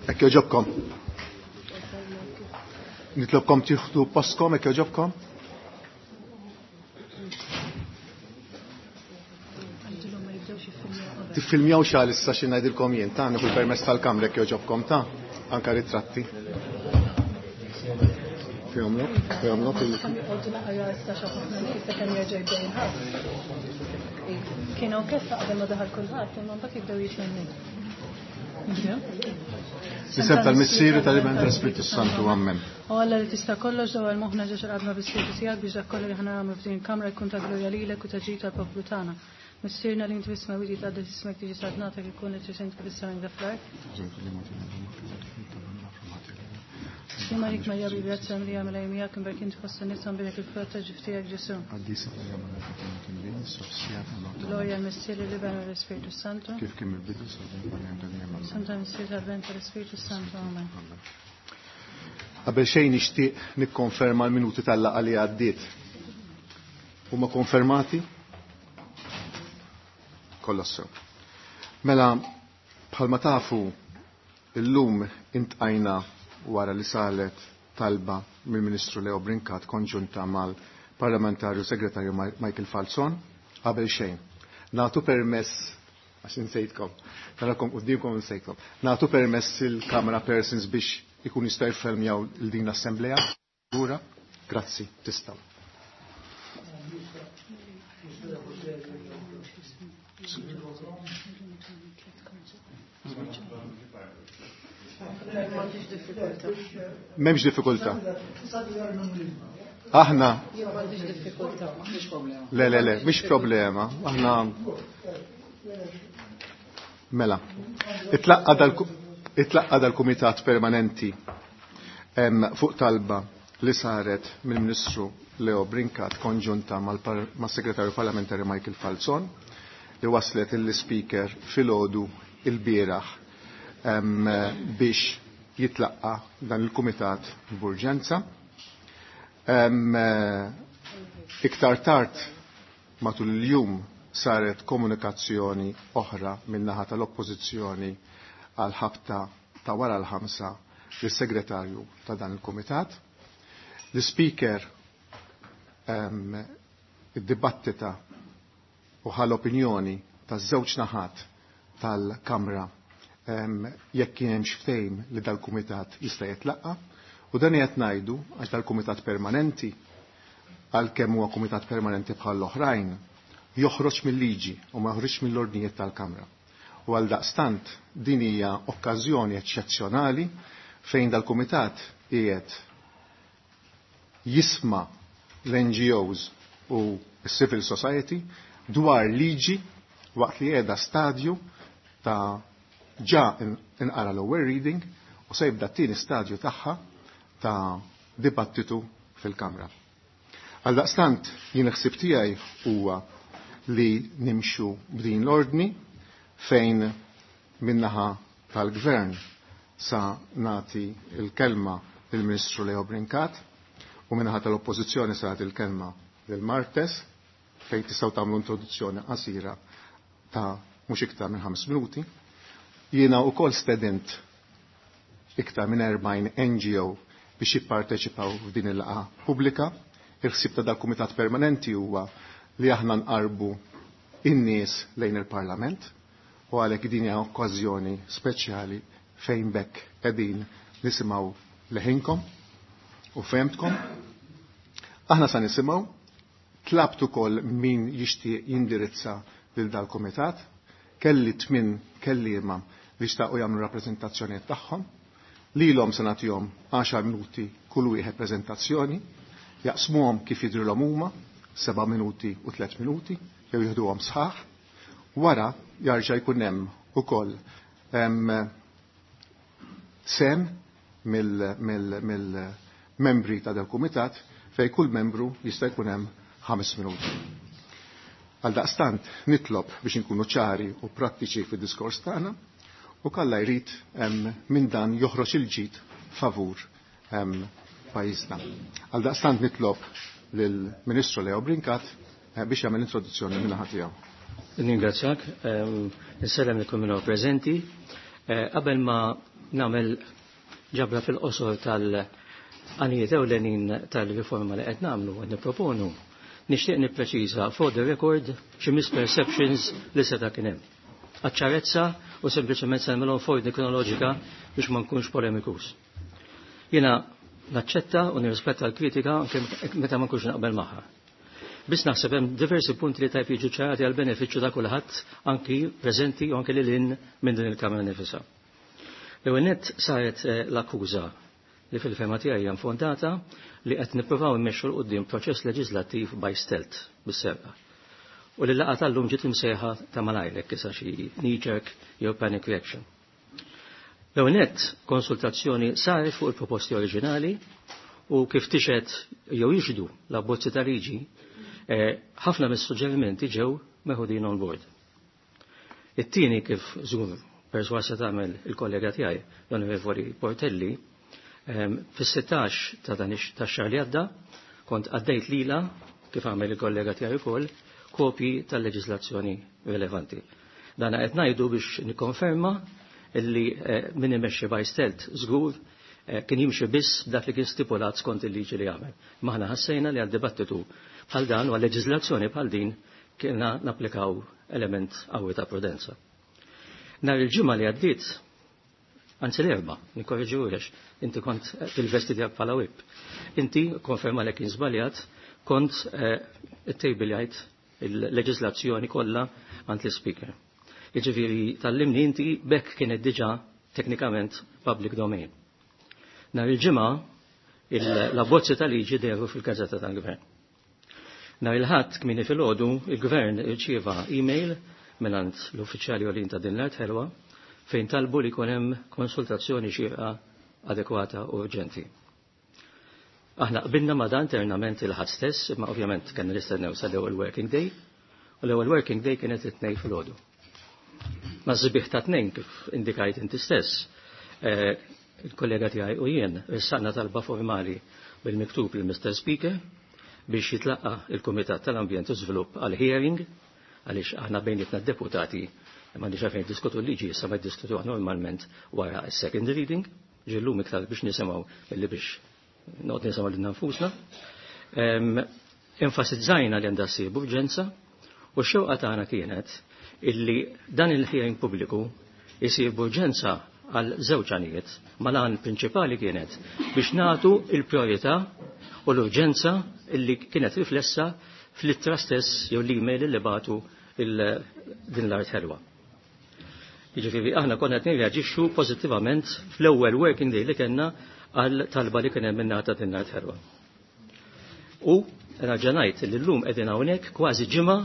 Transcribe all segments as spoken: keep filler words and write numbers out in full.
Hekk jogħġobkom. Nitlobkom tieħdu postkom hekk jogħġobkom. Tiffilmjaw xal issa xi ngħidilkom jien ta' nieħu l-permess tal-kamra hekk jogħġobkom ta' anka ritratti. Fihomlok, fihomlok il- Kienu kif qabel ma daħal kulħadd, imma mbagħad jibdew jiġu. L-isem tal-Missier, tal-Iben, tal-Spiritu Santu, ammen. O Alla li tista' kollox dawwal moħħna ġo x'qadma bis-Spiritu tiegħek biex dak kollu li ħana nagħmlu f'din il-kamra jkun ta' glorja lilek u ta' ġid tal-poplu tagħna. Missierna li inti fis-smewwiet jitqaddes ismek, tiġi saltnatek, ikun li trid inti fis-sema fl-art. Sliem għalik Marija bil-grazzja mimlija Mulej miegħek, imberk inti fost in-nisa, mbierek il-frott ta' ġuf tiegħek Ġesù. Glorja l-Missier, l-Iben u l-Ispiritu Santu. Kif kien mill-bidu sa dejjem dejjem. Santa Missier tal-Ben tal-Ispiritu Santu. Amen. Qabel xejn nixtieq nikkonferma l-minuti tal-laqgħa li għaddiet. Huma konfermati? Kollha sew. Mela, bħalma tafu, illum intqajna wara li salet talba mill-Ministru Leo Brincat konġunta mal-Parlamentarju Segretarju Michael Falzon. Qabel xejn. Nagħtu permess, għax insejtkom, narakom qudiemkom insejtkom. Nagħtu permess il-camera persons biex ikun jista' jiffilmjaw il din l-assemblea. Lura, grazzi, tistgħu. M'hemmx diffikultà. Aħna. Le, le, le, mhix problema. Aħna. Mela. Itlaqqa dal dal-Kumitat Permanenti fuq talba li saret mill-Ministru Leo Brincat konġunta mal-Segretarju Parlamentari Michael Falzon li waslet il-Speaker filgħodu il-bieraħ biex jitlaqqa dan il-Kumitat b'urġenza. Iktar tard matul il-jum saret komunikazzjoni oħra min-naħa tal-Oppożizzjoni għal ħabta ta' wara l-ħamsa lis-segretarju ta' dan il-Kumitat. L-Speaker id-dibattita u ħal opinjoni taż-żewġ naħat tal-Kamra jekk kien hemm ftehim li dal-Kumitat jista' jitlaqqa, u dan qed ngħidu għax dal-Kumitat Permanenti, għalkemm huwa kumitat permanenti bħal l-oħrajn, joħroġ mill-liġi u ma joħroġ mill-ordnijiet tal-Kamra. U għal daqstant din hija okkażjoni eċċezzjonali fejn dal-Kumitat qiegħed jisma' l-N G Os u s-Civil Society dwar liġi waqt li qiegħda stadju ta' ġa inqara l-ewwel reading u se jibda t-tieni stadju tagħha ta' dibattitu fil-Kamra. Għaldaqstant jien ħsieb tiegħi huwa li nimxu b'din l-ordni fejn minnaħa tal-Gvern sa nagħti l-kelma lill-Ministru Leo Brincat u minnaħa tal-Oppożizzjoni sa nagħti l-kelma lil Martes fejn tistgħu tagħmlu introduzzjoni qasira ta' mhux iktar minn ħames minuti. Jiena wkoll stedint iktar minn erbgħin N G O biex jipparteċipaw f'din il-laqgħa pubblika. Il-ħsieb ta' dal-Kumitat Permanenti huwa li aħna nqarbu in-nies lejn il-Parlament u għalhekk din hija okkażjoni speċjali fejn bekk qegħdin nisimgħu leħinkom u fehmtkom. Aħna sa nisimgħu, tlabt ukoll min jixtieq jindirizza lil dal-Kumitat, kelli tmien kelliema li xtaqu jagħmlu rappreżentazzjonijiet tagħhom, lilhom se nagħtihom għaxar minuti kull wieħed preżentazzjoni, jaqsmuhom kif jidhrilhom huma, seba' minuti u tliet minuti, jew jieħduhom sħaħ. Wara jarġa' jkun hemm ukoll sem mill-membri ta' dal-kumitat fejn kull membru jista' jkun hemm ħames minuti. Għaldaqstant nitlob biex inkunu ċari u prattiċi fid-diskors tagħna u kalla jrid minn dan joħroġ il-ġid favur pajjiżna. Għaldaqstant nitlob lill-Ministru Leo Brincat biex jagħmel introduzzjoni minn naħa tiegħu. Ningrazzjak, insellem li kull min huwa preżenti. Qabel ma nagħmel ġabra fil-qosor tal-għanijiet ewlenin tal-riforma li qed nagħmlu qed nipproponu, nixtieq nippreċiża for the record xi misperceptions li seta' kien hemm. Għaċ-ċarezza u sempliċement se nagħmilhom f'ordni kronoloġika biex ma nkunx polemikus. Jiena naċċetta u nirrispetta l-kritika anke meta ma nkunx naqbel magħha. Biss naħseb hemm diversi punti li tajb jiġu ċarati għal benefiċċju ta' kulħadd anki preżenti u anke lil hinn minn din il-Kamra nifisha. L-ewwel nett saret l-akkuża li fil-fema tiegħi hija infondata li qed nippruvaw immexxu 'l quddiem proċess leġislattiv by stealth bis-serqa. U li laqgħa tal-lum ġiet imsejħa ta' malajrek issa xi knee jerk jew panic reaction. L-ewwel nett konsultazzjoni saret fuq il-proposti oriġinali u kif tixhed jew jixhdu l-abbozzi ta' liġi ħafna mis-suġġerimenti ġew meħudin on board. It-tieni kif żgur perswasa tagħmel il-kollega tiegħi l-Onorevoli Portelli, fis-sittax ta' dan tax-xahar li għadda kont għaddejt lila kif għamel il-kollega tiegħi wkoll kopji tal-leġislazzjoni rilevanti. Dan qed ngħidu biex nikkonferma illi min imexxi by stealth żgur kien jimxi biss dak li kien stipulat skont il-liġi li għamel. Maħna ħassejna li għad-dibattitu bħal dan u għal-leġiżlazzjoni bħal din kienna napplikaw element qawwi ta' prudenza. Nhar il-ġimgħa li għaddiet, anzi l-erba, nikkorreġi għax inti kont fil-vesti tiegħek bħala whip. Inti konferma li kien żbaljat, kont ittejbiljajt il-leġiżlazzjoni kollha għand l-speaker. Jiġifieri tallimni inti bekk kienet diġà teknikament public domain. Nhar il-ġimgħa l-abbozzi tal-liġi dehru fil-gazzetta tal-Gvern. Nhar il-Ħadd kmieni filgħodu il-Gvern irċieva email mingħand l-uffiċjali għolin ta' din l-art ħelwa fejn talbu li jkun hemm konsultazzjoni xierqa adekwata u urġenti. Aħna qbilna ma' dan internament il-Ħadd stess, imma ovvjament kellna nistennew sal-ewwel working day, u l-ewwel working day kienet it-tnejn filgħodu. Ma' żbieħ ta' tnejn kif indikajt inti stess, il-kollega tiegħi u jien ressaqna talba formali bil-miktub lil Mister Speaker biex jitlaqqa il-Kumitat tal-Ambjent u Żvilupp għal hearing għaliex aħna bejnietna d-deputati m'għandix għalfejn diskutu l-liġi issa ma jdiskutuha normalment wara s-second reading, ġillum iktar biex nisimgħu illi biex noqgħod nisimgħu lilna nfusna. Enfasizzajna li għandha ssir b'urġenza u x-xewqa tagħna kienet illi dan il-hearing pubbliku jsir b'urġenza għal żewġ għanijiet, ma l-għan prinċipali kienet biex nagħtu il-priorità u l-urġenza illi kienet riflessa fl-ittra stess jew l-email li bagħtu din l-art ħelwa. Jiġifieri aħna konna qed nirreaġixxu pożittivament fl-ewwel working day li kellna għal talba li kien hemm minnata din l-art ħelwa. U nerġa' ngħid li llum qegħdin hawnhekk kważi ġimgħa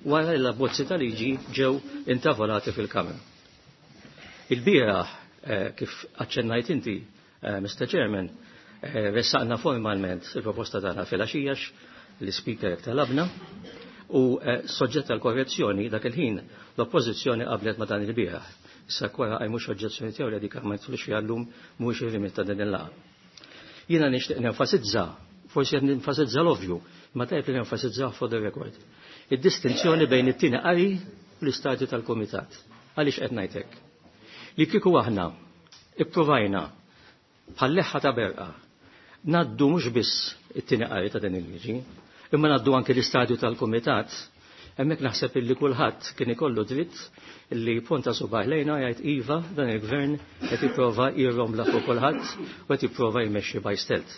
wara li l-abbozzi ta' liġi ġew intavolati fil-Kamra. Il-bieraħ kif aċċennajt inti, Mister Chairman, ressaqna formalment il-proposta tagħna fil-għaxija l-Speaker talabna u soġġett għal korrezzjoni dak il-ħin l-Oppożizzjoni qablet ma' dan il-bieraħ. Issa kwara qajmux oġġezzjoni tiegħu li dik ma jidħlux fiha llum mhuwiex ir-rimit ta' din il-laqgħa. Jiena nixtieq nenfasizza, forsi qed nenfasizza l-ovvju, ma tajb li nenfasizza for the record. Id-distinzjoni bejn it-tieni qari u l-istadju tal-kumitat. Għaliex qed ngħid hekk? Li kieku aħna ippruvajna bħal-leħħa ta' berqa naddu mhux biss it-tieni qari ta' din il-liġi, imma naddu anke l-istadju tal-kumitat, hemmhekk naħseb illi kulħadd kien ikollu dritt illi ponta subgħajh lejna jgħid iva dan il-gvern qed jipprova jirrombla fuq kulħadd u qed jipprova jmexxi by stealth.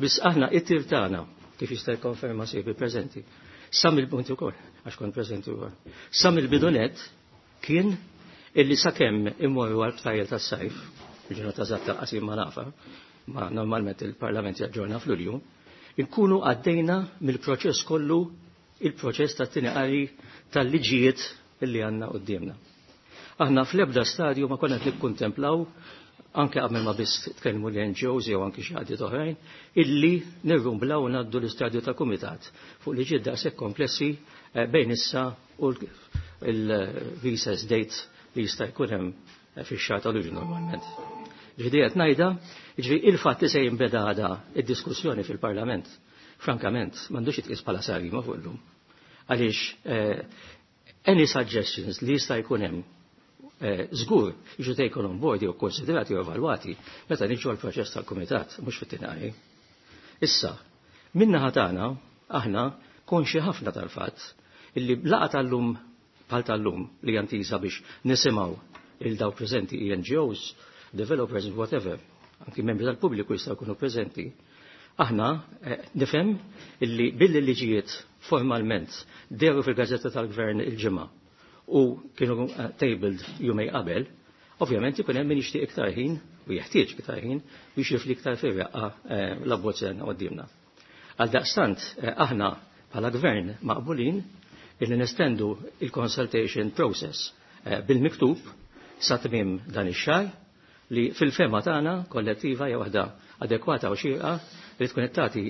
Biss aħna it-tir tagħna kif jista' jikkonferma sieħbi preżenti. Sa mill-punti wkoll, għax kont preżenti wkoll. Sa mill-bidunet kien illi sakemm immorru għal btajjel tas-sajf, il-ġurnata eżatta qasim ma nafa, ma normalment il-Parlament jaġġorna f'Lulju, inkunu għaddejna mill-proċess kollu il-proċess tat-tieni qari tal-liġijiet illi għandna quddiemna. Aħna fl-ebda stadju ma konna qed nikkuntemplaw anke qabel ma biss tkellmu l-N G Os jew anke xi għadiet oħrajn, illi nirrumblaw u ngħaddu l-istadju ta' kumitat fuq liġijiet daqshekk komplessi bejn issa u l-recess date li jista' jkun hemm fix-xahar ta' Lulju normalment. Ġifieri qed ngħidha, ġifieri il-fatt li se jinbeda għada id-diskussjoni fil-Parlament, frankament, m'għandux jitqies bħala sarima fuq illum. Għaliex any suggestions li jista' jkun hemm żgur jiġu taken on board jew konsiderati u evalwati meta niġu għall-proċess tal-kumitat, mhux fit-tieni. Issa, min-naħa tagħna aħna konxi ħafna tal-fatt illi laqgħa tal-lum bħal tal-lum li jantisa biex nisimgħu il daw preżenti N G Os, developers, whatever, anki membri tal-pubbliku jistgħu jkunu preżenti. Aħna nifhem illi billi liġijiet formalment deru fil-Gazzetta tal-Gvern il-ġimgħa u kienu tabled jumej qabel, ovvjament ikun hemm min jixtieq iktar ħin u jeħtieġ iktar ħin biex jifli iktar fir-raqqa l-abbozz li għandna quddiemna. Għaldaqstant aħna bħala gvern maqbulin illi nestendu il-consultation process bil-miktub sa tmiem dan ix-xahar li fil-fema tagħna kollettiva hija waħda adekwata u xierqa li tkun qed tagħti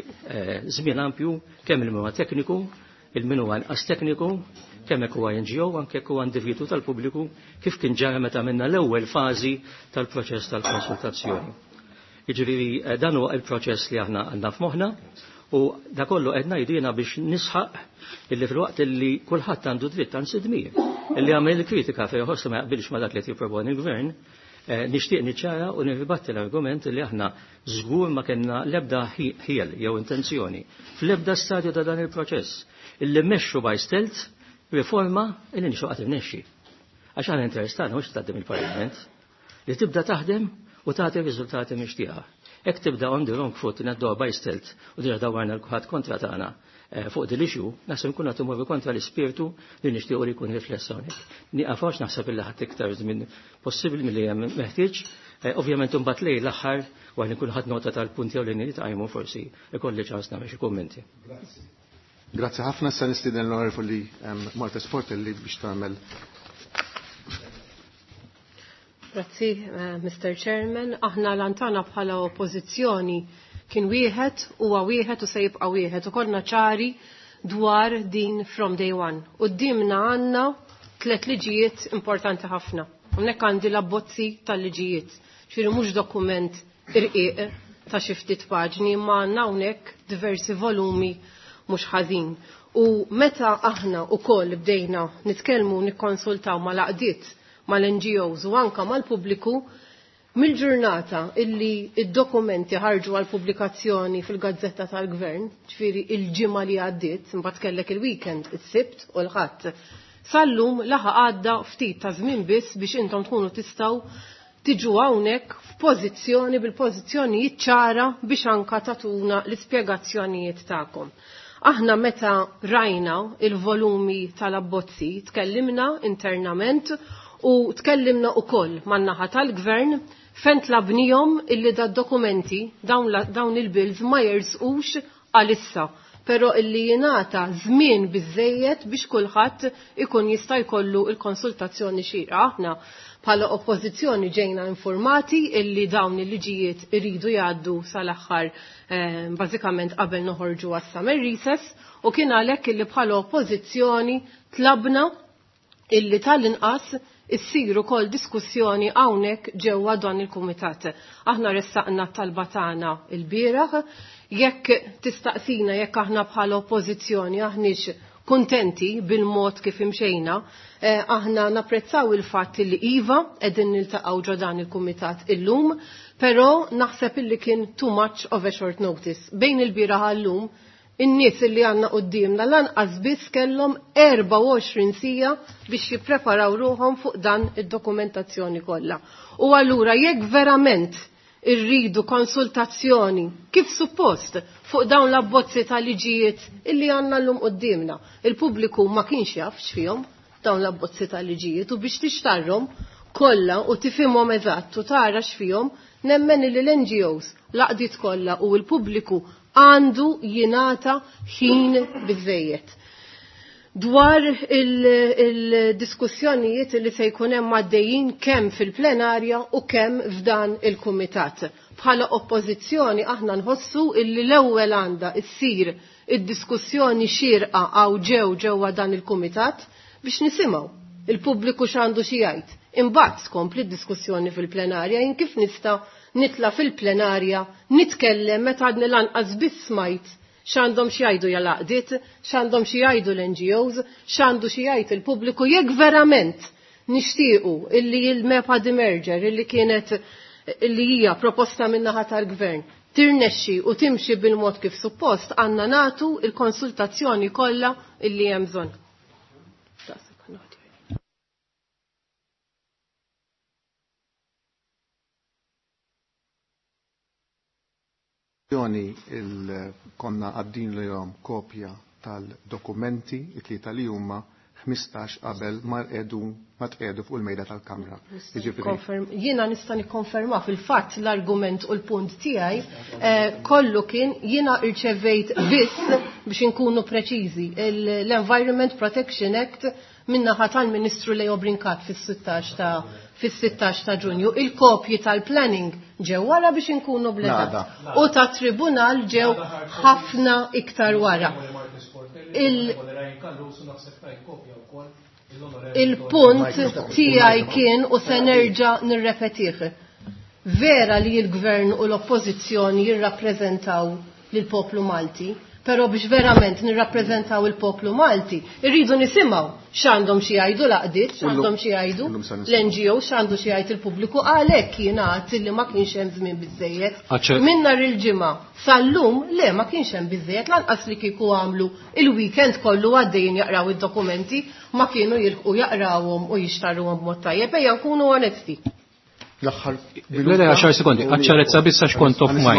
żmien ampju kemm il huwa tekniku, il-min huwa inqas tekniku, kemm hekk huwa N G O, anke hekk huwa individwu tal-pubbliku kif kien ġara meta għamilna l-ewwel fażi tal-proċess tal-konsultazzjoni. Jiġifieri dan huwa il-proċess li aħna għandna f'moħħna u da kollu qed ngħidina biex nisħaq illi fil-waqt illi kulħadd għandu dritt anzi dmir illi għamel kritika fejn iħoss ma jaqbilx ma dak li qed jipproponi l-gvern, nixtieq niċċara u nirribatti l-argument li aħna żgur ma kellna l-ebda ħiel jew intenzjoni fl-ebda stadju ta' dan il-proċess illi mmexxu by stealth riforma illi nixtieq qatt irnexxi. Għax aħna interess tagħna mhux taqdim il-Parlament li tibda taħdem u tagħti riżultati mixtieqa. Hekk tibda on the wrong foot ngħadduha by stealth u diġà dawwarna l-kulħadd kontra tagħna fuq din l-issue, naħseb nkunu qed imorru kontra l-ispirtu li nixtiequ li jkun rifless hawnhekk. Nieqaf għax naħseb illi ħadd iktar żmien possibbli milli hemm meħtieġ. Ovvjament imbagħad lejn l-aħħar wara li nkun ħadd nota tal-punti jew li nitqajmu forsi ikolli ċans nagħmel xi kummenti. Grazzi. Grazzi ħafna. Sa nistieden l-Onorevoli Marta Sportelli biex tagħmel. Grazzi, Mister Chairman. Aħna lantana bħala oppożizzjoni kien wieħed, huwa wieħed u se jibqa' wieħed u konna ċari dwar din from day one. Qudiemna għandna tliet liġijiet importanti ħafna. Hawnhekk għandi l-abbozzi tal-liġijiet. Ġifieri mhux dokument irqiq ta' xi ftit paġni, imma għandna hawnhekk diversi volumi mhux ħażin. U meta aħna wkoll bdejna nitkellmu nikkonsultaw mal-għaqdiet, mal-N G Os u anka mal-pubbliku, mill-ġurnata illi id-dokumenti ħarġu għal pubblikazzjoni fil-Gazzetta tal-Gvern, ġifieri il-ġimgħa li għaddiet, imbagħad kellek il-weekend, is-Sibt u l-Ħadd. Sallum laħaq għadda ftit ta' żmien biss biex intom tkunu tistgħu tiġu hawnhekk f'pożizzjoni bil-pożizzjonijiet ċara biex anka tatuna l-ispjegazzjonijiet tagħkom. Aħna meta rajna il-volumi tal-abbozzi, tkellimna internament u tkellimna ukoll man-naħa tal-Gvern fejn tlabnihom illi da dokumenti dawn, dawn il-bills ma jersqux għalissa, però illi jingħata żmien biżejjed biex kulħadd ikun jista' jkollu l-konsultazzjoni xierqa. Aħna bħala oppożizzjoni ġejna informati illi dawn il-liġijiet iridu jgħaddu sal-aħħar eh, bażikament qabel noħorġu għas-summer recess, u kien għalhekk illi bħala oppożizzjoni tlabna illi tal-inqas issir ukoll diskussjoni hawnhekk ġewwa dan il-kumitat. Aħna ressaqna t-talba tagħna l-bieraħ, jekk tistaqsina jekk aħna bħala oppożizzjoni aħniex kuntenti bil-mod kif imxejna, eh, aħna napprezzaw il-fatt li iva qegħdin niltaqgħu ġo dan il-kumitat illum, però naħseb illi kien too much of a short notice. Bejn il-bieraħ għallum, in-nies li għandna qudiemna lanqas biss kellhom erbgħa u għoxrin sija biex jippreparaw ruħhom fuq dan id-dokumentazzjoni kollha. U allura jekk verament irridu konsultazzjoni kif suppost fuq dawn l-abbozzi ta' liġijiet illi għandna llum quddiemna, il-pubbliku ma kienx jaf x'fihom dawn l-abbozzi ta' liġijiet u biex tixtarhom kollha u tifhimhom eżatt u tara x'fihom, nemmen li l-N G Os, l-għaqdiet kollha u l-pubbliku għandu jingħata ħin biżejjed. Dwar il-diskussjonijiet li se jkun hemm għaddejjin kemm fil-plenarja u kemm f'dan il-kumitat. Bħala oppożizzjoni aħna nħossu illi l-ewwel għandha ssir id-diskussjoni xierqa għaw ġew ġewwa dan il-kumitat biex nisimgħu il-pubbliku x'għandu xi jgħid. Imbagħad tkompli d-diskussjoni fil-plenarja jien kif nista' nitla' fil-plenarja nitkellem meta għadni lanqas biss smajt x'għandhom xi jgħidu jalaqdiet, x'għandhom xi jgħidu l-N G Os, x'għandu xi jgħid il-pubbliku, jekk verament nixtiequ illi il-MEPA demerger illi kienet illi hija proposta min-naħa tal-gvern tirnexxi u timxi bil-mod kif suppost, għandna nagħtu il-konsultazzjoni kollha illi hemm bżonn. Konna għaddin l-jom kopja tal-dokumenti it-tlieta li huma ħmistax qabel ma rqedu ma tqedu fuq il-mejda tal-Kamra. Jiena nista' nikkonferma fil-fatt l-argument u l-punt tiegħi eh, kollu kien jiena rċevejt biss biex inkunu preċiżi l-Environment Protection Act min-naħa tal-Ministru Leo Brincat fis-sittax ta' fis-sittax ta' Ġunju. Il-kopji tal-planning ġew wara biex inkunu bledat. U ta' tribunal ġew ħafna iktar wara. Il- Il-punt tiegħi kien u se nerġa' nirrepetih. Vera li l-gvern u l-oppożizzjoni jirrappreżentaw lill-poplu Malti, però biex verament nirrappreżentaw il-poplu Malti, irridu nisimgħu x'għandhom xi jgħidu l-għaqdiet, x'għandhom xi jgħidu l-N G O, x'għandu xi jgħid il-pubbliku, għalhekk jingħad li ma kienx hemm żmien biżejjed. Minn nhar il-ġimgħa sal-lum le ma kienx hemm biżejjed, lanqas li kieku għamlu il-weekend kollu għaddejjin jaqraw id-dokumenti, ma kienu jilħqu jaqrawhom u jixtarruhom b'mod tajjeb, ejja nkunu onesti. L-aħħar Le, le, għaxar sekondi, għaċċarezza biss għax kont off mic.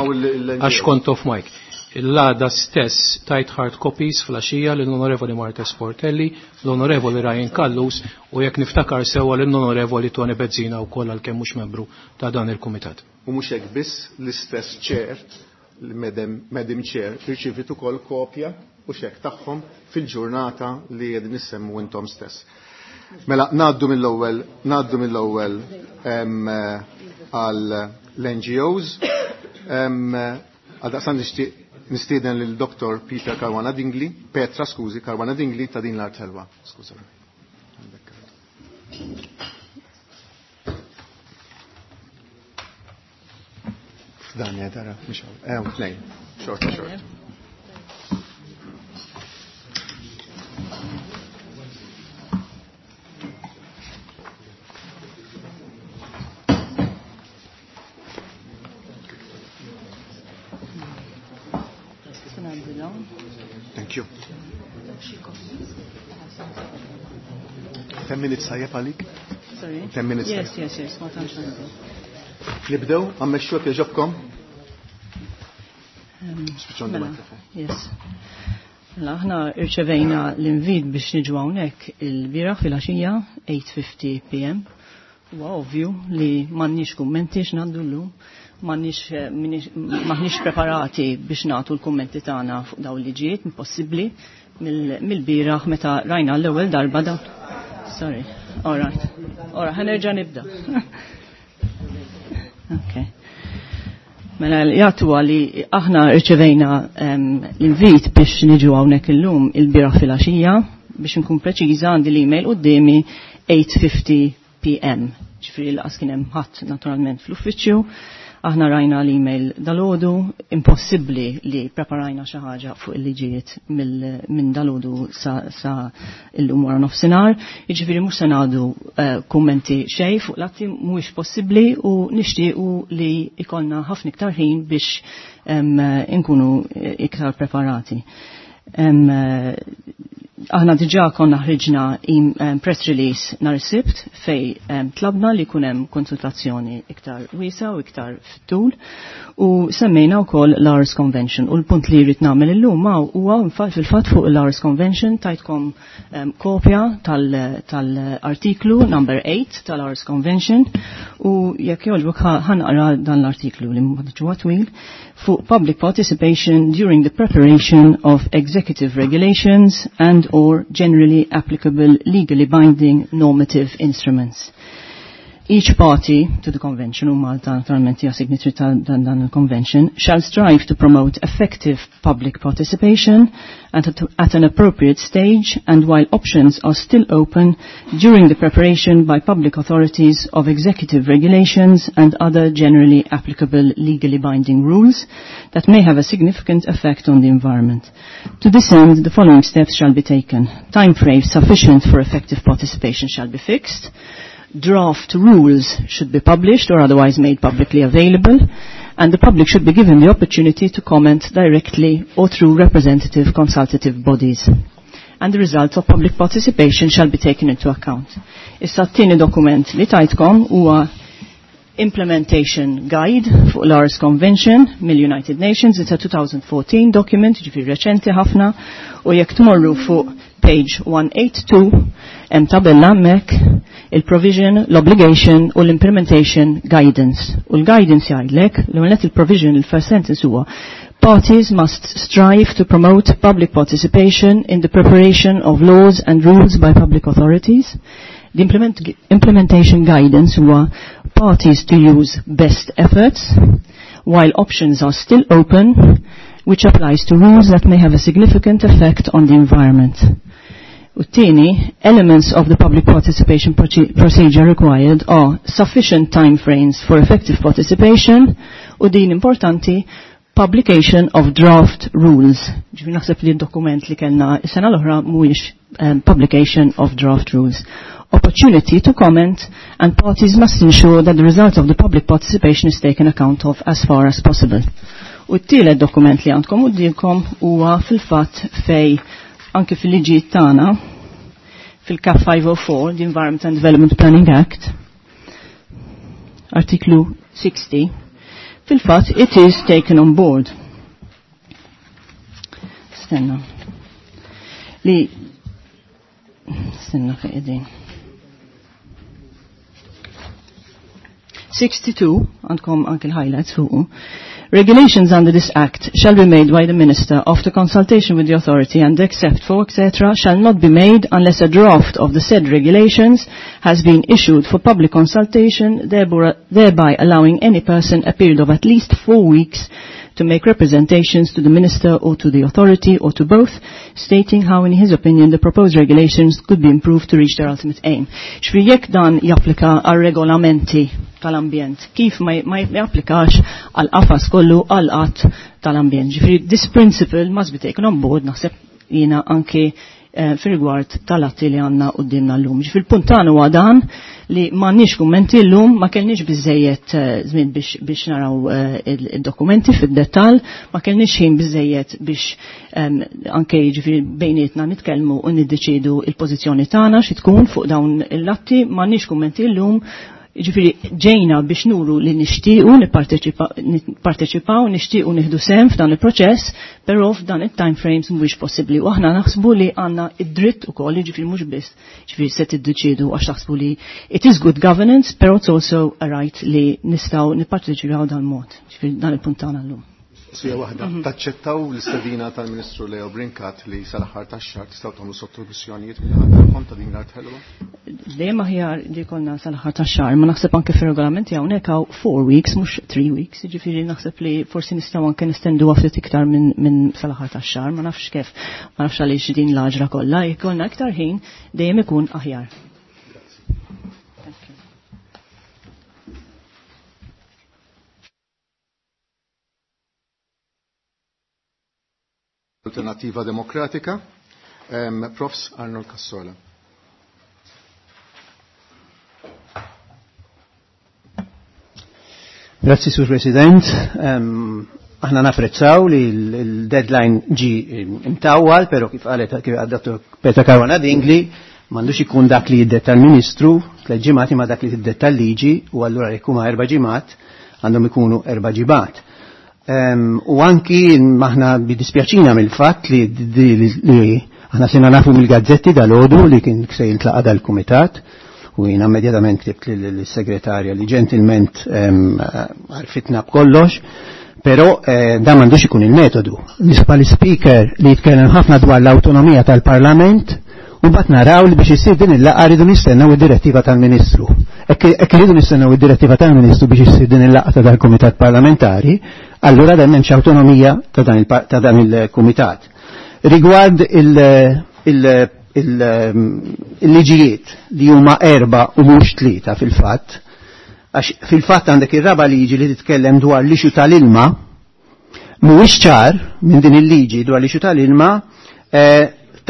Għax kont off mic. L-għada stess tajt hard copies fl-għaxija l-Onorevoli Marta Sportelli, l-Onorevoli Ryan Callus u jekk niftakar sewwa l-Onorevoli Tony Bezzina u koll għalkemm mhux membru ta' dan il-kumitat. U mhux hekk biss l-istess chair, l-Madam Chair, irċivit ukoll kopja u xek tagħhom fil-ġurnata li qegħdin nissemmu intom stess. Mela ngħaddu mill-ewwel, ngħaddu mill-ewwel għal l-N G Os. Għal daqstant nixtieq nistieden lil Doktor Peter Caruana Dingli, Petra, skużi, Caruana Dingli ta' din l-art ħelwa. Skuża. F'dan ja tara, mhux hawn. Eh, tnejn. Xorta, xorta. Thank you. Ten minutes tajjeb għalik? Sorry? Ten minutes. Yes, yes, yes, ma tantx għandi. Nibdew, għammexxu jekk jogħġobkom. Um, Spiċċaw mela, mikrofon. Yes. Mela, aħna irċevejna l-invit biex niġu hawnhekk il-bieraħ fil-għaxija eight fifty P M. Huwa ovvju li m'għandniex kummenti x'ngħaddu llum, m'għandniex, minix, m'aħniex preparati biex nagħtu l-kummenti tagħna fuq dawn liġijiet, impossibbli mill-bieraħ meta rajna l-ewwel darba dawn. Sorry. All right. All right, ħanerġa' nibda. Okay. Mela jagħtu li aħna rċevejna, em, l-invit biex niġu hawnhekk illum il-bieraħ fil-għaxija, biex nkun preċiża għandi l-email quddiemi eight fifty P M. Ġifieri laqas kien hemm ħadd naturalment fl-uffiċċju. Aħna rajna l-email dalodu, impossibbli li preparajna xi ħaġa fuq il-liġijiet minn dalodu sa, sa illum wara nofsinhar. Jiġifieri mhux se ngħadu, eh, kummenti xejn fuq l-atti, mhuwiex possibbli u nixtiequ li ikollna ħafna iktar ħin biex, em, inkunu iktar preparati. Em, aħna diġà konna ħriġna im-, em, press release nhar is-Sibt fej, em, tlabna li jkun hemm konsultazzjoni iktar wiesa u iktar fit-tul u semmejna wkoll l-Aarhus Convention. U l-punt li jrid nagħmel illum hawn huwa fil-fatt fuq l-Aarhus Convention tajtkom, em, kopja tal-, tal-artiklu number eight tal-Aarhus Convention u jekk jogħġbok ħa-, ħanqra dan l-artiklu li ma huwa twil fuq public participation during the preparation of executive regulations and or generally applicable legally binding normative instruments. Each party to the convention, u Malta naturalment hija signatory ta' dan, dan il-convention, shall strive to promote effective public participation at, a, at an appropriate stage and while options are still open during the preparation by public authorities of executive regulations and other generally applicable legally binding rules that may have a significant effect on the environment. To this end, the following steps shall be taken. Time frames sufficient for effective participation shall be fixed. Draft rules should be published or otherwise made publicly available, and the public should be given the opportunity to comment directly or through representative consultative bodies. And the results of public participation shall be taken into account. Issa t-tieni dokument li tajtkom huwa Implementation Guide fuq l-Aarhus Convention mill-United Nations. It's a twenty fourteen document, ġifieri reċenti ħafna, u jekk tmorru fuq page one eighty-two hemm tabella hemmhekk il-provision, l-obligation u l-implementation guidance. U l-guidance jgħidlek, l-għonet il-provision, il-first sentence huwa parties must strive to promote public participation in the preparation of laws and rules by public authorities. The implement, implementation guidance huwa parties to use best efforts while options are still open, which applies to rules that may have a significant effect on the environment. U t-tieni, elements of the public participation procedure required are sufficient time frames for effective participation, u din importanti, publication of draft rules. Ġifieri naħseb li d-dokument li kellna is-sena l-oħra mhuwiex um, publication of draft rules. Opportunity to comment, and parties must ensure that the result of the public participation is taken account of as far as possible. U t-tielet dokument li għandkom qudiemkom huwa fil-fatt fej anke fil-liġi tagħna fil-C A P five oh four, the Environment and Development Planning Act, artiklu sixty, fil-fatt it is taken on board. Stenna. Li stenna fejn qegħdin. sixty-two, għandkom anke l-highlights fuqu. Regulations under this Act shall be made by the Minister after consultation with the authority and except for, et cetera, shall not be made unless a draft of the said regulations has been issued for public consultation, thereby allowing any person a period of at least four weeks to make representations to the Minister or to the authority or to both, stating how, in his opinion, the proposed regulations could be improved to reach their ultimate aim. Xfri jekk dan japplika għal regolamenti tal-ambjent, kif ma japplikax għal qafas kollu għal qatt tal-ambjent. Ġifri, this principle must be taken on board, naħseb jina anke eh, fil-rigward tal-atti li għanna qudiemna llum. Ġifri, il-punt tagħna huwa dan li m'għandniex kummenti llum, ma kellniex biżejjed żmien biex, biex naraw id-dokumenti fid-dettall, ma kellniex ħin biżejjed biex um, anke jiġifieri bejnietna nitkellmu u niddeċidu il-pożizzjoni tagħna xi tkun fuq dawn l-atti, m'għandniex kummenti llum. Ġifieri ġejna biex nuru li nixtiequ nipparteċipaw, nixtiequ nieħdu sehem f'dan il-proċess, però f'dan it-time frames mhuwiex possibbli. U aħna naħsbu li għandna id-dritt ukoll, jiġifieri mhux biss, ġifieri se tiddeċiedu għax taħsbu li it is good governance, però it's also a right li nistgħu nipparteċipaw dan mod. Ġifieri dan il-punt tagħna llum. Sija waħda, taċċettaw l-istedina tal-Ministru Leo Brincat li sal-aħħar tax-xahar tistgħu tagħmlu sottomissjonijiet minn ta' din l-art ħelwa? Dejjem aħjar li jkollna sal-aħħar tax-xahar, ma naħseb anke fir-regolamenti hawnhekk hawn four weeks mhux three weeks, jiġifieri naħseb li forsi nistgħu anke nistenduha ftit iktar minn min sal-aħħar tax-xahar, ma nafx kif, ma nafx għaliex din l-għaġra kollha, jkollna iktar ħin dejjem ikun aħjar. Alternativa Demokratika, um, Profs Arnold Cassola. Grazzi, Sur President. Um, aħna napprezzaw li l-deadline ġi imtawwal, pero kif qalet kif għad Petra Caruana Dingli, m'għandux ikun dak li jiddetta l-Ministru, tliet ġimgħat imma dak li jiddetta l-liġi, u allura jekk huma erba' ġimgħat għandhom ikunu erba' ġimgħat. Um, u anki maħna bidispjaċina mill-fatt li, li, li aħna sena nafu mill-gazzetti dal-għodu li kien se jintlaqa dal-kumitat, u jina immedjatament ktibt lill-segretarja li ġentilment għarfitna b'kollox, però eh, dan m'għandux ikun il-metodu. Nisba l-speaker li jitkellem ħafna dwar l-awtonomija tal-Parlament, u mbagħad naraw li biex issir din il-laqgħa rridu nistennew id-direttiva tal-Ministru. Hekk irridu nistennew id-direttiva tal-Ministru biex issir din il-laqgħa ta' dal-Kumitat Parlamentari, allura dan m'hemmx awtonomija ta' dan il-Kumitat. Rigward il-liġijiet li huma erba' u mhux tlieta fil-fatt, għax fil-fatt għandek ir-raba' liġi li titkellem dwar l-ixu tal-ilma, mhuwiex ċar minn din il-liġi dwar l-ixu tal-ilma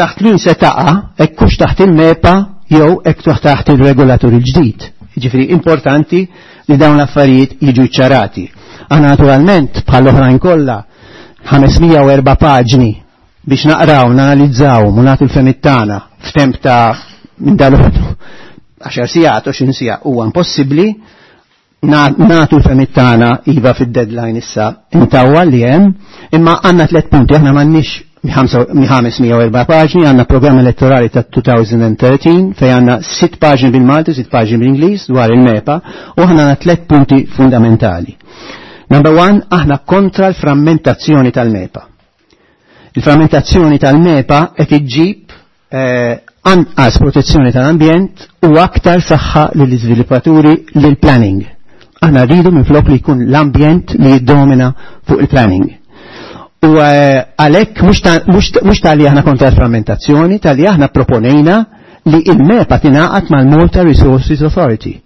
taħt min se taqa', hekk hux taħt il-MEPA jew hekk taħt il-regolatur il-ġdid. Jiġifieri importanti li dawn l-affarijiet jiġu ċarati. Aħna naturalment bħal oħrajn kollha ħames mija u erba' paġni biex naqraw, nanalizzaw, u nagħtu l-fehmiet tagħna f'temp ta' minn dal-għodu għaxar sigħat, għoxrin siegħa huwa impossibbli. Nagħtu l-fehmiet tagħna iva fid-deadline issa intawwa li hemm, imma għandna tliet punti, aħna m'għandniex ħames mija u erba' paġni, għandna programm elettorali ta' elfejn u tlettax fejn għandna sitt paġni bil-Malti, sitt paġni bil-Ingliż dwar il-MEPA, u aħna għandna tliet punti fundamentali. Number one, aħna kontra l-frammentazzjoni tal-MEPA. Il-frammentazzjoni tal-MEPA qed iġġib anqas protezzjoni tal-ambjent u aktar saħħa lill-iżviluppaturi lill-planning. Aħna rridu minflok li jkun l-ambjent li jiddomina fuq il-planning. U għalhekk mhux tal-li aħna kontra l-frammentazzjoni, tal-li aħna proponejna li il-MEPA tingħaqad mal-Malta Resources Authority.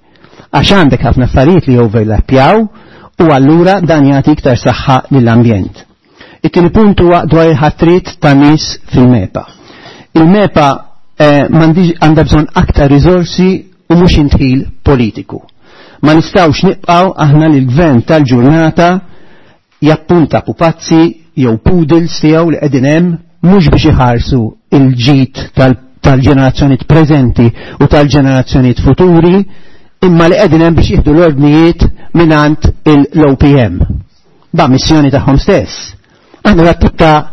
Għax għandek ħafna affarijiet li overlappjaw u allura dan jagħti iktar saħħa lill-ambjent. It-tieni punt huwa dwar il-ħatrit ta' nies fil-MEPA. Il-MEPA għandha bżonn aktar riżorsi u mhux intħil politiku. Ma nistgħux nibqgħu aħna li l-gvern tal-ġurnata jappunta pupazzi jew poodles tiegħu li qegħdin hemm mhux biex iħarsu il-ġid tal-ġenerazzjonijiet preżenti u tal-ġenerazzjonijiet futuri, imma li qegħdin hemm biex jieħdu l-ordnijiet mingħand l-O P M. Ba' missjoni tagħhom stess. Aħna dat tip ta'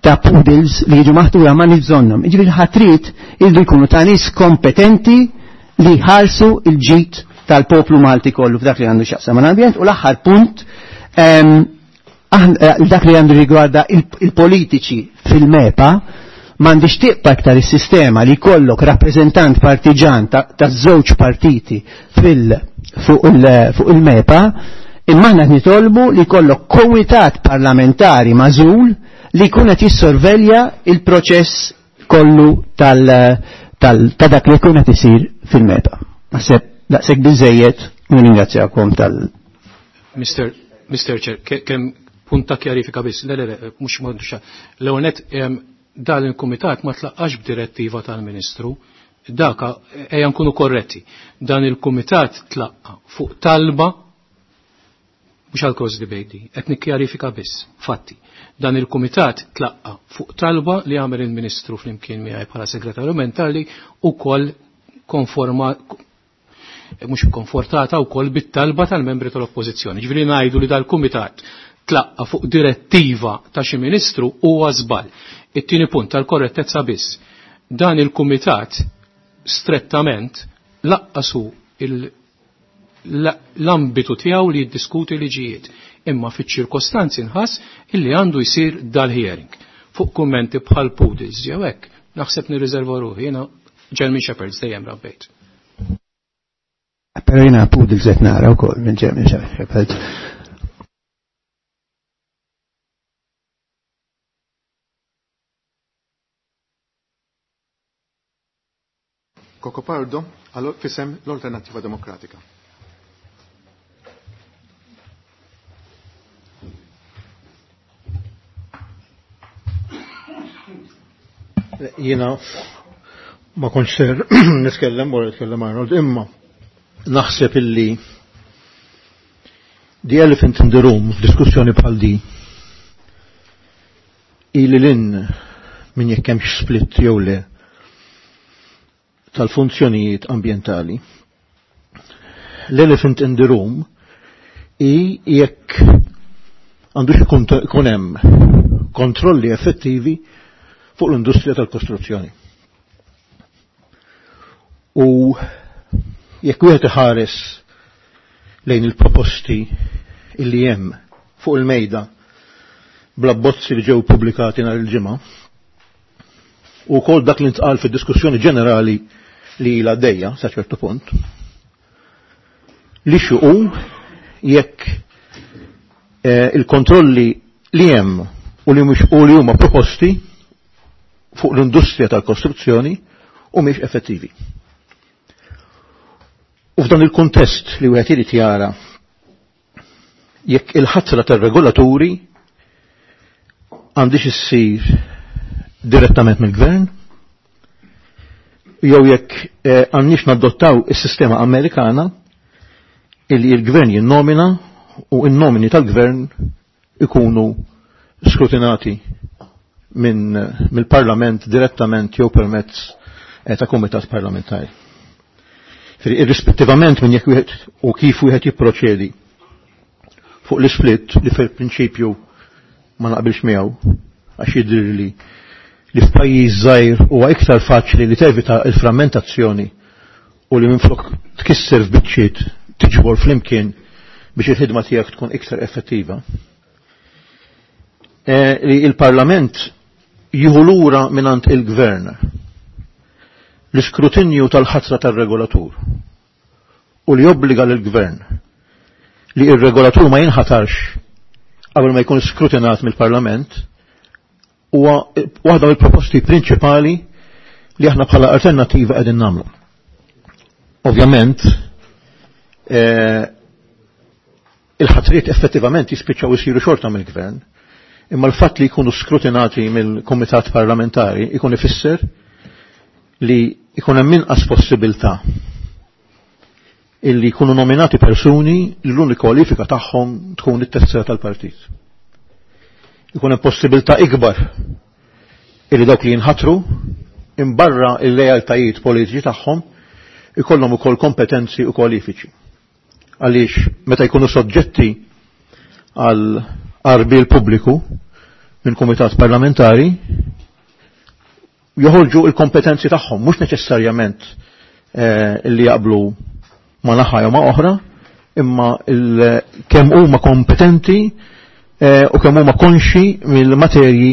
ta' poodles li jiġu maħtura ma nibżonnhom. Jiġifieri ħatrit irridu jkunu ta' nies kompetenti li jħarsu il-ġid tal-poplu Malti kollu f'dak li għandu x'jaqsam mal-ambjent. U l-aħħar punt, dak li għandu rigwarda il-politiċi fil-MEPA, m'għandix tibqa' iktar is-sistema li jkollok rappreżentant partiġan ta' żewġ partiti fuq il-MEPA, imma aħna nitolbu li jkollok komitat parlamentari magħżul li jkun qed jissorvelja il-proċess kollu ta' dak li jkun qed isir fil-MEPA. Naħseb daqshekk biżejjed u nirringrazzjakom tal. Mister Mister Chair, kemm punt ta' kjarifika biss, le le le, mhux m'għandux. L-ewwel nett dan il-kumitat ma tlaqqax b'direttiva tal-Ministru, daka ejja nkunu korretti. Dan il-kumitat tlaqqa fuq talba mhux għal cross debate, qed nikkjarifika biss, fatti. Dan il-kumitat tlaqqa fuq talba li għamel il-Ministru flimkien miegħi bħala segretarju mentali ukoll konforma mhux konfortata wkoll bit-talba tal-membri tal-Oppożizzjoni. Ġifieri ngħidu li dal-kumitat tlaqqa fuq direttiva ta' xi ministru huwa żball. It-tieni punt tal-korrettezza biss. Dan il-kumitat strettament laqqasu l-ambitu tiegħu li jiddiskuti liġijiet, imma fiċ-ċirkostanzi nħass illi għandu jsir dal-hearing. Fuq kummenti bħal poodles jew hekk, naħseb nirriserva ruħi, jiena German Shepherds dejjem rabbejt. Però jiena poodles qed nara wkoll minn German Shepherds. Cocopardo fisem l-Alternattiva Demokratika. Jiena ma kontx ser nitkellem wara jitkellem Arnold, imma naħseb illi the elephant in the room f'diskussjoni bħal di ili lin min jekk hemmx split jew le tal-funzjonijiet ambjentali. L-elephant in the room i jekk għandux ikun hemm kontrolli effettivi fuq l-industrija tal-kostruzzjoni. U jekk wieħed iħares lejn il-proposti illi hemm fuq il-mejda bl-abbozzi li ġew pubblikati nhar il-ġimgħa u wkoll dak li ntqal fid-diskussjoni ġenerali li ilha għaddejja sa ċertu punt, li xuqu jekk il-kontrolli li hemm u li mhux u li huma proposti fuq l-industrija tal-kostruzzjoni u mhix effettivi. U f'dan il-kuntest li wieħed irid jara jekk il-ħatra tar-regolaturi għandix issir direttament mill-gvern, jew jekk eh, għandniex nadottaw is-sistema Amerikana illi il-gvern jinnomina u n-nomini tal-gvern ikunu skrutinati minn mill-parlament direttament jew permezz eh, ta' kumitat parlamentari. Irrispettivament minn jekk wieħed u kif wieħed jipproċedi fuq l-split li fil-prinċipju ma naqbilx miegħu għax jidhirli li f'pajjiż żgħir huwa iktar faċli li tevita l-frammentazzjoni u li minflok tkisser f'biċċiet tiġbor flimkien biex il-ħidma tiegħek tkun iktar effettiva. E, li il-Parlament jieħu lura mingħand il-Gvern l-iskrutinju tal-ħatra tar-regolatur u li jobbliga lill-Gvern li ir-regolatur ma jinħatarx qabel ma jkun skrutinat mill-Parlament huwa waħda mill-proposti prinċipali li aħna bħala alternattiva qegħdin nagħmlu. Ovvjament, eh, il-ħatriet effettivament jispiċċaw isiru xorta mill-gvern, imma l-fatt li jkunu skrutinati mill-kumitat parlamentari ikun ifisser li ikun hemm inqas possibilità illi jkunu nominati persuni li l-unika kwalifika tagħhom tkun it-tessera tal-partit. Ikun hemm possibilità ikbar illi dawk li jinħatru imbarra il-lealtajiet politiċi tagħhom ikollhom ukoll kompetenzi u kwalifiċi. Għaliex meta jkunu soġġetti għal arbil pubbliku minn kumitat parlamentari joħorġu il-kompetenzi tagħhom mhux neċessarjament eh, illi jaqblu ma naħa jew ma oħra, imma kemm huma kompetenti eh, u kemm huma konxi mill-materji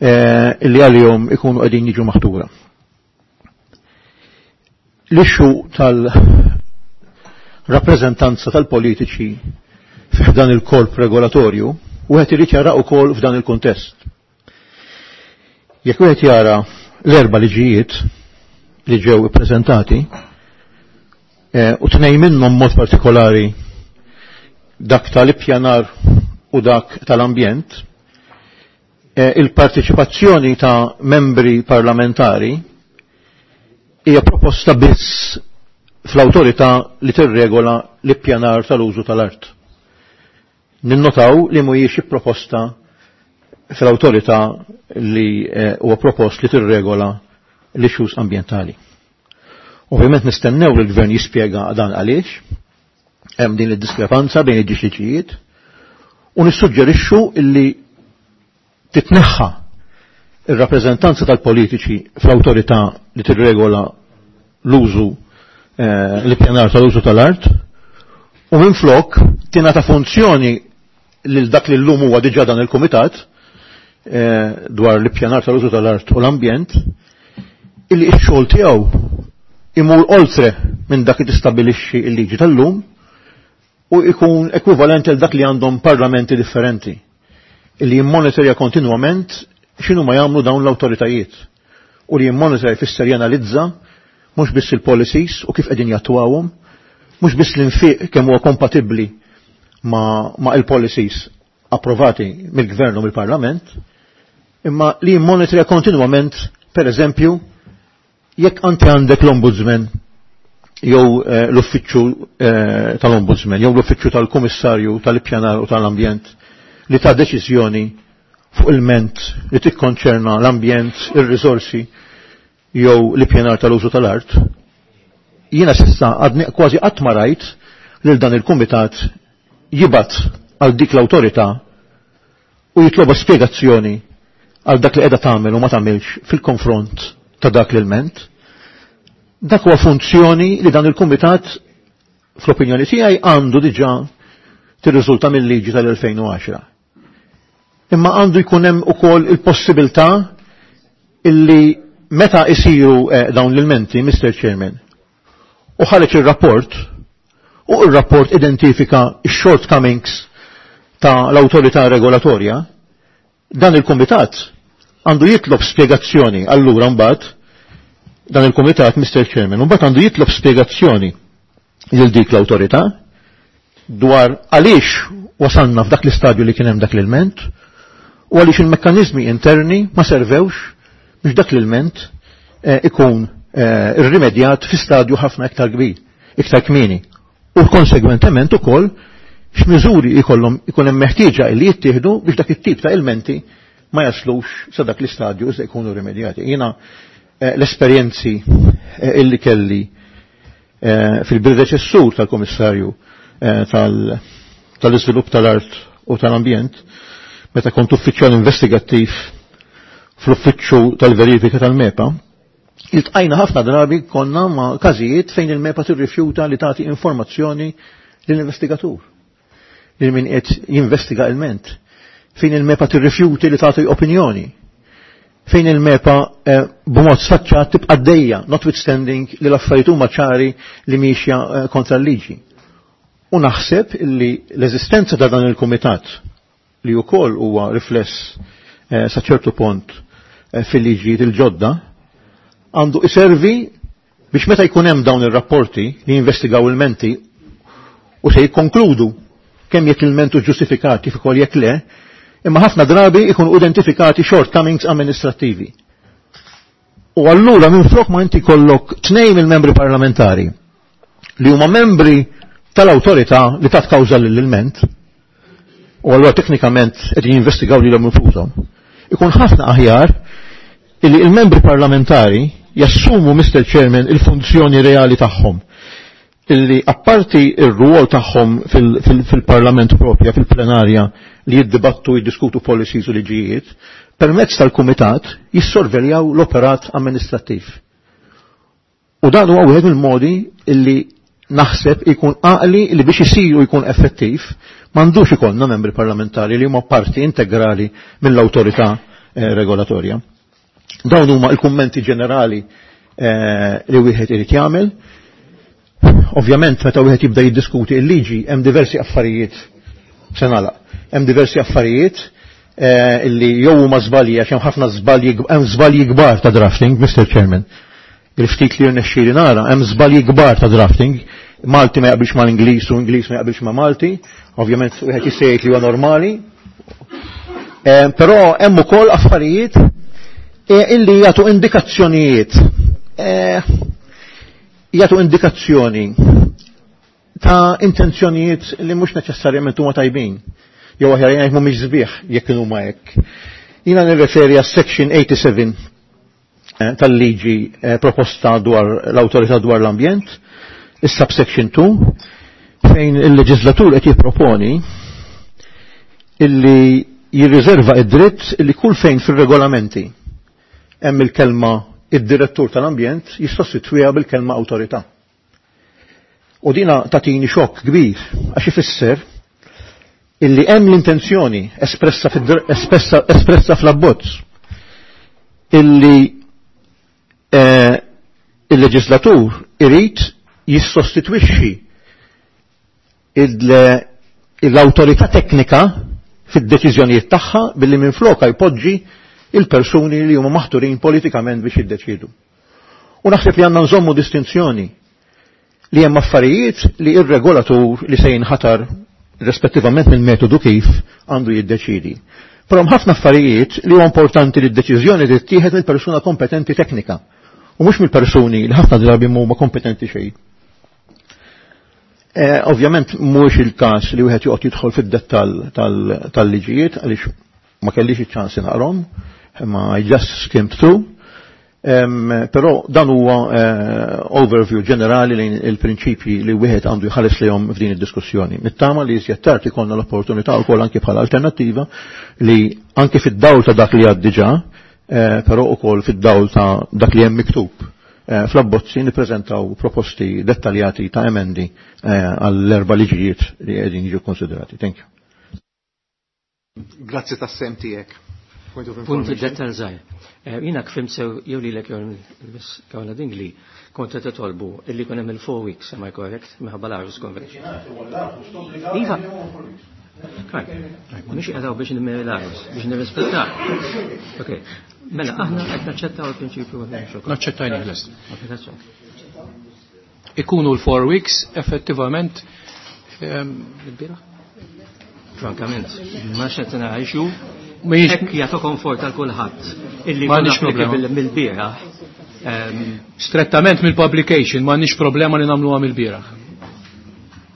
eh, li għalihom ikunu qegħdin jiġu maħtura. L-ixxu tal-rappreżentanza tal-politiċi f'dan il-korp regolatorju wieħed irid jara wkoll f'dan il-kuntest. Jekk wieħed jara l-erba' liġijiet li ġew ippreżentati, eh, u tnejn minnhom mod partikolari dak tal-ippjanar u dak tal-ambjent, eh, il-parteċipazzjoni ta' membri parlamentari hija proposta biss fl-awtorità li tirregola l-ippjanar tal-użu tal-art. Ninnotaw li mhijiex proposta fl-awtorità li eh, huwa propost li tirregola l-issues ambjentali. Ovvjament nistennew li l-gvern jispjega dan għaliex, hemm din id-diskrepanza bejn id-liġijiet, u nissuġġerixxu illi titneħħa ir-rappreżentanza tal-politiċi fl-awtorità li tirregola l-użu eh, l-ippjanar tal-użu tal-art u minflok tingħata funzjoni lil dak li llum huwa diġà dan il-kumitat eh, dwar l-ippjanar tal-użu tal-art u l-ambjent illi x-xogħol tiegħu imur oltre minn dak li tistabilixxi l-liġi tal-lum u ikun ekwivalenti għal dak li għandhom parlamenti differenti illi jimmonitorja kontinwament x'inhu ma jagħmlu dawn l-awtoritajiet u li jimmonitorja jfisser janalizza mhux biss il-policies u kif qegħdin jattwawhom, mhux biss l-infiq kemm huwa kompatibbli ma, ma il-policies approvati mill-gvern u mill-parlament, imma li jimmonitorja kontinwament, per eżempju, jekk anti għandek l-ombudsman jew eh, l-uffiċċju eh, tal-ombudsman jew l-uffiċċju tal-kummissarju tal-ippjanar u tal-ambjent li ta' deċiżjoni fuq il-ment li tikkonċerna l-ambjent, ir-riżorsi jew l-ippjanar tal-użu tal-art, jiena s'issa għadni kważi qatt ma rajt lil dan il-kumitat jibgħat għal dik l-awtorità u jitloba spjegazzjoni għal dak li qiegħda tagħmel u ma tagħmilx fil-konfront ta' dak l-ilment. Dak huwa funzjoni li dan il-kumitat fl-opinjoni tiegħi għandu diġà tirriżulta mill-liġi tal-elfejn u għaxra. Imma għandu jkun hemm ukoll il-possibilità illi meta isiru eh, dawn l-ilmenti, Mister Chairman, u ħareġ ir-rapport, u r-rapport identifika x-shortcomings ta' l-awtorità regolatorja, dan il-kumitat għandu jitlob spjegazzjoni allura mbagħad dan il-kumitat, Mister Chairman, mbagħad għandu jitlob spjegazzjoni lil dik l-awtorità dwar għaliex wasalna f'dak l-istadju li kien hemm dak l-ilment u għaliex il-mekkaniżmi interni ma servewx biex dak l-ilment eh, ikun eh, irrimedjat fi stadju ħafna iktar kbir, iktar kmieni. U konsegwentement ukoll x'miżuri jkollhom ikun hemm meħtieġa li jittieħdu biex dak it-tip ta' ilmenti ma jaslux sa dak l-istadju iżda jkunu rimedjati. Jiena eh, l-esperjenzi eh, illi kelli eh, fil-predeċessur tal-Komissarju tal-iżvilupp tal-art u tal-ambjent, meta kont uffiċjal investigattiv fl-uffiċċju tal-verifika tal-MEPA, iltqajna ħafna drabi konna ma' każijiet fejn il-MEPA tirrifjuta li tagħti informazzjoni lill-investigatur, lil min qed jinvestiga ilment, fejn il-MEPA tirrifjuti li tagħti opinjoni, fejn il-MEPA eh, b'mod sfaċċat tibqa' dejja, notwithstanding li l-affarijiet huma ċari li miexja eh, kontra l-liġi. U naħseb li l-eżistenza ta' dan il-kumitat li wkoll huwa rifless eh, sa ċertu punt eh, fil-liġijiet il-ġodda għandu iservi biex meta jkun hemm dawn ir-rapporti li jinvestigaw il-menti u se jikkonkludu kemm jekk il-mentu ġustifikat kif ukoll jekk le, imma ħafna drabi ikunu identifikati shortcomings amministrattivi. U allura minflok ma inti kollok tnejn mill-membri parlamentari li huma membri tal-awtorità li tat kawża lill-ilment, u allura teknikament qed jinvestigaw lilhom infushom. Ikun ħafna aħjar illi il-membri parlamentari jassumu, Mister Chairman, il-funzjoni reali tagħhom. Illi apparti il-ruol tagħhom fil-parlament propja, fil-plenarja, li jiddibattu, jiddiskutu policies u liġijiet, permezz tal-kumitat jissorveljaw l-operat amministrattiv. U dan huwa wieħed mill-modi illi naħseb ikun għaqli li biex isiru jkun effettiv, m'għandux ikollna membri parlamentari li huma parti integrali mill-awtorità eh, regolatorja. Dawn huma l-kummenti ġenerali eh, li wieħed irid jagħmel. Ovvjament meta wieħed jibda jiddiskuti l-liġi hemm diversi affarijiet se nagħlaq. Hemm diversi affarijiet eh, illi jew huma żbalji għax hemm ħafna żbalji hemm żbalji kbar ta' drafting, Mister Chairman. Il-ftit li rnexxieli nara hemm żbalji kbar ta' drafting. Malti ma jaqbilx mal-Ingliż u Ingliż ma jaqbilx ma' Malti. Ovvjament wieħed jista' jgħid li huwa normali. Eh, però hemm ukoll affarijiet eh, illi jagħtu indikazzjonijiet. Eh, jagħtu indikazzjoni ta' intenzjonijiet li mhux neċessarjament huma tajbin. Jew aħjar jgħid mhumiex sbieħ jekk huma hekk. Jiena nirreferi għas section eighty-seven tal-liġi proposta dwar l-awtorità dwar l-ambjent, is-subsection two, fejn il-leġislatur qed jipproponi illi jirriserva id-dritt illi kull fejn fir-regolamenti hemm il-kelma id-direttur tal-ambjent jissostitwiha bil-kelma awtorità. U dina tatini xokk kbir għax ifisser illi hemm l-intenzjoni espressa espressa, espressa fl-abbozz illi eh, il-leġislatur irid jissostitwixxi l-awtorità teknika fid-deċiżjonijiet tagħha billi minfloka jpoġġi il-persuni li huma maħturin politikament biex jiddeċidu. U naħseb li għandna nżommu distinzjoni li hemm affarijiet li ir-regolatur li se jinħatar rispettivament mill-metodu kif għandu jiddeċidi. Però hemm ħafna affarijiet li huwa importanti li d-deċiżjoni tittieħed mill-persuna kompetenti teknika u mhux mill-persuni li ħafna drabi huma kompetenti xejn. Eh, ovvjament mhuwiex il-każ li wieħed joqgħod jidħol fid-dettall tal-liġijiet għaliex ma kellix iċ-ċans naqrom, imma I just skimmed through. Um, però dan huwa uh, overview ġenerali lejn il-prinċipji li wieħed għandu jħares lejhom f'din id-diskussjoni. Nittama li iżjed tard ikollna l-opportunità wkoll anke bħala alternattiva li anke fid-dawl ta' dak li għad diġà, eh, però ukoll fid-dawl ta' dak li hemm miktub eh, fl-abbozzi nippreżentaw proposti dettaljati ta' emendi għall-erba' liġijiet li qegħdin jiġu konsiderati. Thank you. Grazzi tas-sem tiegħek. Punti dettal żgħir. Jiena kfim sew jew lilek jew Kawla Dingli kont qed titolbu illi jkun hemm il-four weeks, am I correct? Minħabba l-Aarhus Convention. Iva. Mhux qed biex l-Aarhus, biex nirrispettaw. Ok. Mela aħna qed naċċettaw il-prinċipju. Naċċettajni lest. Ikunu l-four weeks effettivament il-bieraħ? Frankament, ma xed ngħixu. Hekk jagħtu komfort għal kulħadd illi m'għandix problema mill-bieraħ. Ehm, Strettament mill-publication, m'għandniex problema li nagħmluha mill-bieraħ.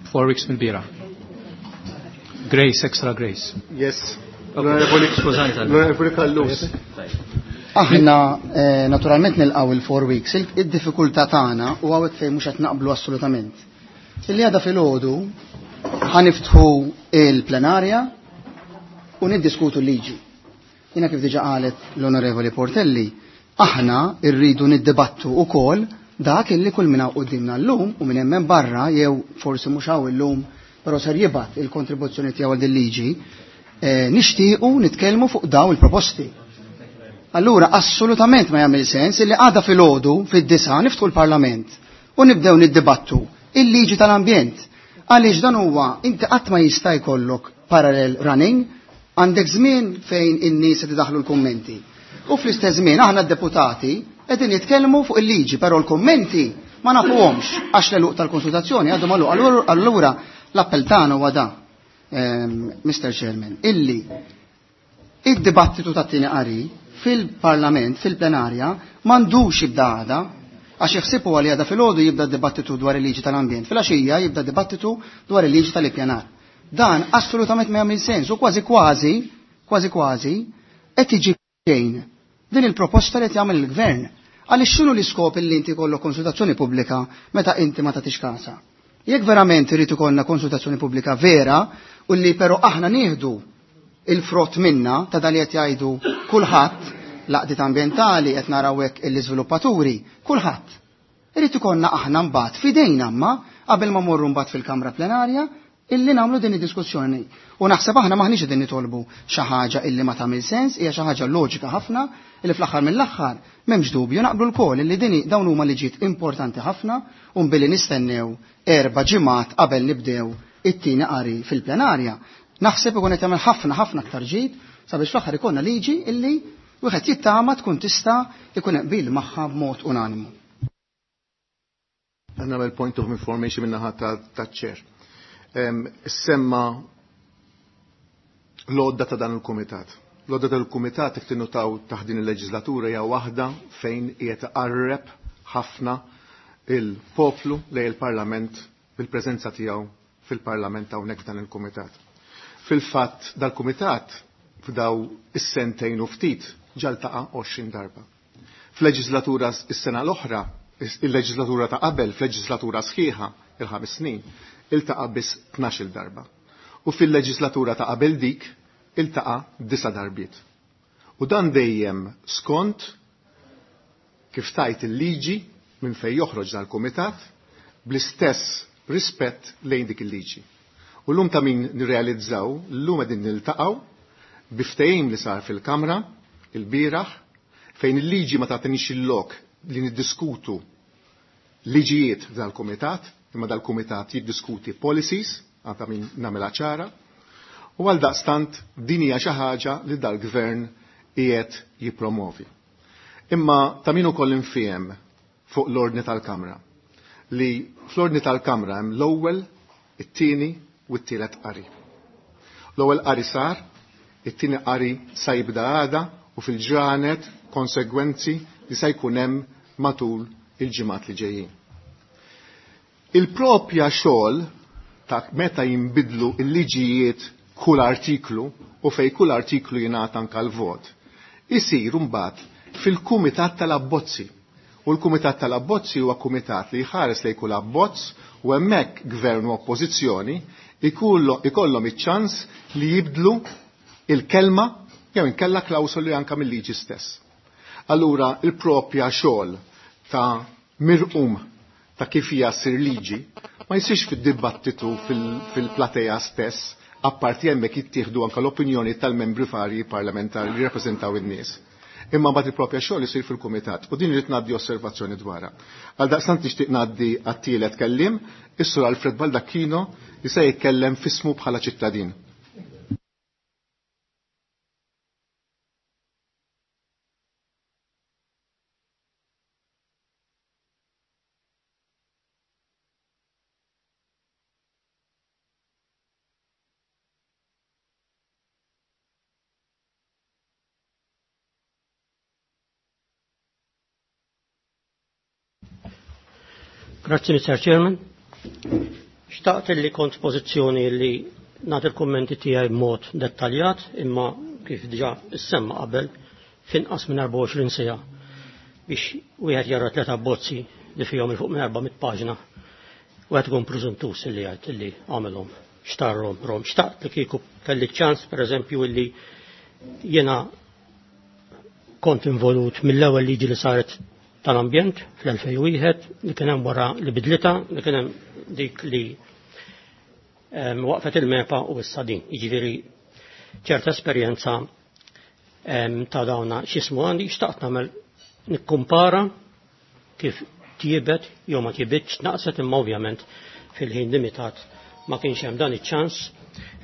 Four weeks mill-bieraħ. Grace, extra grace. Yes. L-Onorevoli Callus. Aħna eh, naturalment nilqgħu il-four weeks, id-diffikultà tagħna u hawnhekk fejn mhux qed naqblu assolutament. Illi għada filgħodu ħaniftħu il-plenarja u niddiskutu l-liġi. Jiena kif diġà qalet l-Onorevoli Portelli, aħna rridu niddibattu wkoll dak illi kull min hawn quddiemna llum u minn hemm barra jew forsi mhux hawn illum però ser jibgħat il-kontribuzzjoni tiegħu għal din liġi, eh, nixtiequ nitkellmu fuq daw il-proposti. Allura assolutament ma jagħmel sens illi għada filgħodu fid-disa niftħu l-Parlament u nibdew niddibattu il-liġi tal-ambjent. Għaliex dan huwa inti qatt ma jista' jkollok parallel running, għandek żmien fejn in-nies qed idaħlu l-kummenti. U fl-istess żmien aħna d-deputati qegħdin jitkellmu fuq il-liġi, però l-kummenti ma nafuhomx għax l-għeluq tal-konsultazzjoni għadu magħluq. Allura l-appell tagħna huwa da, Mister Chairman, illi id-dibattitu tat-tieni qari fil-Parlament, fil-plenarja, m'għandux jibda għada, għax jaħsibu għal għada fil-għodu jibda dibattitu dwar il-liġi tal-ambjent, fil-għaxija jibda dibattitu dwar il-liġi tal-ippjanar. Dan assolutament ma jagħmel sens u kważi kważi, kważi kważi, qed tiġi xejn din il-proposta li qed jagħmel il-gvern. Għaliex x'inhu l-iskop illi inti jkollok konsultazzjoni pubblika meta inti ma tagħtix kasa? Jekk verament irid ikollna konsultazzjoni pubblika vera u li però aħna nieħdu il-frott minna ta' dan li qed jgħidu kulħadd, l-għaqdiet ambjentali qed naraw hekk l-iżviluppaturi, kulħadd. Irid ikollna aħna mbagħad f'idejna imma qabel ma morru mbagħad fil-Kamra Plenarja illi nagħmlu din id-diskussjoni. U naħseb aħna maħniex qegħdin nitolbu xi ħaġa illi ma tagħmel sens, hija xi ħaġa loġika ħafna illi fl-aħħar mill-aħħar m'hemmx dubju naqblu lkoll illi din dawn huma liġijiet importanti ħafna u billi nistennew erba' ġimgħat qabel nibdew it-tieni qari fil-plenarja. Naħseb ikun qed jagħmel ħafna ħafna aktar ġid sabiex fl-aħħar ikollna liġi illi wieħed jittama tkun tista' ikun qbil magħha b'mod unanimu. Nagħmel point of information min-naħa taċ-chair. Semma l-għodda ta' dan il-kumitat. L-għodda tal-kumitat jekk tinnutaw taħt din il-leġislatura hija waħda fejn qiegħed iqarreb ħafna il-poplu lejn il-Parlament bil-preżenza tiegħu fil-Parlament hawnhekk f'dan il-kumitat. Fil-fatt dal-kumitat f'daw is-sentejn u ftit ġaltaqa' għoxrin darba. F'leġislatura is-sena l-oħra, il-leġislatura ta' qabel, f'leġislatura sħiħa il-ħames snin, iltaqa' biss tnax-il darba. U fil-leġislatura ta' qabel dik iltaqa' disa' darbiet. U dan dejjem skont kif tajt il-liġi minn fejn joħroġ dal-kumitat bl-istess rispett lejn dik il-liġi. U llum ta' min nirrealizzaw, llum qegħdin niltaqgħu biftehim li sar fil-Kamra il-bieraħ fejn il-liġi ma tagħtinix il-lok li niddiskutu liġijiet dal-kumitat, imma dal-kumitat jiddiskuti policies, għata min nagħmilha ċara, u għal daqstant din hija xi ħaġa li dal-gvern qiegħed jippromovi. Imma ta' min ukoll infiem fuq l-ordni tal-Kamra li fl-ordni tal-Kamra hemm l-ewwel, it-tieni u t-tielet qari. L-ewwel qari sar, it-tieni qari sa jibda għada u fil-ġranet konsegwenzi li se jkun hemm matul il-ġimgħat li ġejjin. Il-propja xogħol ta' meta jinbidlu l-liġijiet kull artiklu u fej kull artiklu jingħata anke l-vot, isir mbagħad fil-Kumitat tal-Abbozzi. U l-Kumitat tal-Abbozzi huwa kumitat li jħares lejn kull abbozz u hemmhekk gvern u oppożizzjoni ikollhom iċ-ċans li jibdlu il-kelma jew inkella klawsoli anke mill-liġi stess. Allura il-propja xogħol ta' mirqum ta' kif hija ssir liġi ma jsirx fid-dibattitu fil-platea stess, apparti hemmhekk jittieħdu anke l-opinjoni tal-membri varji parlamentari li jirrappreżentaw in-nies. Imma mbagħad il-propja xogħol isir fil-kumitat u din irid ngħaddi osservazzjoni dwarha. Għal daqstant nixtieq ngħaddi għat-tielet kelliem, is-Sur Alfred Baldacchino li se jitkellem f'ismu bħala ċittadin. Grazzi, Mister Chairman. Xtaqt li kont pożizzjoni li nagħti l-kummenti tiegħi b'mod dettaljat, imma kif diġà issemma qabel finqas minn erbgħa u għoxrin siegħa biex wieħed jara tliet abbozzi li fihom il fuq minn erba' mitt paġna wieħed ikun preżuntus li jgħid li għamilhom xtarhom rom. Xtaqt li kieku kelli ċans pereżempju illi jiena kont involut mill-ewwel liġi li saret tal-ambjent fl-elfejn u wieħed li kien hemm wara li bidlita li kien hemm dik li waqfet il-MEPA u issa din. Jiġifieri ċerta esperjenza ta' dawna x'ismu għandi xtaqt nagħmel nikkumpara kif tjiebet jew ma tjiebitx naqset, imma ovvjament fil-ħin limitat ma kienx hemm dan iċ-ċans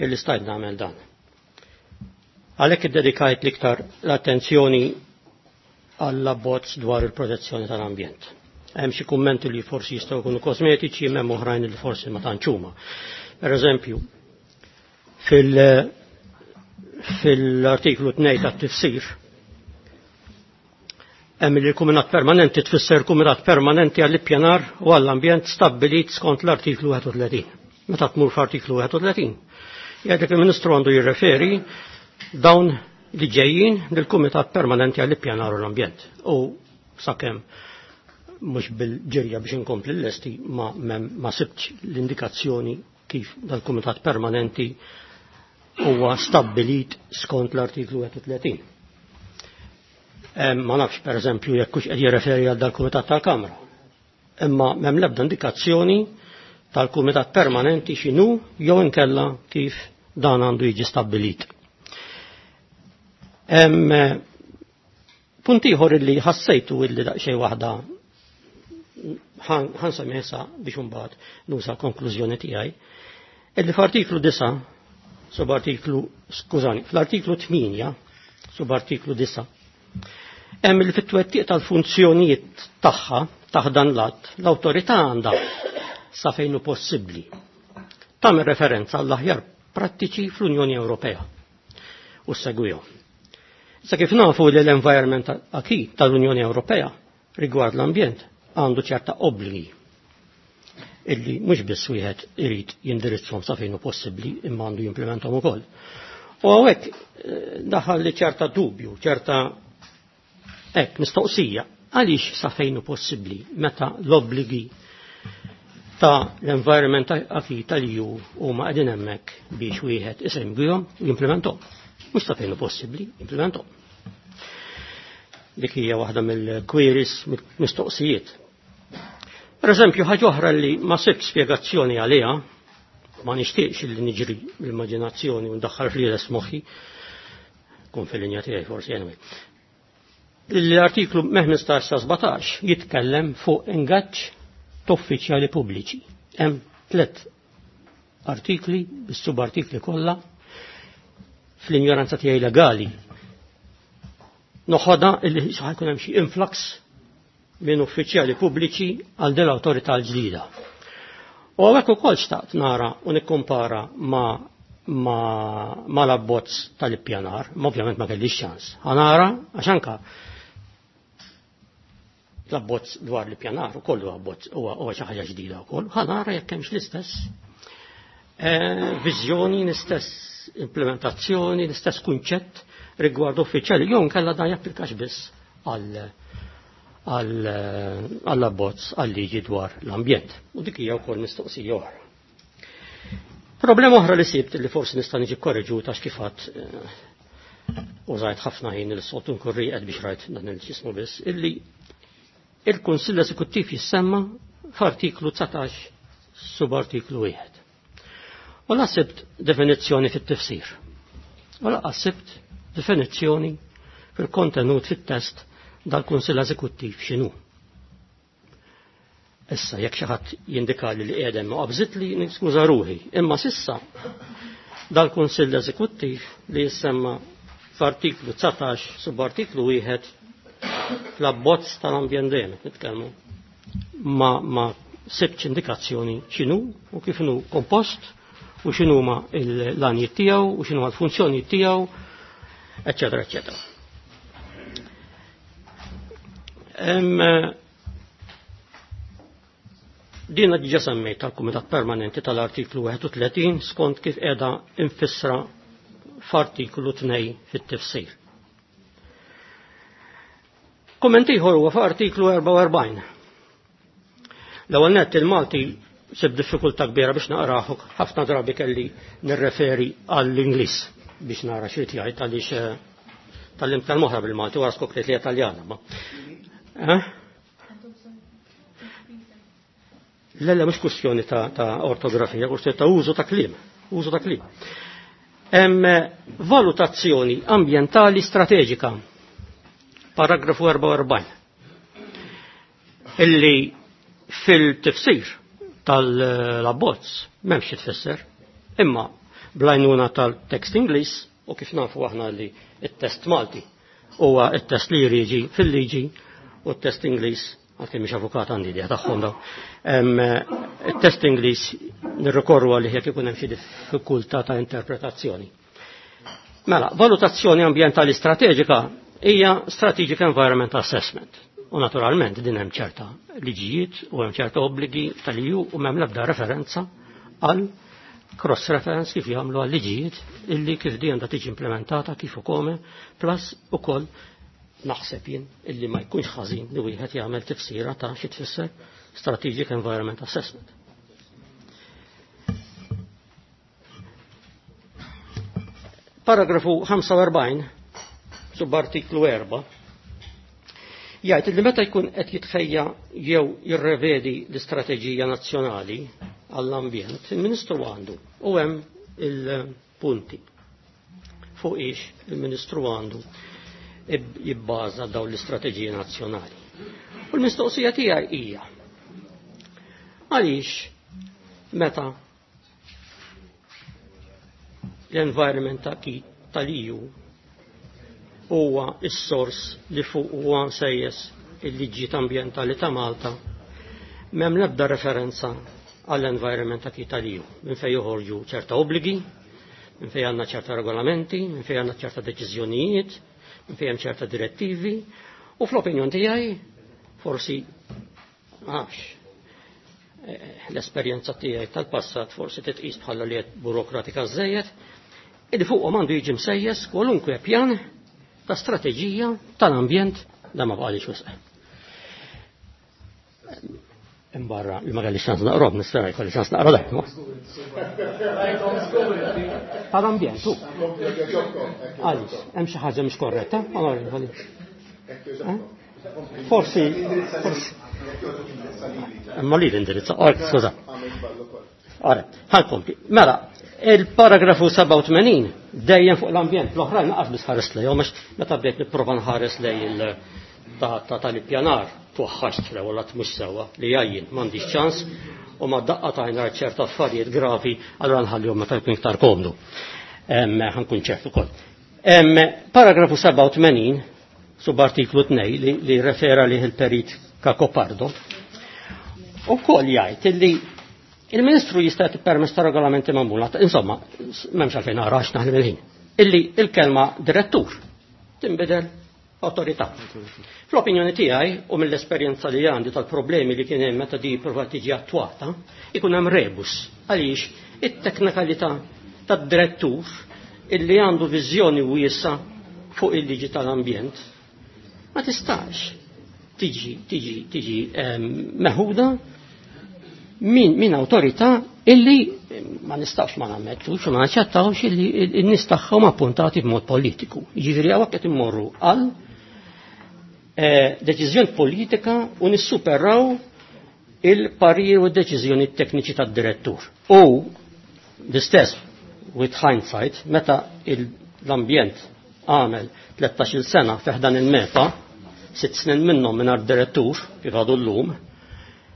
illi stajt nagħmel dan. Għalhekk iddedikajt l-iktar l-attenzjoni għall-abbozz dwar il-protezzjoni tal-ambjent. Hemm xi kummenti li forsi jistgħu jkunu kosmetiċi, hemm oħrajn li forsi ma tantx huma. Per eżempju, fil- fil-artiklu tnejn tat-tifsir hemm li l-kumitat permanenti tfisser kumitat permanenti għall-ippjanar u għall-ambjent stabbilit skont l-artiklu wieħed u tletin. Meta tmur f'artiklu wieħed u tletin, jgħidlek il-Ministru għandu jirreferi dawn li ġejjin lill-Kumitat Permanenti għall-Ippjanar u l-Ambjent. U sakemm mhux bil-ġirja biex inkompli l-lesti ma, ma sibtx l-indikazzjoni kif dal-Kumitat Permanenti huwa stabbilit skont l-artiklu wieħed u tletin. Ma nafx per eżempju jekk hux qed jirreferi għal dal-Kumitat tal-Kamra. Imma m'hemm l-ebda indikazzjoni tal-Kumitat Permanenti x'inhu jew inkella kif dan għandu jiġi stabbilit. Hemm punt ieħor illi ħassejtu illi daqsxejn waħda ħansemmi issa biex imbagħad nusa konklużjoni tiegħi, illi f'artiklu disa' subartiklu, skużani, fl-artiklu tmienja subartiklu disa' hemm li fit-twettiq tal-funzjonijiet tagħha taħt dan l-att l-awtorità għandha sa fejn hu possibbli tagħmel referenza għall-aħjar prattiċi fl-Unjoni Ewropea u segwihom. Sa kif nafu li l-environment acquis tal-Unjoni Ewropea rigward l-ambjent għandu ċerta obbligi illi mhux biss wieħed irid jindirizzhom sa fejn hu possibbli imma għandu jimplementahom ukoll. U hawnhekk daħal li ċerta dubju, ċerta hekk mistoqsija, għaliex sa fejn hu possibbli meta l-obbligi ta' l-environment acquis tal-E U huma qegħdin hemmhekk biex wieħed isegwihom u jimplementahom. Mhux sa fejn hu possibbli, jimplementahom. Dik hija waħda mill-queries, mistoqsijiet. Per eżempju, ħaġa oħra li ma sibt spjegazzjoni għaliha, ma nixtieqx li niġri l-immaġinazzjoni u ndaħħal fl-ieles moħħi, kun fil-linja tiegħi forsi anyway. L-artiklu ħmistax sa sbatax jitkellem fuq ingaġġ t'uffiċjali pubbliċi. Hemm tliet artikli, bis-subartikli kollha, fl-injoranza tiegħi legali. Noħodha illi ħajkun hemm xi influx minn uffiċjali pubbliċi għal din l-awtorità l-ġdida. U hawnhekk ukoll xtaqt nara u nikkumpara ma, ma, ma l-abbozz tal-ippjanar, ma ovvjament ma kellix ċans. Ħanara għax anka l-abbozz dwar l-ippjanar ukoll huwa abbozz huwa xi ħaġa ġdida wkoll, ħanara jekk hemmx l-istess, eh, viżjoni, l-istess implementazzjoni, l-istess kunċett rigward uffiċjali, jew inkella dan japplikax biss għal, għal, għall-abbozz għal-liġi dwar l-ambjent. U dik hija wkoll mistoqsija oħra. Problema oħra li sibt li forsi nista' niġi korreġuta għax kif għadt, eh, użajt ħafna ħin il-sot nkun rieqed biex rajt dan il-ġismu biss, illi il-Kunsill Eżekuttiv jissemma f'artiklu dsatax subartiklu wieħed. U la sibt definizzjoni fit-tifsir. U la sibt definizzjoni fil-kontenut fit-test dal-Kunsill Eżekuttiv x'inhu. Issa jekk xi ħadd jindikali li qiegħed hemm qabżit li niskuża ruħi, imma sissa dal-Kunsill Eżekuttiv li jissemma f'artiklu dsatax subartiklu wieħed fl-abbozz tal-ambjent dejjem qed nitkellmu ma, ma sibtx indikazzjoni x'inhu u kif inhu kompost u x'inhu ma l-għanijiet tiegħu u x'inhu l-funzjonijiet tiegħu, eċċetera, eċċetera. Hemm Dina diġa semmejt tal-Kumitat Permanenti tal-artiklu wieħed u tletin skont kif qiegħda infissra f'artiklu tnejn fit-tifsir. Kumment ieħor huwa f'artiklu erbgħa u erbgħin. L-ewwel nett il-Malti sib diffikultà kbira biex naqrah, ħafna drabi kelli nirreferi għall-Ingliż biex nara xi jgħid għaliex tal-lim tal-moħra bil-Malti wara skopriet li Italjana. Ma. Eh? Lella mhux kwestjoni ta', ta ortografija, kwestjoni ta' użu ta' kliem, użu ta' kliem. Hemm valutazzjoni ambjentali strateġika, paragrafu erbgħa u erbgħin, illi fil-tifsir tal-abbozz m'hemmx xi tfisser, imma bl-għajnuna tal-tekst Ingliż u kif nafu aħna li t-test Malti huwa t-test li jriġi fil-liġi u t-test Ingliż, għalkemm mhix avukat għandi idea tagħhom daw. It-test Ingliż nirrikorru għalih jekk ikun hemm xi diffikultà ta' interpretazzjoni. Mela, valutazzjoni ambjentali strateġika hija Strategic Environment Assessment. U naturalment din hemm ċerta liġijiet u hemm ċerta obbligi tal-E U u m'hemm l-ebda referenza għal cross-reference kif jagħmlu għal liġijiet illi kif di għandha tiġi implementata kif ukoll plus ukoll naħseb jien illi ma jkunx ħażin li wieħed jagħmel tifsira ta' xi tfisser Strategic Environment Assessment. Paragrafu ħamsa u erbgħin subartiklu erba' jgħid li meta jkun qed jitħejja jew jirrevedi l-istrateġija nazzjonali għall-ambjent, il-Ministru għandu u hemm il-punti fuq ix il-Ministru għandu jibbaża dawn l-istrateġiji nazzjonali. U l-mistoqsija tiegħi hija għaliex meta l-environment tal-E U huwa s-sors li fuq huwa msejjes il-liġijiet ambjentali ta' Malta, m'hemm l-ebda referenza għall-environment tal-E U, minn fejn joħorġu ċerta obbligi, minn fejn għandna ċerta regolamenti, minn fejn għandna ċerta deċiżjonijiet, minn fejn hemm ċerta direttivi, u fl-opinjon tiegħi forsi għax l-esperjenza tiegħi tal-passat forsi titqis bħala li qed burokratika żejjed, illi fuqhom għandu jiġi msejjes kwalunkwe pjan ta' strateġija tal-ambjent da ma bqalix wisq. Imbarra li ma kellix ċans naqrob, nispera jkolli ċans naqra dak. Tal-ambjent, hu. Għaliex, hemm xi ħaġa mhix korretta, onorevoli. Forsi, forsi. Imma li l-indirizza, ora, skuża. Ora, ħankompli. Mela, il-paragrafu sebgħa u tmenin dejjem fuq l-ambjent, l-oħrajn naqas biss ħares lejhom għax meta bdejt nipprova nħares lej il- ta', ta' tal-ippjanar twaħħaxt fl-ewwel għad mhux sewwa li jgħajjin m'għandix ċans u ma daqqa ta' jien ċerta affarijiet gravi allura nħallihom meta jkun iktar komdu. Ħankun ċert ukoll. Paragrafu sebgħa u tmenin subartiklu tnejn li, li refera lih il-perit Cacopardo ukoll jgħid illi il-Ministru jista' jagħti permess ta' regolamenti magħmula, insomma, m'hemmx għalfejn nara għax naħdem il-ħin. Illi il-kelma direttur tinbidel awtorità. Fl-opinjoni tiegħi u mill-esperjenza li għandi tal-problemi li kien hemm meta di prova tiġi attwata, ikun hemm rebus għaliex it-teknikalità tad-direttur illi għandu viżjoni wiesa fuq il-liġi tal-ambjent ma tistax tiġi, tiġi, tiġi, ehm, meħuda min, min awtorità illi ma nistax ma nammettux u ma naċċettawx illi n-nies tagħhom appuntati b'mod politiku. Jiġifieri hawnhekk qed immorru għal, eh, deċiżjoni politika u nissuperaw il-parir u d-deċiżjoni tekniċi tad-direttur. U l-istess with hindsight, meta l-ambjent għamel tlettax-il sena fi ħdan il-MEPA, sitt snin minnhom mingħajr direttur kif għadu llum,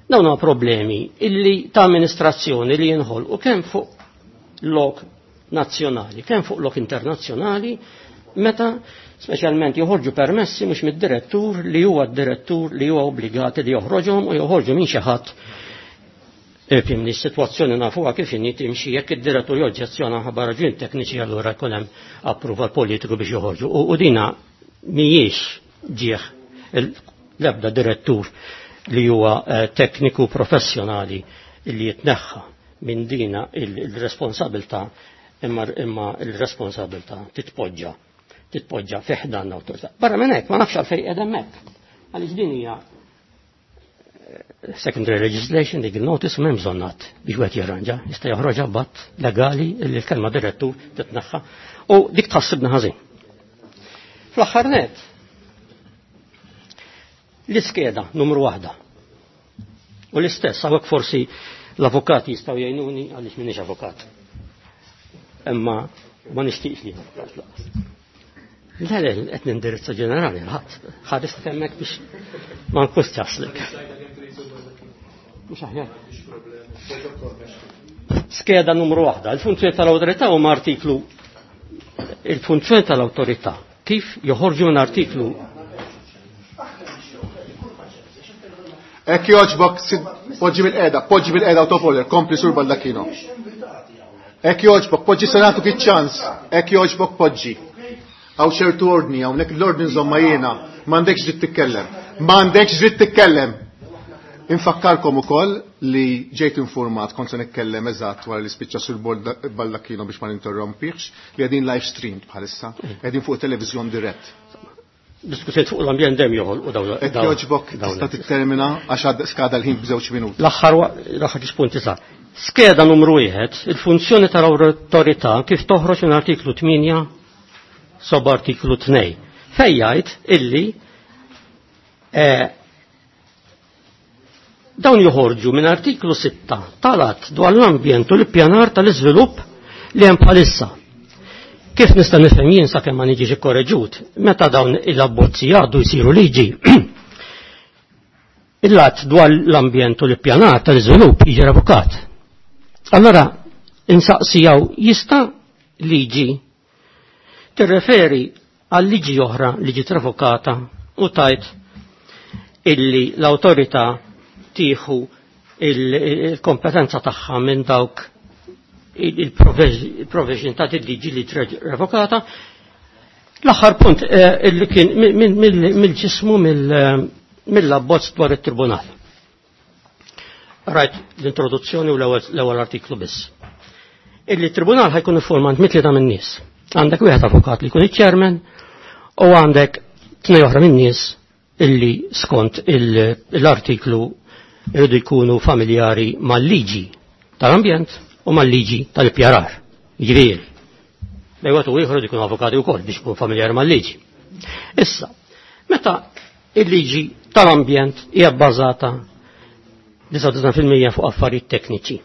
dawn huma problemi illi ta' amministrazzjoni li jinħolqu kemm fuq lok nazzjonali, kemm fuq lok internazzjonali, meta speċjalment joħorġu permessi mhux mid-direttur li huwa d-direttur li huwa obbligati li joħroġhom u joħorġu minn xi ħadd. Fimni s-sitwazzjoni nafuha kif inhi timxi jekk id-direttur joġġezzjona ħabba raġuni tekniċi allura jkun hemm approval politiku biex joħorġu. U, u dina mhijiex ġieħ l-ebda direttur li huwa tekniku professjonali li jitneħħa minn dina il-responsabilta imma imma il-responsabilta titpoġġa titpoġġa fi ħdan l-awtorità. Barra minn hekk ma nafx għalfejn qiegħed hemmhekk. Għaliex din hija secondary legislation, legal notice, m'hemm bżonn att biex wieħed jirranġa, jista' joħroġha b'att legali li l-kelma direttur titneħħa u dik tħassibna ħażin. Fl-aħħar net, l-iskeda numru waħda. U l-istess, hawnhekk forsi l-avukati jistgħu jgħinuni għaliex m'iniex avukat. Imma ma nixtieqx li avukat laqas. Le, le, qed nindirizza ġenerali, ħadd ħarist hemmhekk biex ma nkunx ċaslek. Mhux aħjar. Skeda numru waħda, il-funzjoni tal-awtorità huma artiklu il-funzjoni tal-awtorità kif joħorġu minn artiklu. Hekk jogħġbok, poġġi bil-qiegħda, poġġi bil-qiegħda out of order, kompli Sur Baldacchino. Hekk jogħġbok, poġġi senatu ċans, hekk jogħġbok poġġi. Hawn ċertu ordni, hawnhekk l-ordni nżomma jiena, m'għandekx dritt titkellem. M'għandekx dritt titkellem. Infakkarkom ukoll li ġejt informat kont se nitkellem eżatt wara li spiċċa Sur Baldacchino biex ma ninterrompihx li qegħdin live streamed bħalissa, qegħdin fuq televiżjon dirett. Diskussijiet fuq l-ambjent dejjem joħolqu dawn. Hekk jogħġbok tista' tittermina għax għad skada l-ħin b'żewġ minuti. L-aħħar l-aħħar ġiex punti sa. Skeda numru wieħed, il-funzjoni tal-awtorità kif toħroġ minn artiklu tmienja sob artiklu tnejn. Fejn jgħid illi eh, dawn joħorġu minn artiklu sitta tal-att dwar l-ambjent u l-ippjanar tal-iżvilupp li hemm bħalissa. Kif nista' nifhem jien sakemm ma niġix ikkoreġut, meta dawn il-abbozzi jgħaddu jsiru liġi. Il-att dwar l-ambjent u l-ippjanar tal-iżvilupp jiġi revokat. Allora insaqsijaw jista' liġi tirreferi għal liġi oħra li ġiet revokata u tajt illi l-awtorità tieħu il-kompetenza tagħha minn dawk il-provision ta' liġi li revokata. L-aħħar punt illi kien mill-ġismu mill-abbozz dwar it-tribunal. Rajt l-introduzzjoni u l-ewwel artiklu biss. Illi t-tribunal ħajkun iffurmat mit-tlieta min-nies. Għandek wieħed avukat li jkun iċ-chairman u għandek tnejn oħra min-nies illi skont l-artiklu irridu jkunu familjari mal-liġi tal-ambjent u mal-liġi tal-ippjarar. Jiġifieri, bejwet u ieħor jkunu avukati wkoll biex ikun familjari mal-liġi. Issa, meta il-liġi tal-ambjent hija bbażata disgħa u disgħin fil-mija fuq affarijiet tekniċi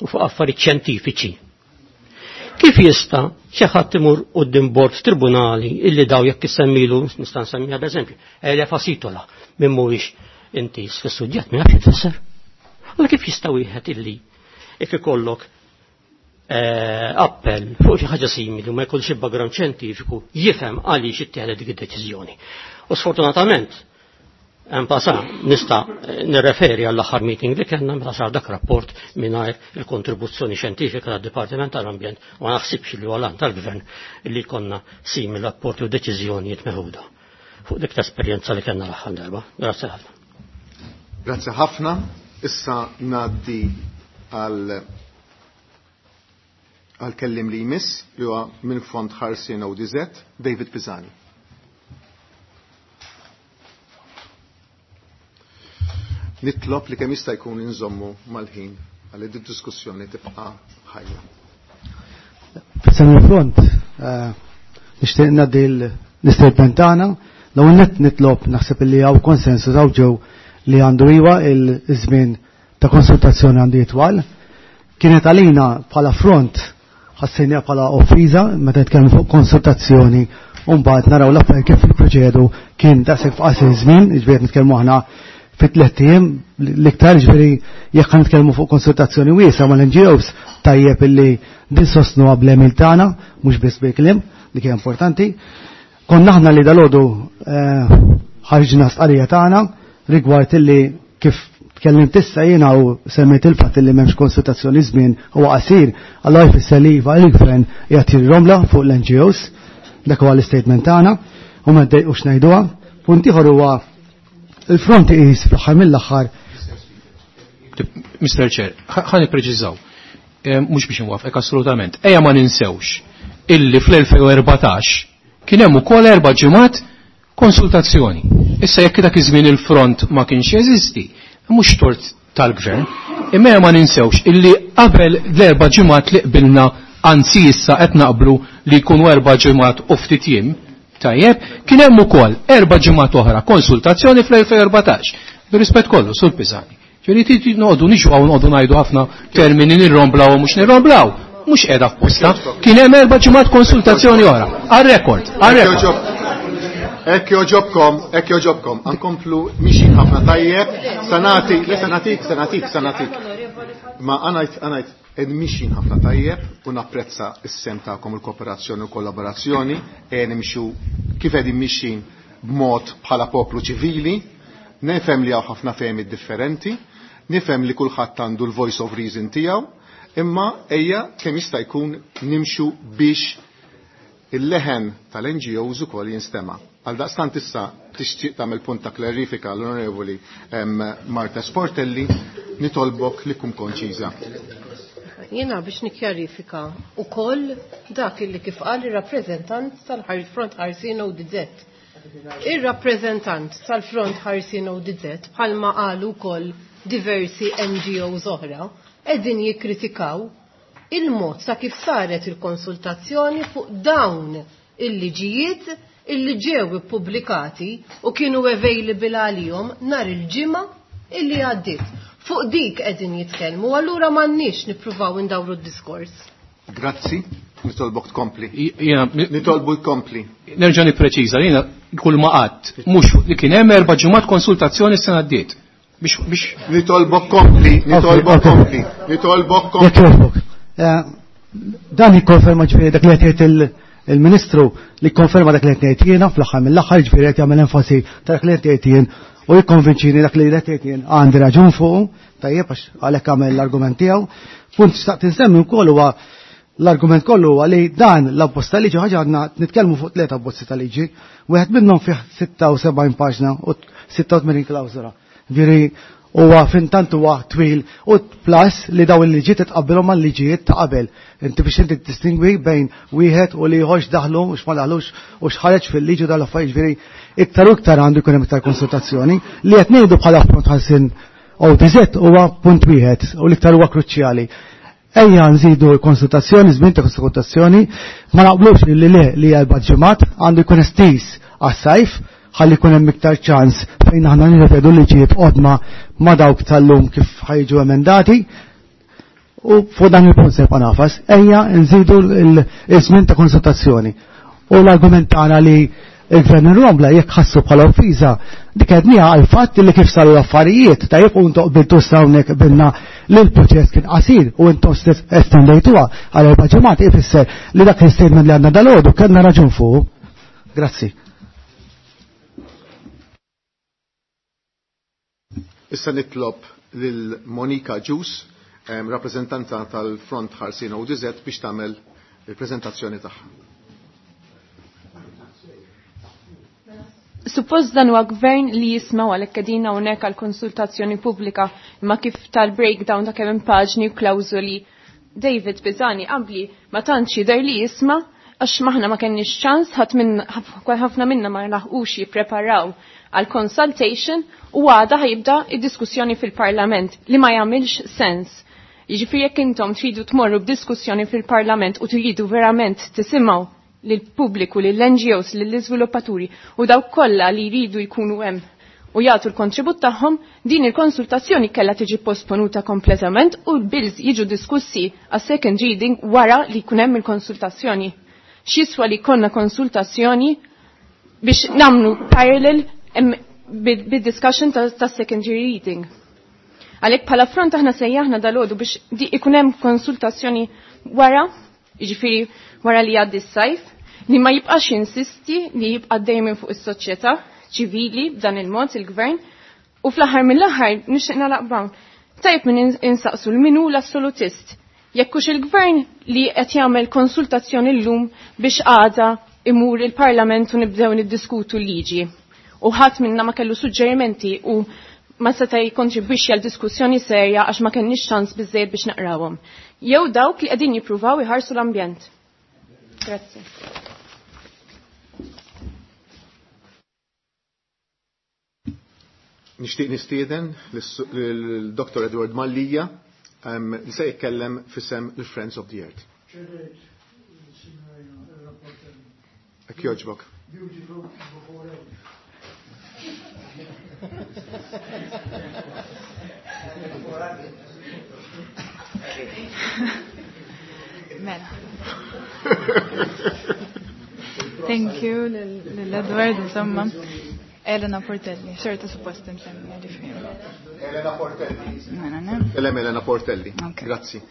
u fuq affarijiet xjentifiċi, kif jista' xi ħadd imur quddiem bord tribunali illi daw jekk issemmilu, nista' nsemmiha b'eżempju, elefa sitola minn mhuwiex intis fis-suġġett ma jafx ifisser. Allora kif jista' wieħed illi jekk ikollok appell fuq xi ħaġa simili u ma jkollx background xjentifiku jifhem għaliex ittieħdet dik id-deċiżjoni. U sfortunatament hemm pasa nista' nirreferi għall-aħħar meeting li kellna meta sar dak rapport mingħajr il-kontribuzzjoni xjentifika tad-Dipartiment tal-Ambjent u ma naħsibx li huwa tal-Gvern li jkollna simili rapporti u deċiżjonijiet meħuda fuq dik l-esperjenza li kellna l-aħħar darba. Grazzi ħafna. Grazzi ħafna. Issa ngħaddi għal għal kellim li jmiss li huwa minn Fond Ħarsien O D Z, David Pisani. Nitlob li kemm jista' jkun inżommu mal-ħin għal id diskussjoni tibqa' ħajja. F'isem il-front, nixtieq ngħaddi l-istatement tagħna, l-ewwel nett nitlob naħseb li hawn konsensus hawn ġew li għandu iwa il-żmien ta' konsultazzjoni għandu jitwal. Kienet għalina bħala front ħassejniha bħala offiża meta nitkellmu fuq konsultazzjoni u mbagħad naraw l-affarijiet kif jipproċedu kien daqshekk f'qasir żmien, jiġifieri nitkellmu aħna fi tliet ijiem l-iktar, jiġifieri jekk ħa nitkellmu fuq konsultazzjoni wiesgħa mal-N G Os tajjeb illi din sostnuha bl-għemil tagħna mhux biss bil-kliem, dik hija importanti. Konna aħna li dalodu ħarġna stqarrija tagħna rigward illi kif tkellimt issa jiena u semmejt il-fatt illi m'hemmx konsultazzjoni żmien huwa qasir, allura jfisser li iva il-gvern qiegħed jirromla fuq l-N G Os, dak huwa l-istatement tagħna u ma ddejqux ngħiduha. Punt ieħor huwa Il-front iqis fl-aħħar mill-aħħar. Mister Chair, ħa nippreċiżaw. Mhux biex inwafqek assolutament. Ejja ma ninsewx illi fl-elfejn u erbatax kien hemm ukoll erba' ġimgħat konsultazzjoni. Issa jekk dak iż-żmien il-front ma kienx jeżisti, mhux tort tal-gvern, imma ma ninsewx illi qabel l-erba' ġimgħat li qbilna, anzi issa qed naqblu li jkunu erba' ġimgħat u ftit jiem, tajjeb, kien hemm ukoll erba' ġimgħat oħra konsultazzjoni fl-elfejn u erbatax. Bir-rispett kollu, Sur Pisani. Ġifieri noqogħdu niġu hawn noqogħdu ngħidu ħafna termini nirromblaw u mhux nirromblaw. Mhux qiegħda f'posta. Kien hemm erba' ġimgħat konsultazzjoni oħra. Għar-rekord, għar-rekord. Hekk joġobkom, hekk joġobkom, ankomplu mixin ħafna tajjeb, sanati, le sanatik, sanatik, sanatik. Ma għanajt, għanajt, ed mixin ħafna tajjeb u napprezza s-sem tagħkom il-kooperazzjoni u kollaborazzjoni, e nimxu kif qegħdin mixin b'mod bħala poplu ċivili, nifhem li hawn ħafna fehmiet differenti, nifhem li kulħadd għandu l-voice of reason tiegħu, imma ejja kemm jista' jkun nimxu biex il-leħen tal-N G Os ukoll jinstema'. Għal daqstant issa tixtieq tagħmel punt ta' klarifika l-Onorevoli Marta Sportelli, nitolbok li tkun konċiża. Jiena biex nikkjarifika ukoll dak illi kif qal ir-rappreżentant tal-Front Ħarsien O D Z. Ir-rappreżentant tal-Front Ħarsien O D Z bħalma qalu wkoll diversi N G Os oħra qegħdin jikkritikaw il-mod ta' kif saret il-konsultazzjoni fuq dawn il-liġijiet illi ġew ippubblikati u kienu available għalihom nhar il-ġimgħa illi għaddiet. Fuq dik qegħdin jitkellmu, allura m'għandniex nippruvaw indawru d-diskors. Grazzi, nitolbok tkompli. Jiena Nitolbu tkompli. Nerġa' nippreċiża, jiena kull ma qatt mhux li kien hemm erba' ġimgħat konsultazzjoni s-sena għaddiet. Biex, biex Nitolbok kompli, nitolbok Ok, ok. kompli, nitolbok kompli. Jekk jogħġbok. Eh, dan jikkonferma ġifieri dak li qed jgħid il-, il-Ministru li konferma dak li qed ngħid jiena fl-aħħar mill-aħħar, ġifieri qed jagħmel enfasi ta' dak li qed jgħid jien u jikkonvinċini dak li qed jgħid jien għandi raġun fuqu, tajjeb għax għalhekk għamel l-argument tiegħu. Punt xtaqt insemmi wkoll huwa l-argument kollu huwa li dan l-abbozz ta' liġi ħaġa għandna nitkellmu fuq tliet abbozzi ta' liġi, wieħed minnhom fih sitta u sebgħin paġna u sitta u tmenin klawżola. Ġifieri huwa fintant huwa twil u plus li daw il-liġijiet titqabbilhom mal-liġijiet ta' qabel. Inti biex inti tistingwi bejn wieħed u li ieħor x'daħlu u x'ma daħlux u x'ħareġ fil-liġi dal affarijiet, ġifieri iktar u iktar għandu jkun hemm iktar konsultazzjoni. Li qed ngħidu bħala Front Ħarsien O D Z huwa punt wieħed u l-iktar huwa kruċjali. Ejja nżidu l-konsultazzjoni, żmien ta' konsultazzjoni, ma naqblux li le li erba' ġimgħat għandu jkun estiż għas-sajf ħalli jkun hemm iktar ċans fejn aħna nirrevedu liġijiet qodma ma' dawk tal-lum kif ħajġu emendati. U fuq dan il-punt se nibqa' nafas, ejja nżidu l-żmien ta' konsultazzjoni. U l-argument tagħna li il-gvern irrombla jekk ħassu bħala offiża, dik għedniha għal fatt li kif saru l-affarijiet, tajjeb u intom qbiltu issa hawnhekk qbilna li l-proċess kien qasir u intom stess estendejtuha għal erba' ġimgħat, ifisser li dak l-statement li għandna dalgħodu kellna raġun fuq. Grazzi. Issa nitlob lil Monika Ġus, em, rappreżentanta tal-Front Ħarsien O D Z, biex tagħmel il-preżentazzjoni tagħha. Suppost dan huwa gvern li jisma' għalhekk qegħdin hawnhekk għal konsultazzjoni pubblika, imma kif tal-breakdown ta' kemm hemm paġni u klawżoli David Pisani qabli ma tantx jidher li jisma' għax maħna ma kenniex ċans, ħadd minn, ħafna minna ma laħqux jippreparaw għal consultation u għada ħajibda id-diskussjoni fil-Parlament li ma jagħmilx sens. Jiġifieri jekk intom tridu tmorru b'diskussjoni fil-Parlament u tridu verament tisimgħu lill-pubbliku, lill-N G Os, lill-iżviluppaturi u dawk kollha li jridu jkunu hemm u jagħtu l-kontribut tagħhom, din il-konsultazzjoni kellha tiġi posponuta kompletament u l-bills jiġu diskussi għas second reading wara li jkun hemm il-konsultazzjoni. X'jiswa li jkollna konsultazzjoni biex nagħmlu parallel bid-discussion ta', ta' secondary reading. Għalhekk bħala front aħna sejjaħna dalgħodu biex di ikun hemm konsultazzjoni wara, jiġifieri wara li jgħaddi s-sajf, li ma jibqax insisti li jibqa' dejjem fuq is-soċjetà ċivili b'dan il-mod il-gvern, u fl-aħħar mill-aħħar nixtieq nagħlaq b'hawn. Tajjeb minn ins-, insaqsu l min hu l-assolutist. Jekk hux il-gvern li qed jagħmel konsultazzjoni llum biex għada imur il-Parlament u nibdew niddiskutu l-liġi. U ħadd minna ma kellu suġġerimenti u ma seta' jikkontribwixxi għal diskussjoni serja għax ma kenniex ċans biżejjed biex naqrawhom. Jew dawk li qegħdin jippruvaw iħarsu l-ambjent. Grazzi. Nixtieq nistieden lil-Dottor Edward Mallia li se jitkellem f'isem il-Friends of the Earth. Hekk jogħġbok. Mela. Thank you lil-Edward, insomma. Elena Portelli, xorta suppost insemmi ġifieri. Elena Portelli. Elena Elena Portelli. Grazzi.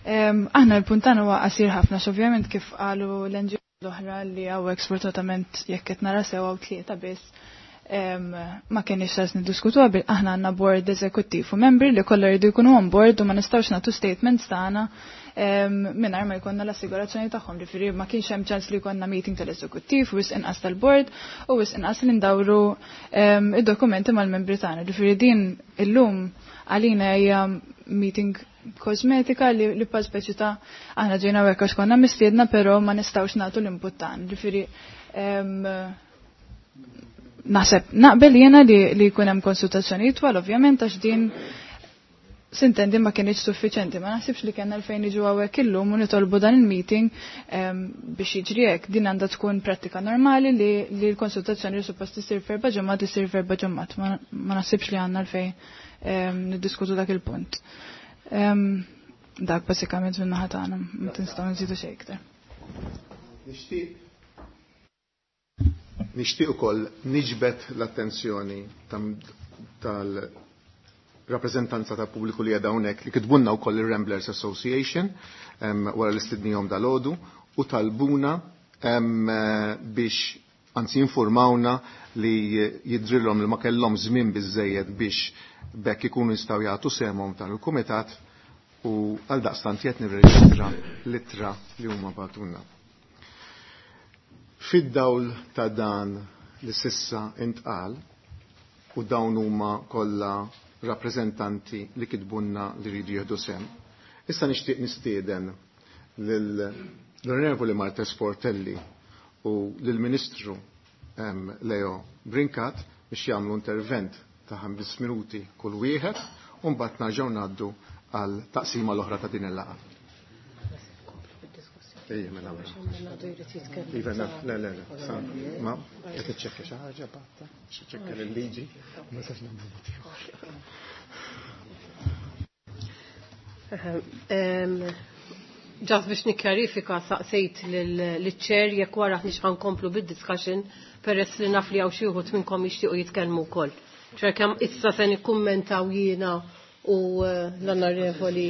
Aħna l-puntana huwa qasir ħafna, ovvjament kif qalu l-N G O l-oħra li hawnhekk sfortunatament jekk qed nara sew hawn tlieta biss ma kienx sens niddiskutu qabel aħna għandna board eżekuttiv u membri li kollha jridu jkunu on board u ma nistgħux nagħtu statements tagħna mingħajr ma jkollna l-assigurazzjoni tagħhom, ġifieri ma kienx hemm ċans li jkollna meeting tal-eżekuttiv u wisq inqas tal-board u wisq inqas li ndawru id-dokumenti mal-membri tagħna. Ġifieri din illum għalina hija meeting kosmetika li, li pa speċi ta' aħna ġejna hekk għax konna mistiedna però ma nistgħux nagħtu l-input tagħna. Ġifieri naħseb naqbel jiena li, li jkun hemm konsultazzjoni itwal ovvjament għax din sintendi ma kienx suffiċenti, ma naħsibx li kellna għalfejn niġu hawnhekk illum u nitolbu dan il-meeting biex jiġri hekk. Din għandha tkun prattika normali li, li l-konsultazzjoni li suppost isir f'erba' ġimgħat isir f'erba' ġimgħat. Ma, ma naħsibx li għandna għalfejn niddiskutu dak il-punt. Dak basikament minn naħa tagħna, ma tinstgħu nżidu xejn iktar. Nixtieq Nixtieq ukoll niġbed l-attenzjoni tal-rappreżentanza tal-pubbliku li qiegħda hawnhekk li kitbunna wkoll ir-Ramblers Association wara li stidnihom dalgħodu u talbuna biex anzi informawna li jidrilhom li ma kellhom żmien biżejjed biex bekk ikunu jistgħu jagħtu sehemhom tal il-kumitat u għal daqstant qed nirreġistra l-ittra li huma bagħtulna. Fid-dawl ta' dan li sissa intqal u dawn huma kollha rappreżentanti li kitbunna li jridu jieħdu sehem. Issa nixtieq nistieden lill-Onorevoli Marta Sportelli u lill-Ministru Leo Brincat biex jagħmlu intervent ta' ħames minuti kull wieħed u mbagħad nerġgħu ngħaddu għal taqsima l-oħra ta' din il-laqgħa. Ejja, mela, mela. Iva, le, le, le, ma, qed iċċekkja xi ħaġa batta, ċekkja l-liġi, ma sax nagħmlu mod ieħor. Ġas biex nikkjarifika saqsejt lill-ċer jekk wara ħniex ħankomplu bid-discussion peress li naf li hawn xi wħud minnkom jixtiequ jitkellmu wkoll. ċer kemm issa se nikkummentaw jiena u l-onorevoli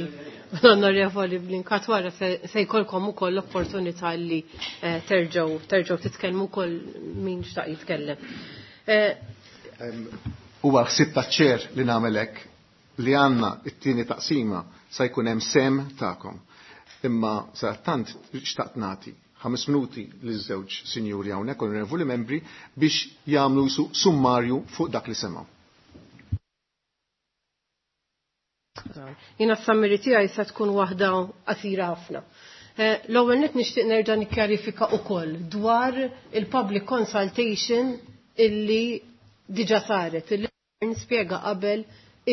l-onorevoli Brincat wara se jkollkom ukoll l-opportunità li terġgħu terġgħu titkellmu wkoll min xtaq jitkellem. Huwa ħsieb taċ-ċer li nagħmel hekk li għandna t-tieni taqsima se jkun hemm sem tagħkom. Imma sa tant xtaqt nagħti ħames minuti liż-żewġ sinjuri hawnhekk onorevoli membri biex jagħmlu summarju fuq dak li semgħu. Jiena s-summary tiegħi se tkun waħda qasira ħafna. L-ewwel nett nixtieq nerġa' nikkjarifika wkoll dwar il-public consultation illi diġà saret, illi nispjega qabel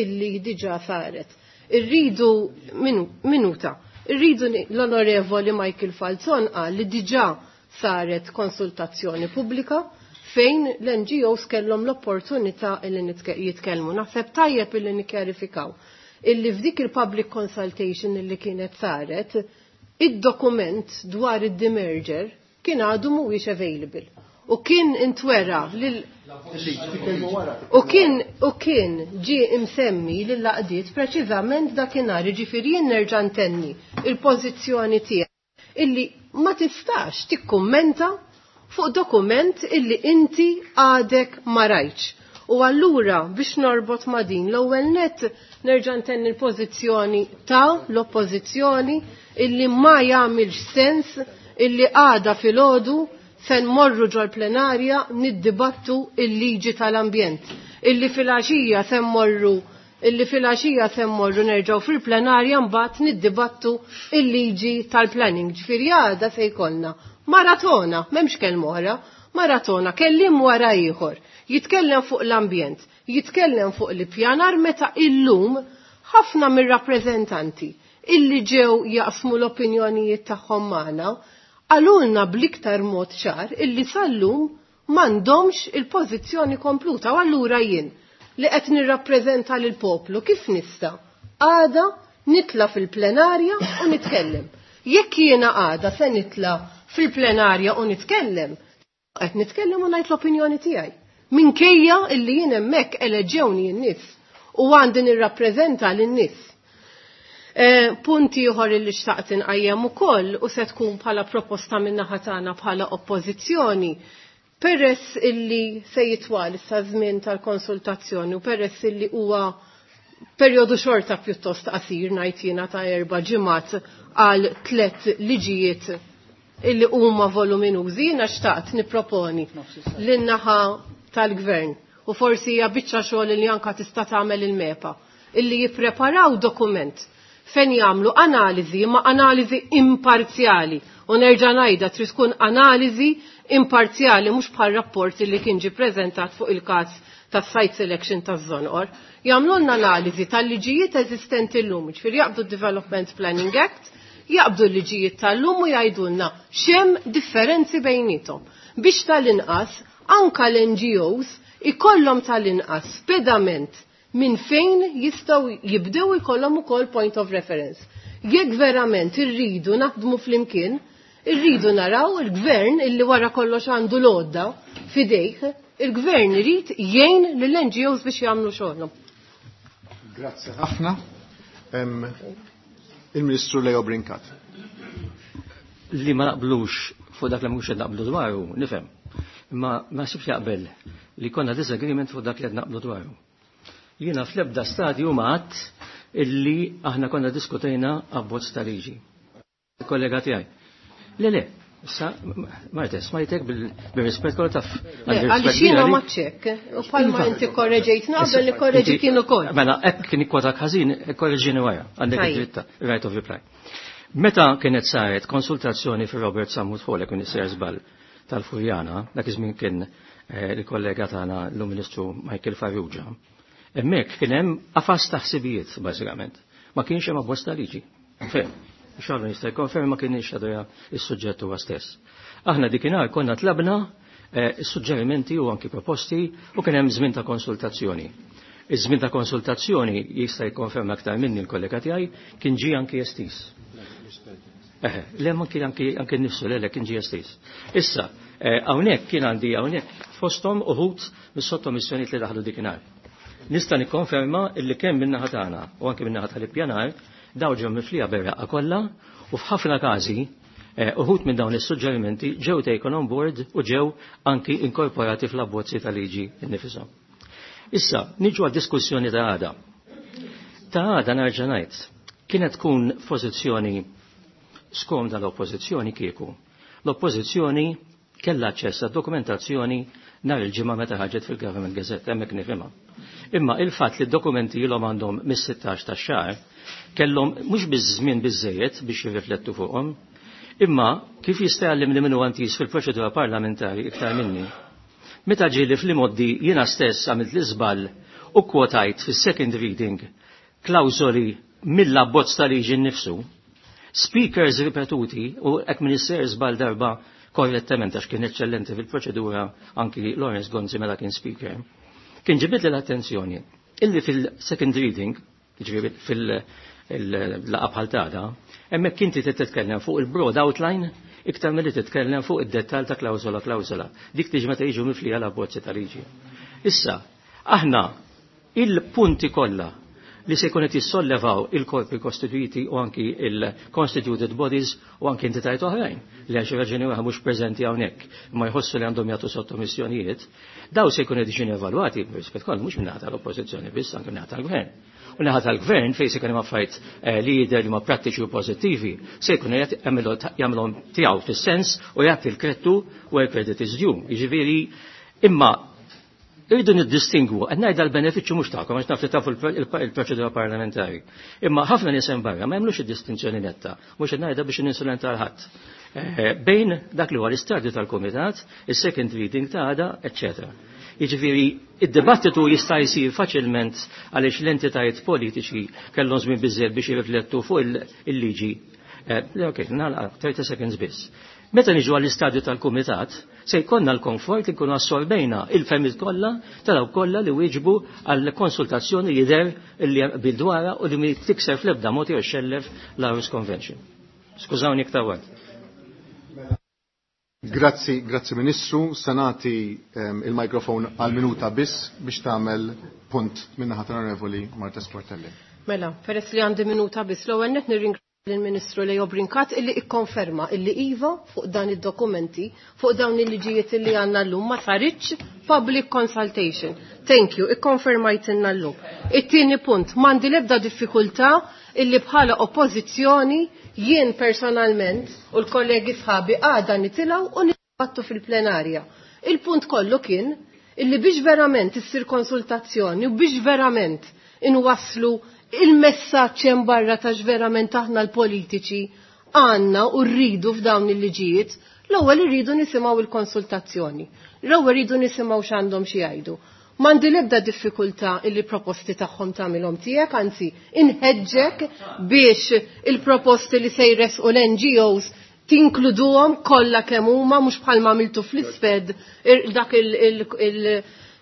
illi diġà saret. Irridu minuta. Irridu l-Onorevoli Michael Falzon qal li diġà saret konsultazzjoni pubblika fejn l-N G Os kellhom l-opportunità illi jitkellmu. Naħseb tajjeb illi nikkjarifikaw illi f'dik il-public consultation illi kienet saret, id-dokument dwar id-demerger kien għadu mhuwiex available. U kien intwera lil u kien u kien ġie imsemmi lil laqdiet preċiżament dakinhar, jiġifieri jien nerġa' ntenni il-pożizzjoni tiegħi illi ma tistax tikkummenta fuq dokument illi inti għadek ma rajtx. U allura biex norbot ma' din l-ewwel nett nerġa' ntenni l-pożizzjoni ta' l-oppożizzjoni illi ma jagħmilx sens illi għada filgħodu se nmorru ġol-plenarja niddibattu il-liġi tal-ambjent. Illi fil-għaxija se mmorru illi fil-għaxija se mmorru nerġgħu fil-plenarja mbagħad niddibattu il-liġi tal-planning. Ġifieri għada se jkollna maratona, m'hemmx kelma oħra, maratona, kellim wara ieħor. Jitkellem fuq l-ambjent, jitkellem fuq l-ippjanar meta illum ħafna mir-rappreżentanti illi ġew jaqsmu l-opinjonijiet tagħhom magħna qalulna bl-iktar mod ċar illi sal-lum m'għandhomx il-pożizzjoni kompluta u allura jien li qed nirrappreżenta lil poplu kif nista' għada nitla fil-plenarja u nitkellem. Jekk jiena għada se nitla fil-plenarja u nitkellem, qed nitkellem u ngħid l-opinjoni tiegħi. Minkejja illi jien hemmhekk eleġġewni n-nies u għandi nirrappreżenta lin-nies. Punti ieħor illi xtaqt inqajjem ukoll u se tkun bħala proposta min-naħa tagħna bħala oppożizzjoni, peress illi se jitwal issa żmien tal-konsultazzjoni u peress illi huwa perjodu xorta pjuttost qasir ngħid jiena ta' erba' ġimgħat għal tliet liġijiet illi huma voluminużi, jiena xtaqt nipproponi lin-naħa tal-gvern u forsi hija biċċa xogħol li anka tista' tagħmel il-MEPA illi jippreparaw dokument fejn jagħmlu analiżi ma analiżi imparzjali u nerġa' ngħidha trid tkun analiżi imparzjali mhux bħal rapport li kien ġie preżentat fuq il-każ tas-site selection taż-Żonqor. Jagħmlulna analiżi tal-liġijiet eżistenti llum, ġifieri jaqbdu d-Development Planning Act, jaqbdu l-liġijiet tal-lum u jgħidulna x'hemm differenzi bejnietom. Biex tal-inqas anka l-N G Os ikollhom tal-inqas pedament minn fejn jistgħu jibdew ikollhom ukoll point of reference. Jekk verament irridu naħdmu flimkien, irridu naraw il-gvern illi wara kollox għandu l-għodda fidejh, il-gvern irid jgħin lill-N G Os biex jagħmlu xogħolhom. Grazzi ħafna. Il-Ministru Leo Brincat. Li ma naqblux fuq dak li mhux qed naqblu dwaru, nifhem. Imma ma sibx jaqbel li konna disagreement fuq dak li qed naqblu dwaru. Jiena fl-ebda stadju ma għadt illi aħna konna diskutejna abbozz ta' liġi. Il-kollega tiegħi. Le, le, issa, Marta, smajtek bil-rispett kollu taf. Le, għaliex jiena ma ċek, u bħalma inti korreġejtna qabel li korreġi kien ukoll. Mela, hekk kien ikkwotak ħażin, korreġini wara, għandek id-dritta, right of reply. Meta kienet saret konsultazzjoni fir Robert Sammut Hall, kien isir żball tal-Furjana, dak iż-żmien kien il-kollega tagħna l-Ministru Michael Farrugia. Hemmhekk kien hemm qafas ta' ħsibijiet bażikament. Ma kienx hemm abbozz ta' liġi. Fejn? Xallu jista' jkonferma ma kienx għadu is-suġġett huwa stess. Aħna dikinhar konna tlabna suġġerimenti u anki proposti u kien hemm żmien ta' konsultazzjoni. Iż-żmien ta' konsultazzjoni jista' jikkonferma aktar minni l-kollega tiegħi kien ġie anki estis. Eħe, le ma kien anki anki nnifsu le le kien ġie estis. Issa, hawnhekk kien għandi hawnhekk fosthom uħud mis-sottomissjonijiet li daħlu dikinhar. Nista' nikkonferma illi kemm min-naħa tagħna u anke min-naħa tal-ippjanar daw ġew miflija berraqqa kollha u f'ħafna każi uħud minn dawn is-suġġerimenti ġew taken on board u ġew anki inkorporati fl-abbozzi tal-liġi nnifisom. Issa, niġu għad-diskussjoni ta' għada. Ta' għada nerġa' ngħid, kienet tkun pożizzjoni skomda l-oppożizzjoni kieku. L-oppożizzjoni kellha aċċess għad-dokumentazzjoni nhar il-ġimgħa meta ħarġet fil-Government Gazette, hemmhekk nifhimha. Imma il-fatt li d-dokumenti ilhom għandhom mis-sittax tax-xahar kellhom mhux biż-żmien biżejjed biex jirriflettu fuqhom, imma kif jista' jgħallimni min huwa antis fil-proċedura parlamentari iktar minni. Meta ġieli fl-imoddi jiena stess għamilt l-iżball u kwotajt fis-second reading klawżoli mill-abbozz ta' liġi nnifsu, speakers ripetuti u hekk minister żball darba korrettament għax kien eċċellenti fil-proċedura anki Lawrence Gonzi meta kien speaker, kien ġibid l-attenzjoni illi fil-second reading, ġifieri fil-laqgħa bħal tagħda, hemmhekk inti trid titkellem fuq il-broad outline iktar milli titkellem fuq id-dettall ta' klawżola klawżola. Dik tiġi meta jiġu miflija l-abbozzi ta' liġi. Issa, aħna il-punti kollha li se jkun qed jissollevaw il-korpi kostituiti u anki il-constituted bodies u anki entitajiet oħrajn li għal xi raġuni oħra mhux preżenti hawnhekk imma jħossu li għandhom jagħtu sottomissjonijiet, daw se jkun qed jiġu evalwati rispett kollu mhux minn naħa tal-oppożizzjoni biss anke minn naħa tal-gvern. U naħa tal-gvern fejn se jkun hemm affarijiet eh, li jidher li huma prattiċi u pożittivi, se jkun qed jagħmilhom tiegħu fis-sens u jagħti l-kredtu where credit is due. Jiġifieri imma irridu niddistingwu, qed ngħidha l-benefiċċju mhux tagħkom għax naf li tafu il-proċedura parlamentari. Imma ħafna nies hemm barra ma jagħmlux id-distinzjoni netta, mhux qed ngħidha biex ninsulenta għal ħadd. Eh, bejn dak li huwa l-istadju tal-kumitat, is-second reading ta' għada, eċċetera. Jiġifieri id-dibattitu jista' jsir faċilment għaliex l-entitajiet politiċi kellhom żmien biżżejjed biex jirriflettu fuq il-liġi. Eh, ok, nagħlaq thirty seconds biss. Meta niġu għall-istadju tal-kumitat, se jkollna l-komfort li nkunu assorbejna il-fehmiet kollha ta' dawk kollha li wieġbu għall-konsultazzjoni jidher li bil-dwara u li tikser fl-ebda mod jew xellef l-Aarhus Convention. Skużawni iktar wara. Grazzi, grazzi Ministru. Se nagħti um, il-mikrofon għal minuta biss biex tagħmel punt min-naħa tal-Onorevoli Marta Sportelli. Mela, peress li għandi minuta biss, l-ewwel nett nirringrazzja lill-Ministru Leo Brincat illi ikkonferma illi iva fuq dan id-dokumenti, fuq dawn il-liġijiet illi għandna llum ma saritx public consultation. Thank you, ikkonfermajtilna llum. It-tieni punt, m'għandi l-ebda diffikultà illi bħala oppożizzjoni jien personalment u l-kollegi sħabi għada nitilgħu u nitbattu fil-plenarja. Il-punt kollu kien illi biex verament issir konsultazzjoni u biex verament inwasslu il-messaġġ hemm barra ta' verament aħna l-politiċi għandna u rridu f'dawn il-liġijiet, l-ewwel irridu nisimgħu il-konsultazzjoni. L-ewwel irridu nisimgħu x'għandhom xi jgħidu. M'għandi l-ebda diffikultà illi proposti tagħhom tagħmilhom tiegħek, anzi inħeġġek biex il-proposti li se jresqu l-N G Os tinkluduhom kollha kemm huma, mhux bħalma għamiltu fl-isped dak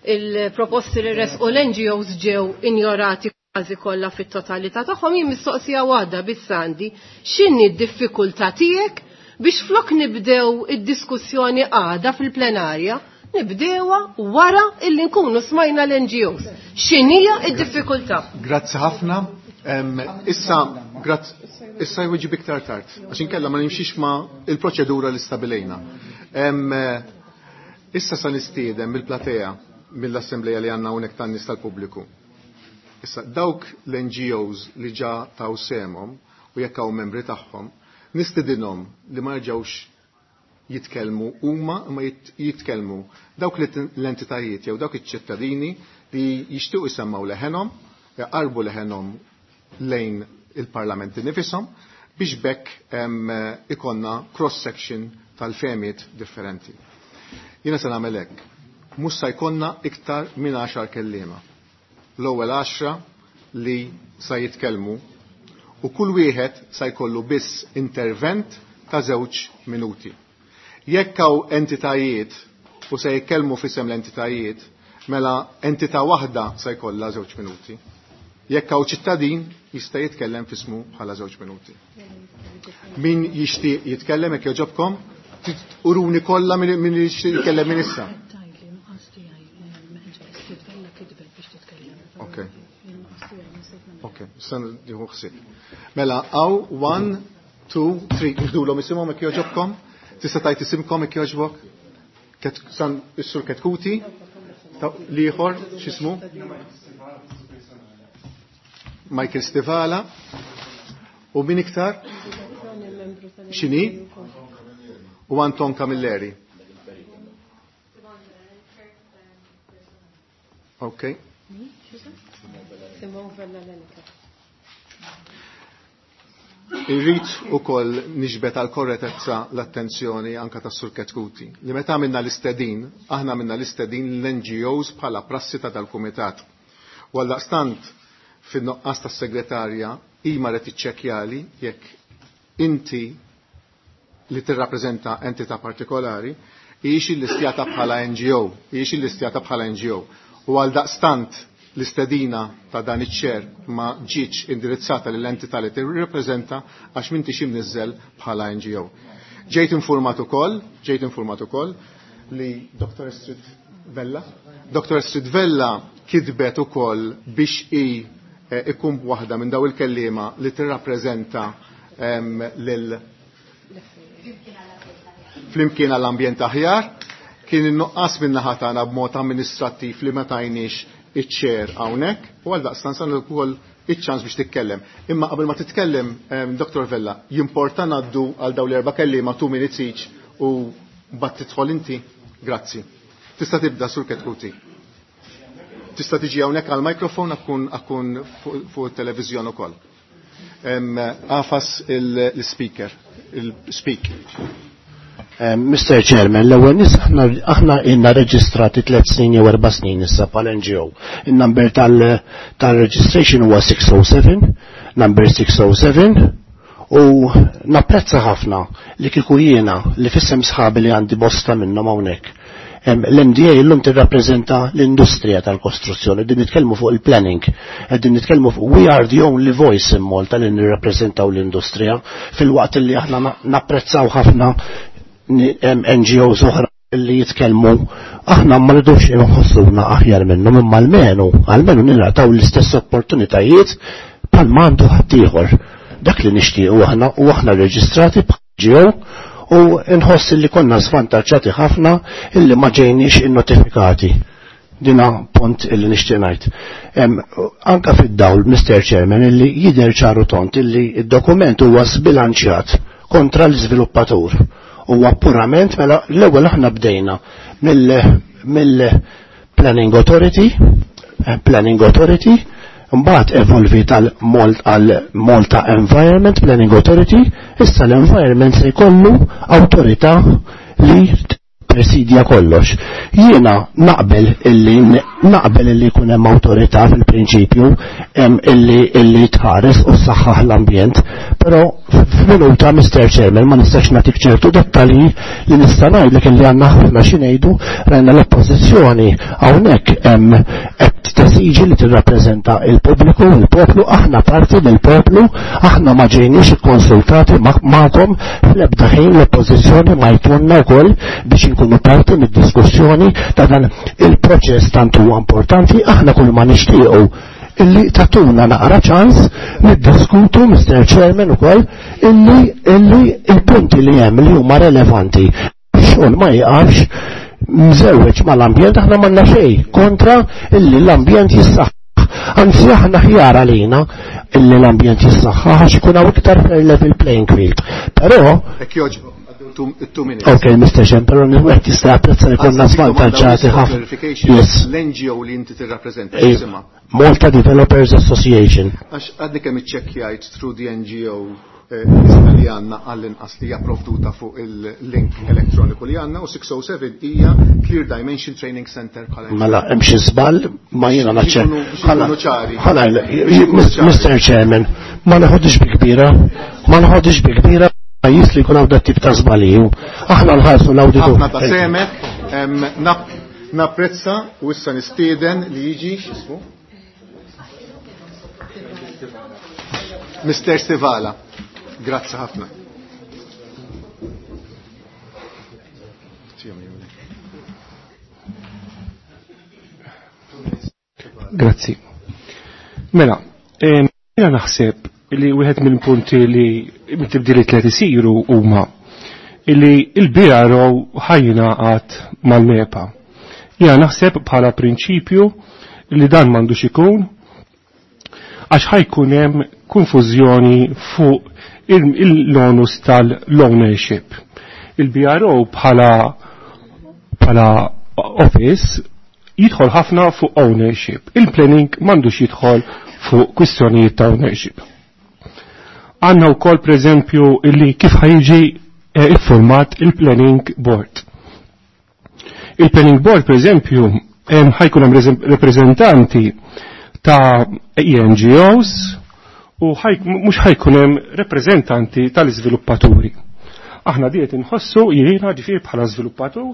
il-proposti li resqu l-N G Os ġew injorati kważi kollha fit-totalità tagħhom. Jien mistoqsija waħda biss għandi: x'inhi d-diffikultà tiegħek biex flok nibdew id-diskussjoni għada fil-plenarja, nibdewa wara illi nkunu smajna l-N G Os? X'inhija d-diffikultà? Grazzi ħafna. Issa, grazzi, issa jweġib iktar tard, għax inkella ma nimxix ma il-proċedura li stabilejna. Issa sa nistieden mill-platea mill-assembleja li għandna hawnhekk tan-nies tal-pubbliku. Issa dawk l-N G Os li ġa taw sehemhom u jekk hawn membri tagħhom, nistedinhom li ma jerġgħux jitkellmu huma, imma jitkellmu dawk l-entitajiet jew dawk iċ-ċittadini li jixtiequ jsemmaw leħenhom, jaqarbu leħenhom lejn il-parlamenti nifisom biex bekk ikonna cross-section tal-fehmiet differenti. Jiena se nagħmel hekk. Mhux se jkollna iktar minn għaxar kelliema. L-ewwel għaxra li sa jitkellmu u kull wieħed sa jkollu biss intervent ta' żewġ minuti. Jekk hawn entitajiet u se jitkellmu f'isem l-entitajiet, mela entità waħda se jkollha żewġ minuti. Jekk hawn ċittadin, jista' jitkellem f'ismu bħala żewġ minuti. Min jixtieq jitkellem, jekk jogħġobkom, uruni kollha min min jixtieq jitkellem minn issa. Ok. Ok, issa nieħu ħsieb. Mela, hawn, one, two, three, nħdulhom isimhom jekk jogħġobkom. Tista' tajt isimkom jekk jogħġbok? San is-sur Ketkuti, l-ieħor, x'ismu? Michael Stivala. U min iktar? X'inhi? U Anton Camilleri. Ok. Simon Vella Lenica. Irrid ukoll niġbed għal korretezza l-attenzjoni anka tas Sur Ketkuti. Li meta għamilna l-istedin, aħna għamilna l-istedin l-N G Os bħala prassi ta' dal-kumitat. U għaldaqstant fin-nuqqas tas-segretarja ima qed iċċekkjali jekk inti li tirrappreżenta entità partikolari hijiex illistjata bħala N G O, hijiex illistjata bħala N G O. U għal daqstant l-istedina ta' dan iċ-ċer ma ġietx indirizzata lill-entità li tirrappreżenta għax m'intix imniżżel bħala N G O. Ġejt informat ukoll, ġejt informat ukoll li Doctor Astrid Vella, Doctor Astrid Vella kitbet ukoll biex i eh, ikun waħda minn daw il-kellima li tirrappreżenta lil Flimkien għall-Ambjent Aħjar. Kien in-nuqqas minn naħa tagħna b'mod amministrattiv li ma tajniex iċ-ċer hawnhekk u għal daqstant san ukoll iċ-ċans biex titkellem. Imma qabel ma titkellem, Dottor Vella, jimporta ngħaddu għal dawn l-erba' kelliema two minutes each u mbagħad tidħol inti. Grazzi. Tista' tibda Sur Chetcuti. Tista' tiġi hawnhekk għall-mikrofon akkun akkun fuq it-televiżjoni ukoll. Għafas il-speaker, il-speak. Mister Chairman, l-ewwel nies aħna ilna reġistrati tliet snin jew erba' snin issa bħal N G O. In-number tal-registration huwa six oh seven, number six oh seven, u napprezza ħafna li kieku jiena li fissem sħabi li għandi bosta minnhom hawnhekk. L-M D A illum tirrappreżenta l-industrija tal-kostruzzjoni, qegħdin nitkellmu fuq il-planning, qegħdin nitkellmu fuq we are the only voice in Malta li nirrappreżentaw l-industrija, fil-waqt li aħna napprezzaw ħafna N G Os oħra li jitkellmu, aħna ma rridux inħossuna aħjar minnhom, imma almenu, almenu ningħataw l-istess opportunitajiet bħal ma għandu ħaddieħor. Dak li nixtiequ aħna, u aħna reġistrati bħal N G O, u nħoss li konna svantaġġati ħafna illi ma ġejniex innotifikati. Dina punt illi nixtieq ngħid. Anka fid-dawl, Mister Chairman, illi jidher ċaru tont illi id-dokument huwa sbilanċjat kontra l-iżviluppatur. Huwa purament mela l-ewwel aħna bdejna mill-Planning Authority, eh, Planning Authority, mbagħad evolvi tal-Malta Environment Planning Authority, issa l-Environment se jkollu awtorità li presidja kollox. Jiena naqbel illi naqbel illi jkun hemm awtorità fil-prinċipju hemm illi illi tħares u ssaħħaħ l-ambjent, però f'minuta Mister Chairman ma nistax nagħtik ċertu dettalji li nista' ngħidlek illi għandna ħafna xi ngħidu, rajna l-oppożizzjoni hawnhekk hemm qed tesiġi li tirrappreżenta il-pubbliku, il-poplu, aħna parti mill-poplu, aħna ma ġejniex ikkonsultati magħkom fl-ebda ħin l-oppożizzjoni ma jtunna wkoll biex inkunu parti mid-diskussjoni ta' dan il-proċess tant huwa importanti, aħna kull ma nixtiequ illi tatuna naqra ċans niddiskutu, Mister Chairman, ukoll illi, illi il-punti li hemm li huma relevanti. Xogħol ma jiqafx mżewweġ mal-ambjent, aħna m'għandna xejn kontra illi l-ambjent jissaħħaħ. Anzi aħna ħjar għalina illi l-ambjent jissaħħaħ għax ikun hawn iktar fair level playing field. Però Hekk jogħġbok. Two minutes. Ok, Mister Chairman, però wieħed jista' japprezza li konna Għażla svantaġġati domanda ħafna. clarification. Yes. L-N G O li inti tirrappreżenta, Eh, x'jisimha? Malta Developers Association. Għax għadni kemm iċċekkjajt through the N G O, eh, lista li għandna għall-inqas li hija provduta fuq il-link elettroniku li għandna, u six oh seven hija Clear Dimension Training Center bħala Mela, hemm xi żball, ma jiena Biex naċċer. ikunu, biex ikunu ċari. Ħana, Mister Chairman, ma naħodix bi kbira, ma naħodix bi kbira pajjiż li jkun hawn dat tip ta' żbalji. Aħna nħarsu l-awditur. Ħafna ta' semek, em, nap-, napprezza u issa nistieden li jiġi x'ismu? Mister Stivala. Grazzi ħafna. Grazzi. Mela, em, jiena naħseb li wieħed mill-punti li mit-tibdiliet li qed isiru huma illi il-B R O ħajjingħaqad mal-MEPA. Jiena naħseb bħala prinċipju li dan m'għandux ikun għax ħajkun hemm konfużjoni fuq il-onus tal-ownership. Il-B R O bħala, bħala office jidħol ħafna fuq ownership. Il-planning m'għandux jidħol fuq kwistjonijiet ta' ownership. Għandna wkoll pereżempju illi kif ħajġi, eh, iffurmat il-planning board. Il-planning board pereżempju hemm ħajkun hemm reżem-, rappreżentanti ta' E N G Os u ħaj-, mhux ħajkun hemm rappreżentanti tal-iżviluppaturi. Aħna diet inħossu jiena ġifieri bħala żviluppatur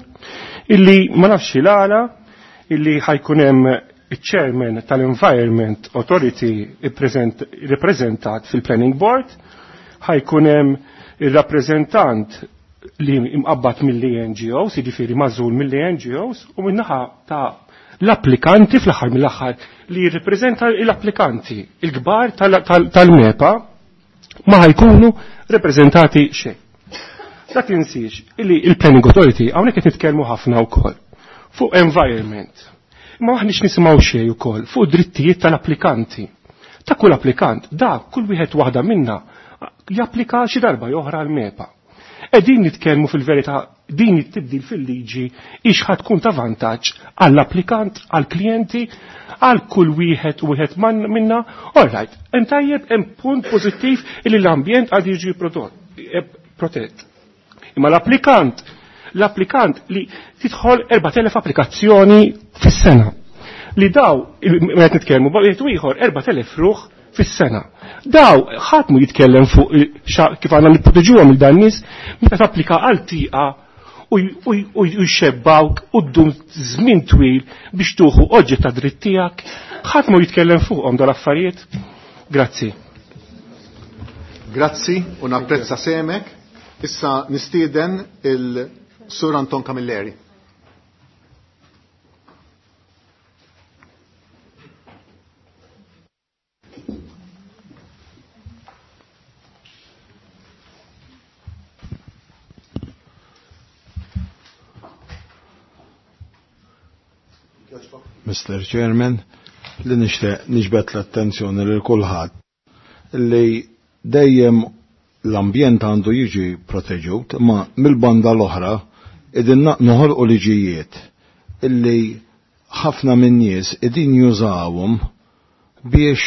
illi ma nafx il-għala illi ħajkun hemm il-chairman tal-Environment Authority ippreżentat fil-Planning Board, ħajkun hemm ir-rappreżentant li imqabbad mill-E N G Os, jiġifieri magħżul mill-E N G Os, u min-naħa ta' l-applikanti fl-aħħar mill-aħħar li jirrappreżenta l-applikanti, il-kbar tal-MEPA ma ħajkunu rappreżentati xejn. Dak tinsiex illi il-Planning Authority hawnhekk qed nitkellmu ħafna wkoll fuq environment. Ma aħniex nisimgħu xejn ukoll fuq drittijiet tal-applikanti, Ta' kull applikant, da kull wieħed waħda minna japplika xi darba joħra l-MEPA. Qegħdin nitkellmu fil-verità din it-tibdil fil-liġi ix tkun ta' vantaġġ għall-applikant, għall-klijenti, għal kull wieħed u wieħed minna. All right, hemm tajjeb hemm punt pożittiv li l-ambjent għad jiġi eh, protett. Imma l-applikant, l-applikant li tidħol erbat elef applikazzjoni fis-sena. Li daw, meta nitkellmu, wieħed ieħor erbat elef ruħ fis-sena. Daw ħadd mu jitkellem fuq kif għandna nipproteġuhom il dan nies meta tapplika għal tieqa u jxebbawk u ddum żmien twil biex tuħu oġġett ta' dritt tiegħek, ħadd mu jitkellem fuqhom dal-affarijiet. Grazzi. Grazzi u napprezza semek. Issa nistieden il-Sur Anton Camilleri. Mister Chairman, li nixtieq niġbed l-attenzjoni lil kulħadd li dejjem l-ambjent għandu jiġi proteġut, ma mill-banda l-oħra idin noħolqu liġijiet illi ħafna minn nies idin jużawhom biex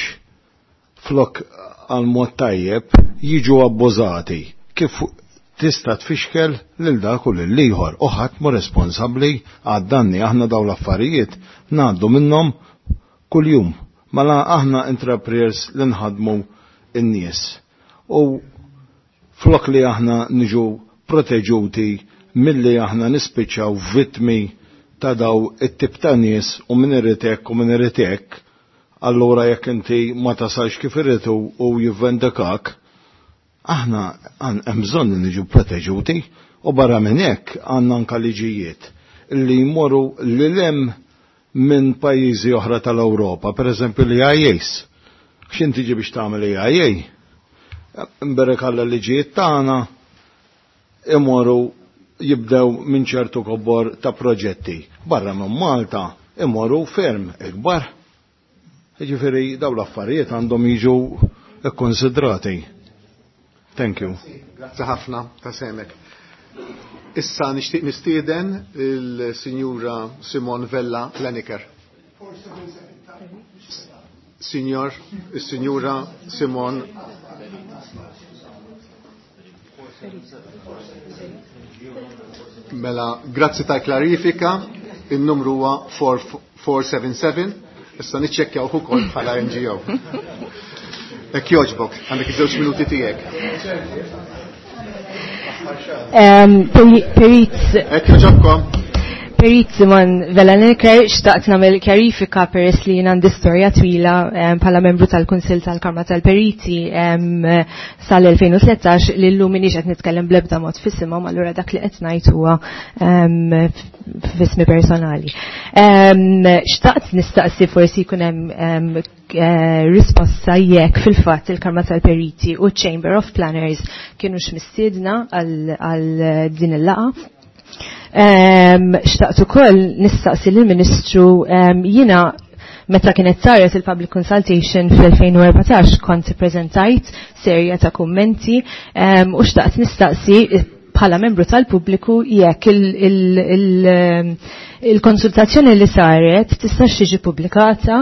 flok għal mod tajjeb jiġu abbużati kif tista' tfixkel lil dak u lil ieħor u ħadd mu responsabbli għad-danni. Aħna dawn l-affarijiet ngħaddu minnhom kuljum. Mela aħna entrepreneurs li nħadmu n-nies. U flok li aħna niġu proteġuti milli aħna nispiċċaw vittmi ta' daw it-tip ta' nies u min irid hekk u min irid hekk, allura jekk inti ma tasalx kif irritu u jivvendikak, aħna hemm bżonn li niġu proteġuti u barra minn hekk għandna anke liġijiet li jmorru lil hemm minn pajjiżi oħra tal-Ewropa, pereżempju l-E I As. X'in tiġi biex tagħmel E I A? Imberek għalla liġijiet tagħna imorru jibdew minn ċertu kobor ta' proġetti. Barra minn Malta imorru ferm ikbar. Jiġifieri dawn l-affarijiet għandhom jiġu kkonsidrati. Thank you. Grazzi ħafna ta' semek. Issa nixtieq nistieden il-Sinjura Simon Vella Lenicker. Signor, il-Sinjura Simon Mela, grazzi ta' klarifika, il-numru huwa four seven seven, issa niċċekkjaw ukoll bħala N G O. Hekk jogħġbok, għandek iż-żewġ minuti tiegħek. Perit. Hekk jogħġobkom. Perit Simon Vella Lenicker, xtaqt nagħmel kjarifika peress li jien għandi storja twila bħala membru tal-Kunsill tal-Kamra tal-Periti sal-elfejn u tlettax li llum m'iniex qed nitkellem bl-ebda mod f'isimhom, allura dak li qed ngħid huwa f'ismi personali. Xtaqt nistaqsi forsi jkun hemm risposta jekk fil-fatt il-Kamra tal-Periti u Chamber of Planners kienu x'mistiedna għal din il-laqgħa. Xtaqt ukoll nistaqsi lill-Ministru, jiena meta kienet saret il-public consultation fl-elfejn u erbatax kont ippreżentajt serja ta' kummenti, u xtaqt nistaqsi bħala membru tal-pubbliku jekk il-konsultazzjoni li saret tistax tiġi pubblikata,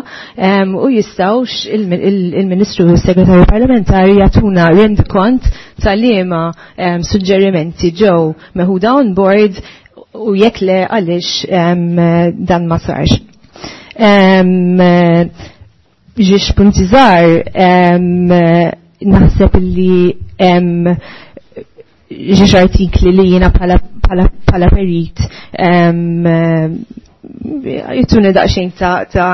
u jistgħux il-Ministru u s-Segretarju Parlamentari jagħtuna rendikont tal-liema suġġerimenti ġew meħuda on board u jekk le għaliex dan ma sarx. Ġiex punti żgħar, naħseb li ġiex artikli li jiena bħala perit jittuni daqsxejn ta', ta,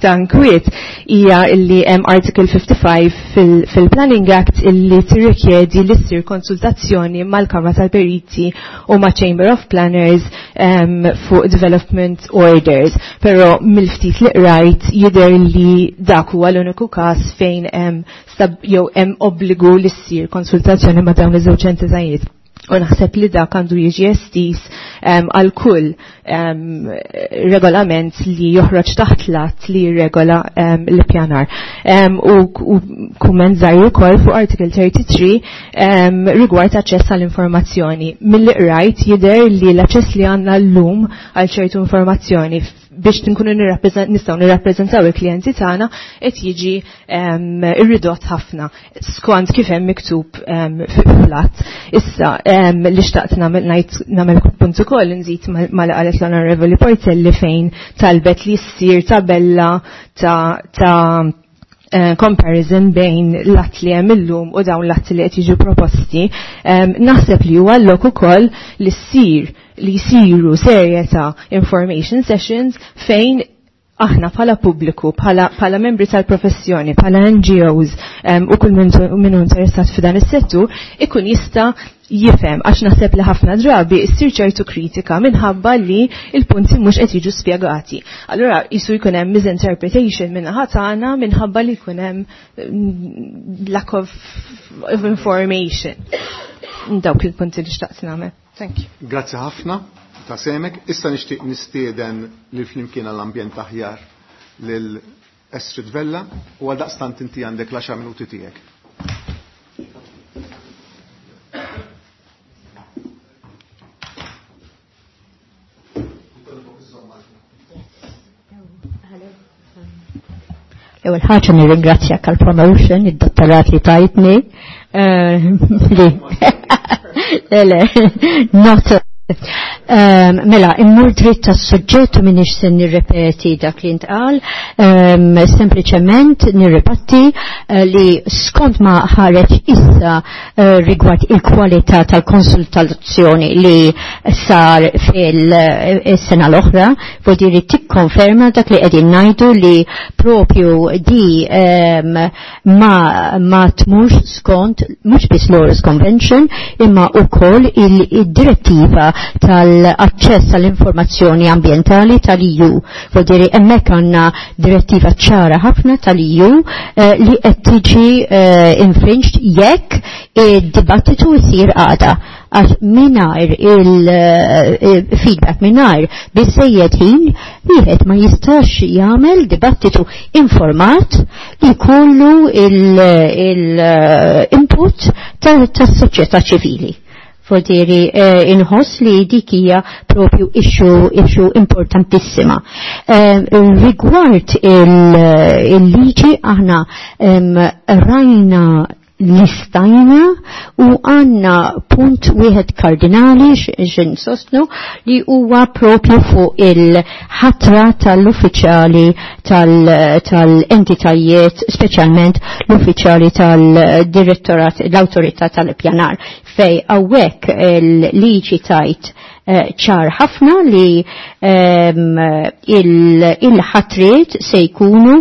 ta' nkwiet hija illi hemm Article fifty-five fil-, fil-Planning Act illi tirrikjedi li ssir konsultazzjoni mal-Kamra tal-Periti u ma' Chamber of Planners um, fuq development orders. Però mill-ftit li qrajt jidher li dak huwa l-uniku każ fejn hemm stab jew hemm obbligu li ssir konsultazzjoni ma' dawn iż-żewġ entitajiet. U naħseb li dak għandu jiġi estis għal kull um, regolament li joħroġ taħt lat li jirregola um, l-pjanar. Um, u, u kumment żgħir ukoll fuq Article thirty-three um, rigward aċċess għall-informazzjoni. Milli qrajt jidher li l-aċċess li għandna llum għal ċertu informazzjoni biex nkunu nistgħu nirrappreżentaw il-klijenti tagħna qed jiġi um, irridott ħafna skont kif hemm miktub um, fil-att. Issa um, li xtaqt nagħmel nagħmel punt ukoll nżid ma li qalet l-Onorevoli Portelli fejn talbet li ssir tabella ta' ta' Uh, comparison bejn l-att li hemm illum u dawn l-att li qed jiġu proposti, um, naħseb li huwa lok ukoll li ssir li jsiru serje ta' information sessions fejn aħna bħala pubbliku, bħala, bħala membri tal-professjoni, bħala N G Os um, u kull min hu interessat f'dan is-settur ikun jista' jifhem, għax naħseb li ħafna drabi ssir ċertu kritika minħabba li il-punti mhux qed jiġu spjegati. Allura jisu jkun hemm misinterpretation min-naħa tagħna minħabba li jkun hemm lack of, of information. Dawk il-punti li xtaqt nagħmel. Thank you. Grazzi ħafna ta' semek. Issa nixtieq nistieden lil Flimkien għall-Ambjent Aħjar lil Estrid Vella u għal daqstant inti għandek l-għaxar minuti tiegħek. L-ewwel ħaġa nirringrazzjak għall-promotion, id-dottorat li tajtni. Li. Le, le, not. Um, mela, immur dritt tas-suġġett u minix se nirrepeti dak li ntqal, um, sempliċement nirrepeti uh, li skont ma ħareġ issa uh, rigward il-kwalità tal-konsultazzjoni li sar fil-sena l-oħra, vuol dire tikkonferma dak li qegħdin ngħidu li propju di um, ma, ma tmurx skont mhux biss l-Aarhus Convention imma wkoll il-direttiva tal-aċċess għall-informazzjoni ambientali tal-E U. Vuol dire hemmhekk għandna direttiva ċara ħafna tal-E U eh, li qed tiġi eh, infringed jekk id-dibattitu jsir għada. Għax mingħajr il-feedback, mingħajr biżejjed ħin, wieħed ma jistax jagħmel dibattitu informat li jkollu il-input tas-soċjetà ċivili. Vuol dire eh, inħoss li dik hija propju issue, issue importantissima. Eh, rigward il-liġi aħna rajna listajna u għanna punt wieħed kardinali xin sostnu li huwa propju fuq il-ħatra tal-uffiċjali tal-entitajiet, speċjalment l-uffiċjali tal-direttorat, l-awtorità tal-pjanar, fej hawnhekk il-liġi tajt ċar ħafna li il-ħatriet se jkunu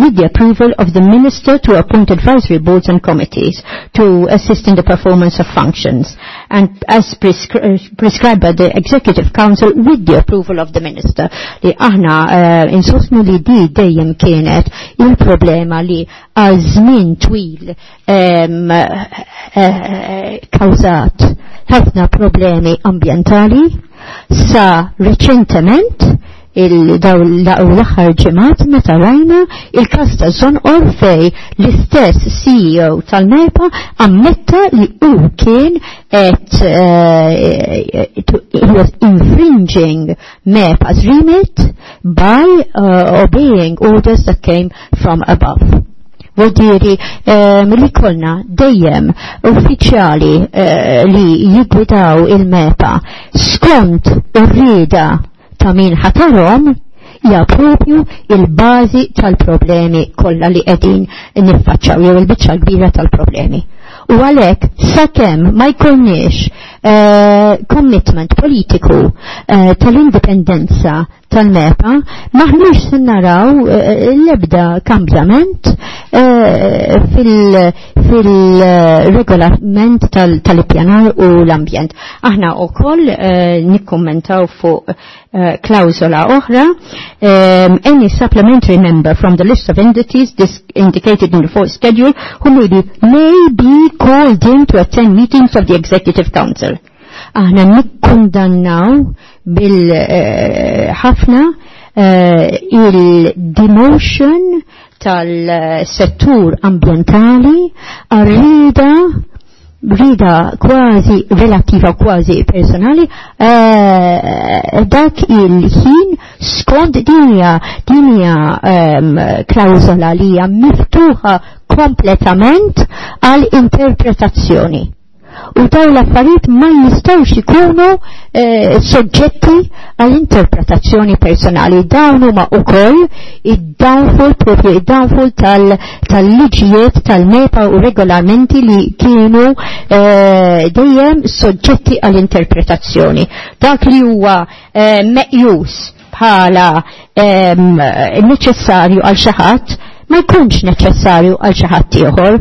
with the approval of the Minister to appoint advisory boards and committees to assist in the performance of functions and as prescribed by the Executive Council with the approval of the Minister. Li aħna insostnu li di dejjem kienet il-problema li għal żmien twil kawżat ħafna problemi ambientali sa reċentement il-daw l-aħħar ġimgħat meta rajna il-każ ta' Żonqor fej l-istess C E O tal-MEPA ammetta li hu kien qed he was infringing MEPA's remit by uh, obeying orders that came from above. Vuol dire li kolna dejjem uffiċjali li jigwidaw il-MEPA skont ir-rieda ta' min ħatarhom hija propju il-bażi tal-problemi kollha li qegħdin niffaċċaw jew il-biċċa kbira tal-problemi. U għalhekk sakemm ma jkollniex commitment politiku tal-indipendenza tal-MEPA, maħniex se naraw l-ebda kambjament eh, fil-regolament tal-ippjanar u l-ambjent. Aħna wkoll eh, nikkummentaw fuq eh, klawsola oħra, um, any supplementary member from the list of entities indicated in the fourth schedule who may be, may be called in to attend meetings of the Executive Council. Aħna nikkundannaw bil-ħafna eh, il-demotion tal-settur ambientali għarrida rida kważi relativa kważi personali eh, dak il-ħin skont dinja dinja um, klawzola li hija miftuħa kompletament għal interpretazzjoni. U dawn l-affarijiet ma jistgħux ikunu eh, soġġetti għall-interpretazzjoni personali. Dawn huma wkoll id-downfall propju id-downfall tal-liġijiet tal-MEPA u regolamenti li kienu eh, dejjem soġġetti għall-interpretazzjoni. Dak li huwa eh, meqjus bħala ehm, neċessarju għal xi ħadd ma jkunx neċessarju għal xi ħadd ieħor.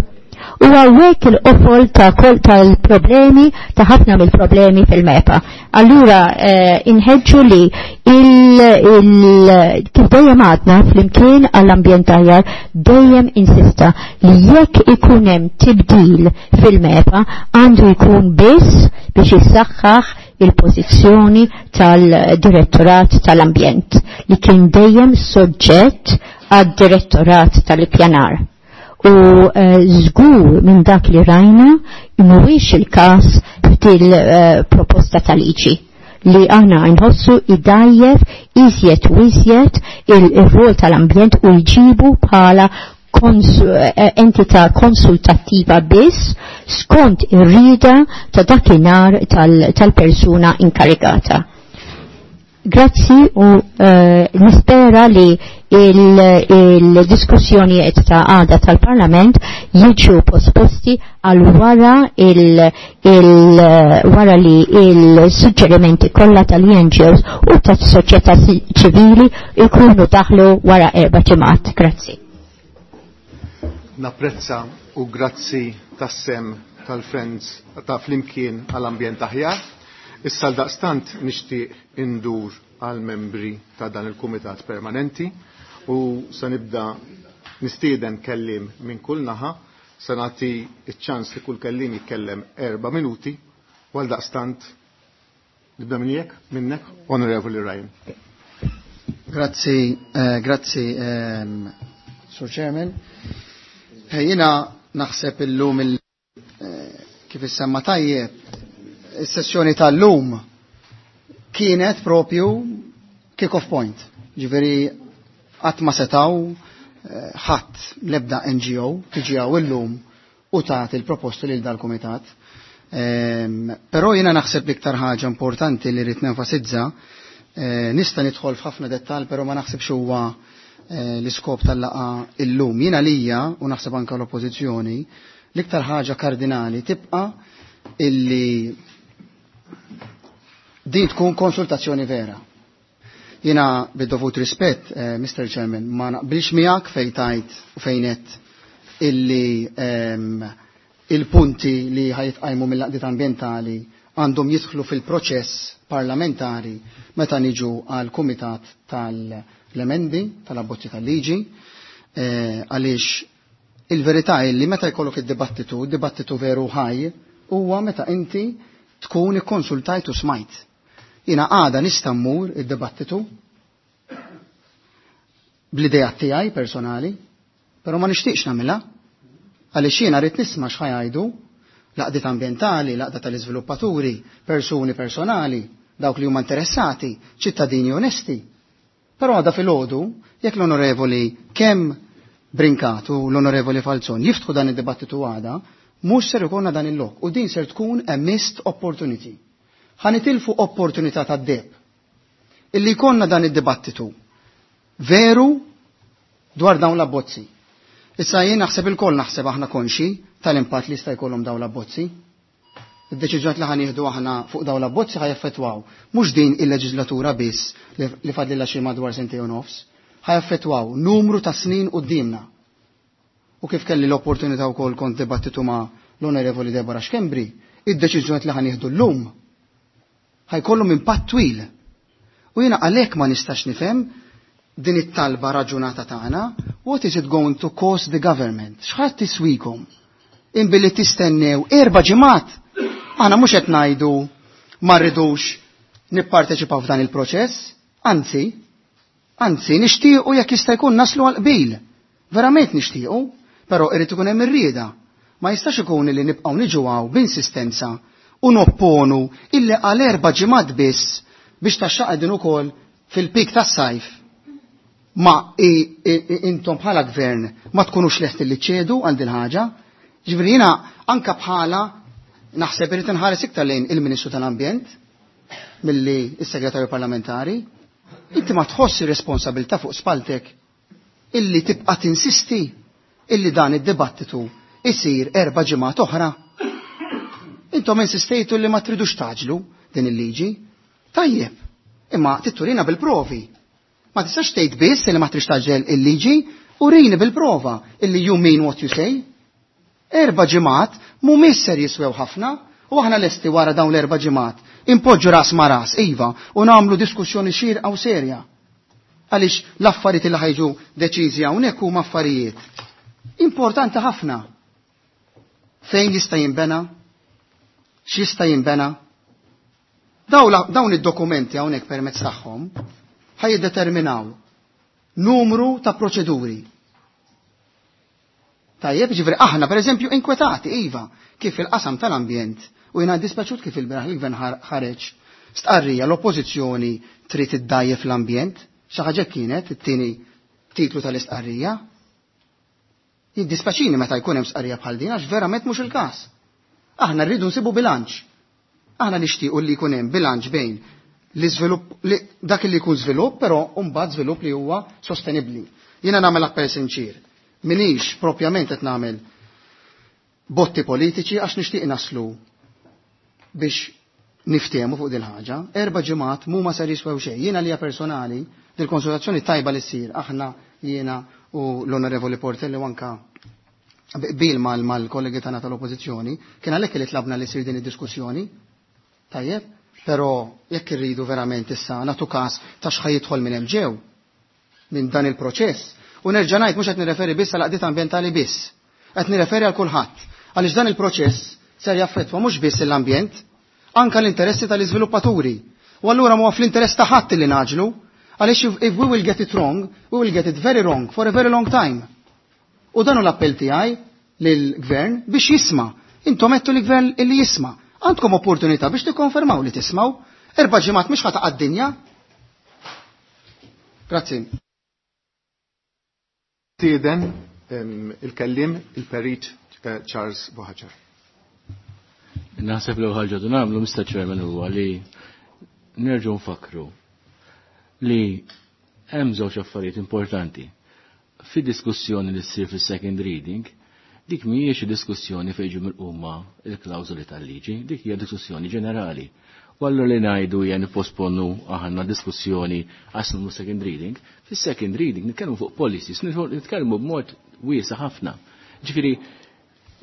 U għawek il-qofol ta' kol tal-problemi, ta' ħafna mill-problemi fil-MEPA. Allura, eh, inħeġġu li il, il, kif dejjem għadna fl-imkien għall-ambjent aħjar dejjem insista li jekk ikun hemm tibdil fil-MEPA għandu jkun biss biex jissaħħaħ il-pożizzjoni tal-direttorat tal-ambjent li kien dejjem soġġett għad-direttorat tal-ippjanar. U żgur minn dak li rajna mhuwiex il-każ f'dil proposta tal-liġi li aħna nħossu idajjef iżjed u iżjed il-rwol tal-ambjent u jġibu bħala entità konsultattiva biss skont ir-rida ta' dakinhar tal-persuna inkarigata. Grazzi u uh, nispera li il-diskussjonijiet il ta' għada tal-Parlament jiġu posposti għal wara il, il wara li il-suġġerimenti kollha tal-NGOs u tas-soċjetà ċivili ikunu daħlu wara erba' ġimgħat. Grazzi. Napprezza u grazzi tas-sem tal-Friends ta' Flimkien għall-Ambjent Aħjar. Issa l-daqstant nixtieq indur għal membri ta' dan il-Kumitat Permanenti u se nibda nistieden kellim minn kull naħa, se nagħti ċ-ċans li kull kellim jitkellem erba' minuti u għal daqstant nibda minn jekk minnek Onorevoli Ryan. Grazzi, eh, grazzi ehm, Sur Chairman. Jiena naħseb illum il, eh, kif issemma tajjeb, is-sessjoni tal-lum kienet propju kick-off point. Ġifieri qatt ma setaw ħadd l-ebda N G O tiġi hawn illum u tagħti l-proposti lil dal-kumitat. Ehm, però jiena naħseb l-iktar ħaġa importanti li rrid nenfasizza, eh, nista' nidħol f'ħafna dettall, però ma naħsibx huwa eh, l-iskop tal-laqa illum. Jiena lija u naħseb anke l-oppożizzjoni, l-iktar ħaġa kardinali tibqa' illi din tkun konsultazzjoni vera. Jiena bid-dovut rispett, eh, Mister Chairman, ma naqbilx miegħek fejn tajt u fejn qed illi ehm, il-punti li ħajtqajmu mill-laqdiet ambjentali għandhom jidħlu fil-proċess parlamentari meta niġu għal kumitat tal-emendi, tal-abbozzi tal-liġi, eh, għaliex il-verità hi li meta jkollok id-dibattitu, id-dibattitu veru ħaj, huwa meta inti tkun ikkonsultajt u smajt. Jiena għada nista' mmur id-dibattitu bl-idea tiegħi personali, però ma nixtieqx nagħmilha għaliex jiena rrid nisma' x'ħajajdu l-għaqdiet ambjentali, l-għaqda tal-iżviluppaturi, persuni personali, dawk li huma interessati, ċittadini onesti. Però għada filgħodu, jekk l-onorevoli kemm Brincat u l-onorevoli Falzon jiftħu dan id-dibattitu għada, mhux ser ikollna dan il-lok u din ser tkun a missed opportunity. Ħanitilfu opportunità tad-deb. Illi jkollna dan id-dibattitu veru dwar dawn l-abbozzi. Issa jien naħseb il-koll naħseb aħna konxi tal-impatt li jista' jkollhom dawn l-abbozzi. Id-deċiżjonijiet li ħanieħdu aħna fuq dawn l-abbozzi ħajaffettwaw mhux din il-leġislatura biss li fadlilha xi madwar sentejn u nofs, ħajaffettwaw numru ta' snin quddiemna. U kif kelli l-opportunità wkoll kont dibattitu ma' l-Onorevoli Deborah Schembri, id-deċiżjoni li ħa nieħdu llum ħajkollhom impatt twil. U jiena għalhekk ma nistax nifhem din it-talba raġunata tagħna, what is it going to cost the government? X'ħadd tiswikom? Imbilli tistennew erba' ġimgħat. Aħna mhux qed ngħidu ma rridux nipparteċipaw f'dan il-proċess, anzi, anzi nixtiequ jekk jista' jkun naslu għal qbil. Verament nixtiequ, però irid ikun hemm ir-rieda. Ma jistax ikun li nibqgħu niġu hawn b'insistenza u nopponu illi għal erba' ġimgħat biss biex taxxaq din ukoll fil-pik tas-sajf. Ma i, i, i, intom bħala gvern ma tkunux lesti li ċedu għal din ħaġa. Ġifieri jiena anka bħala naħseb irid inħares iktar lejn il-Ministru tal-Ambjent milli s-Segretarju Parlamentari. Inti ma tħoss ir-responsabilità fuq spaltek illi tibqa' tinsisti illi dan id-dibattitu isir erba' ġimgħat oħra. Intom insistejtu li ma tridux taġlu din il-liġi. Tajjeb, imma titturina bil-provi. Ma tistax tgħid biss li ma trix taġel il-liġi, urini bil-prova illi you mean what you say. Erba' ġimgħat mhumiex ser jiswew ħafna u aħna lesti wara dawn l-erba' ġimgħat impoġġu ras ma ras, iva, u nagħmlu diskussjoni xierqa u serja. Għaliex l-affarijiet li ħajġu deċiżi hawnhekk huma affarijiet importanti ħafna. Fejn jista' jinbena? X'jista' jinbena? Dawn id-dokumenti hawnhekk permezz tagħhom ħaj jiddeterminaw numru ta' proċeduri. Tajjeb, ġifieri aħna pereżempju inkwetati, iva, kif il-qasam tal-ambjent u jiena dispaċut kif il-beraħ il-gvern ħareġ stqarrija l-oppożizzjoni trid iddajjef l-ambjent, xi ħaġa kienet it-tieni titlu tal-istqarrija. Jiddispaċini meta jkun hemm stqarrija bħal din għax verament mhux il-każ. Aħna rridu nsibu bilanċ. Aħna nixtiequ li jkun hemm bilanċ bejn l-iżvilupp li dak li jkun żvilupp, però mbagħad żvilupp li huwa sostenibbli. Jiena nagħmel appell sinċir. Minix propjament qed nagħmel botti politiċi għax nixtieq naslu biex niftehmu fuq din ħaġa. Erba' ġimgħat mhuma ser jiswew xejn. Jiena lija personali dil-konsultazzjoni tajba li ssir aħna jiena u l-Onorevoli Portelli u anka bil mal-kollegi tagħna tal-Oppożizzjoni, kien għalhekk li tlabna li ssir din id-diskussjoni. Tajjeb, però jekk irridu verament issa nagħtu każ ta' x'ħaj jidħol minn hemm ġew minn dan il-proċess. U nerġa' ngħid mhux qed nirreferi biss għal qdiet ambjentali biss. Qed nirreferi għal kulħadd. Għaliex dan il-proċess ser jaffettwa mhux biss l-ambjent, anka l-interessi tal-iżviluppaturi. U allura mhuwa fl-interess ta' ħadd li naġlu, għaliex if we will get it wrong, we will get it very wrong for a very long time. U dan hu l-appell tiegħi lill-gvern biex jisma'. Intom għedtu l-gvern illi jisma'. Għandkom opportunità biex tikkonfermaw li tismaw. Erba' ġimgħat mhux ħa taqa' d-dinja. Grazzi. Tieden il-kellim il-perit Charles Buhagiar. Naħseb li ħaġa du nagħmlu Mister Chairman huwa li nerġgħu nfakru li hemm żewġ affarijiet importanti. Fid-diskussjoni li ssir fis-second reading, dik mhijiex diskussjoni fejn ġew milquma il-klawżoli tal-liġi, dik hija diskussjoni ġenerali. U allura li ngħidu hija nipposponu aħna diskussjoni għax nagħmlu second reading, fis-second reading nitkellmu fuq policies, nitkellmu b'mod wiesa' ħafna. Ġifieri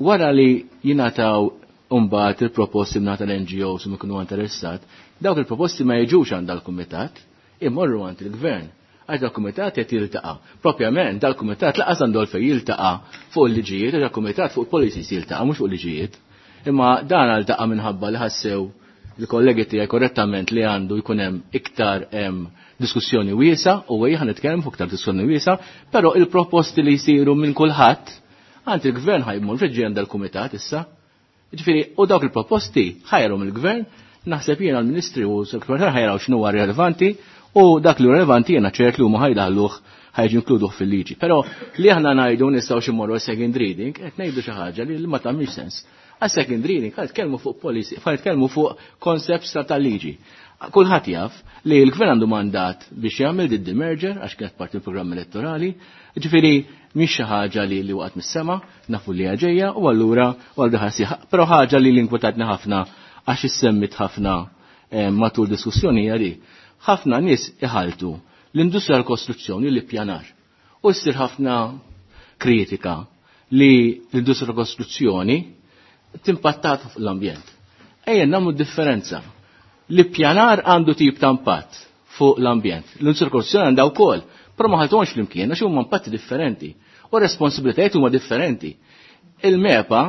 wara li jingħataw mbagħad il-proposti mingħata l-N G Os u ikunu interessat, dawk il-proposti ma jiġux għand dal-kumitat, imorru għand il-gvern. Għax dal-kumitat qed jiltaqa'. Propjament dal-kumitat laqas għandu għalfejn jiltaqa' fuq il-liġijiet, għax dal-kumitat fuq il-policies jiltaqa' mhux fuq il-liġijiet. Imma dan għaltaqa' minħabba li ħassew il-kollegi tiegħi korrettament li għandu jkun hemm iktar hemm diskussjoni wiesa' u ejja nitkellem fuq iktar diskussjoni wiesa', però il-proposti li jsiru minn kulħadd għand il-gvern ħajmur fil-ġejn dal-kumitat issa. Ġifieri, u dawk il-proposti ħajrhom il-gvern, naħseb jiena l-Ministri u s-Sekretar ħajraw x'inhu huwa rilevanti u dak li hu rilevanti jiena ċert li huma ħajdaħluh ħajġu inkluduh fil-liġi. Però li aħna ngħidu nistgħu xi mmorru second reading, qed ngħidu xi ħaġa li ma tagħmilx sens. Għas second reading ħa nitkellmu fuq policy, ħa nitkellmu fuq concepts ta' tal-liġi. Kulħadd jaf li l-gvern għandu mandat biex jagħmel din demerger għax kienet parti mill-programm elettorali, ġifieri mhix xi ħaġa li, li waqgħet mis-sema, nafu li hija ġejja u allura u għal ħassi, però ħaġa li l-inkwetatni ħafna għax issemmit ħafna, eh, matul diskussjoni hija li ħafna nies iħaltu l-industrija tal-kostruzzjoni li ppjanar. U ssir ħafna kritika li l-industrija kostruzzjoni timpattat fuq l-ambjent. Ejja nagħmlu differenza. L-ippjanar għandu tip ta' impatt fuq l-ambjent. L-industrija kostruzzjoni għandha wkoll, però ma ħaltuhomx flimkien għax huma impatti differenti u responsabilitajiet huma differenti. Il-MEPA,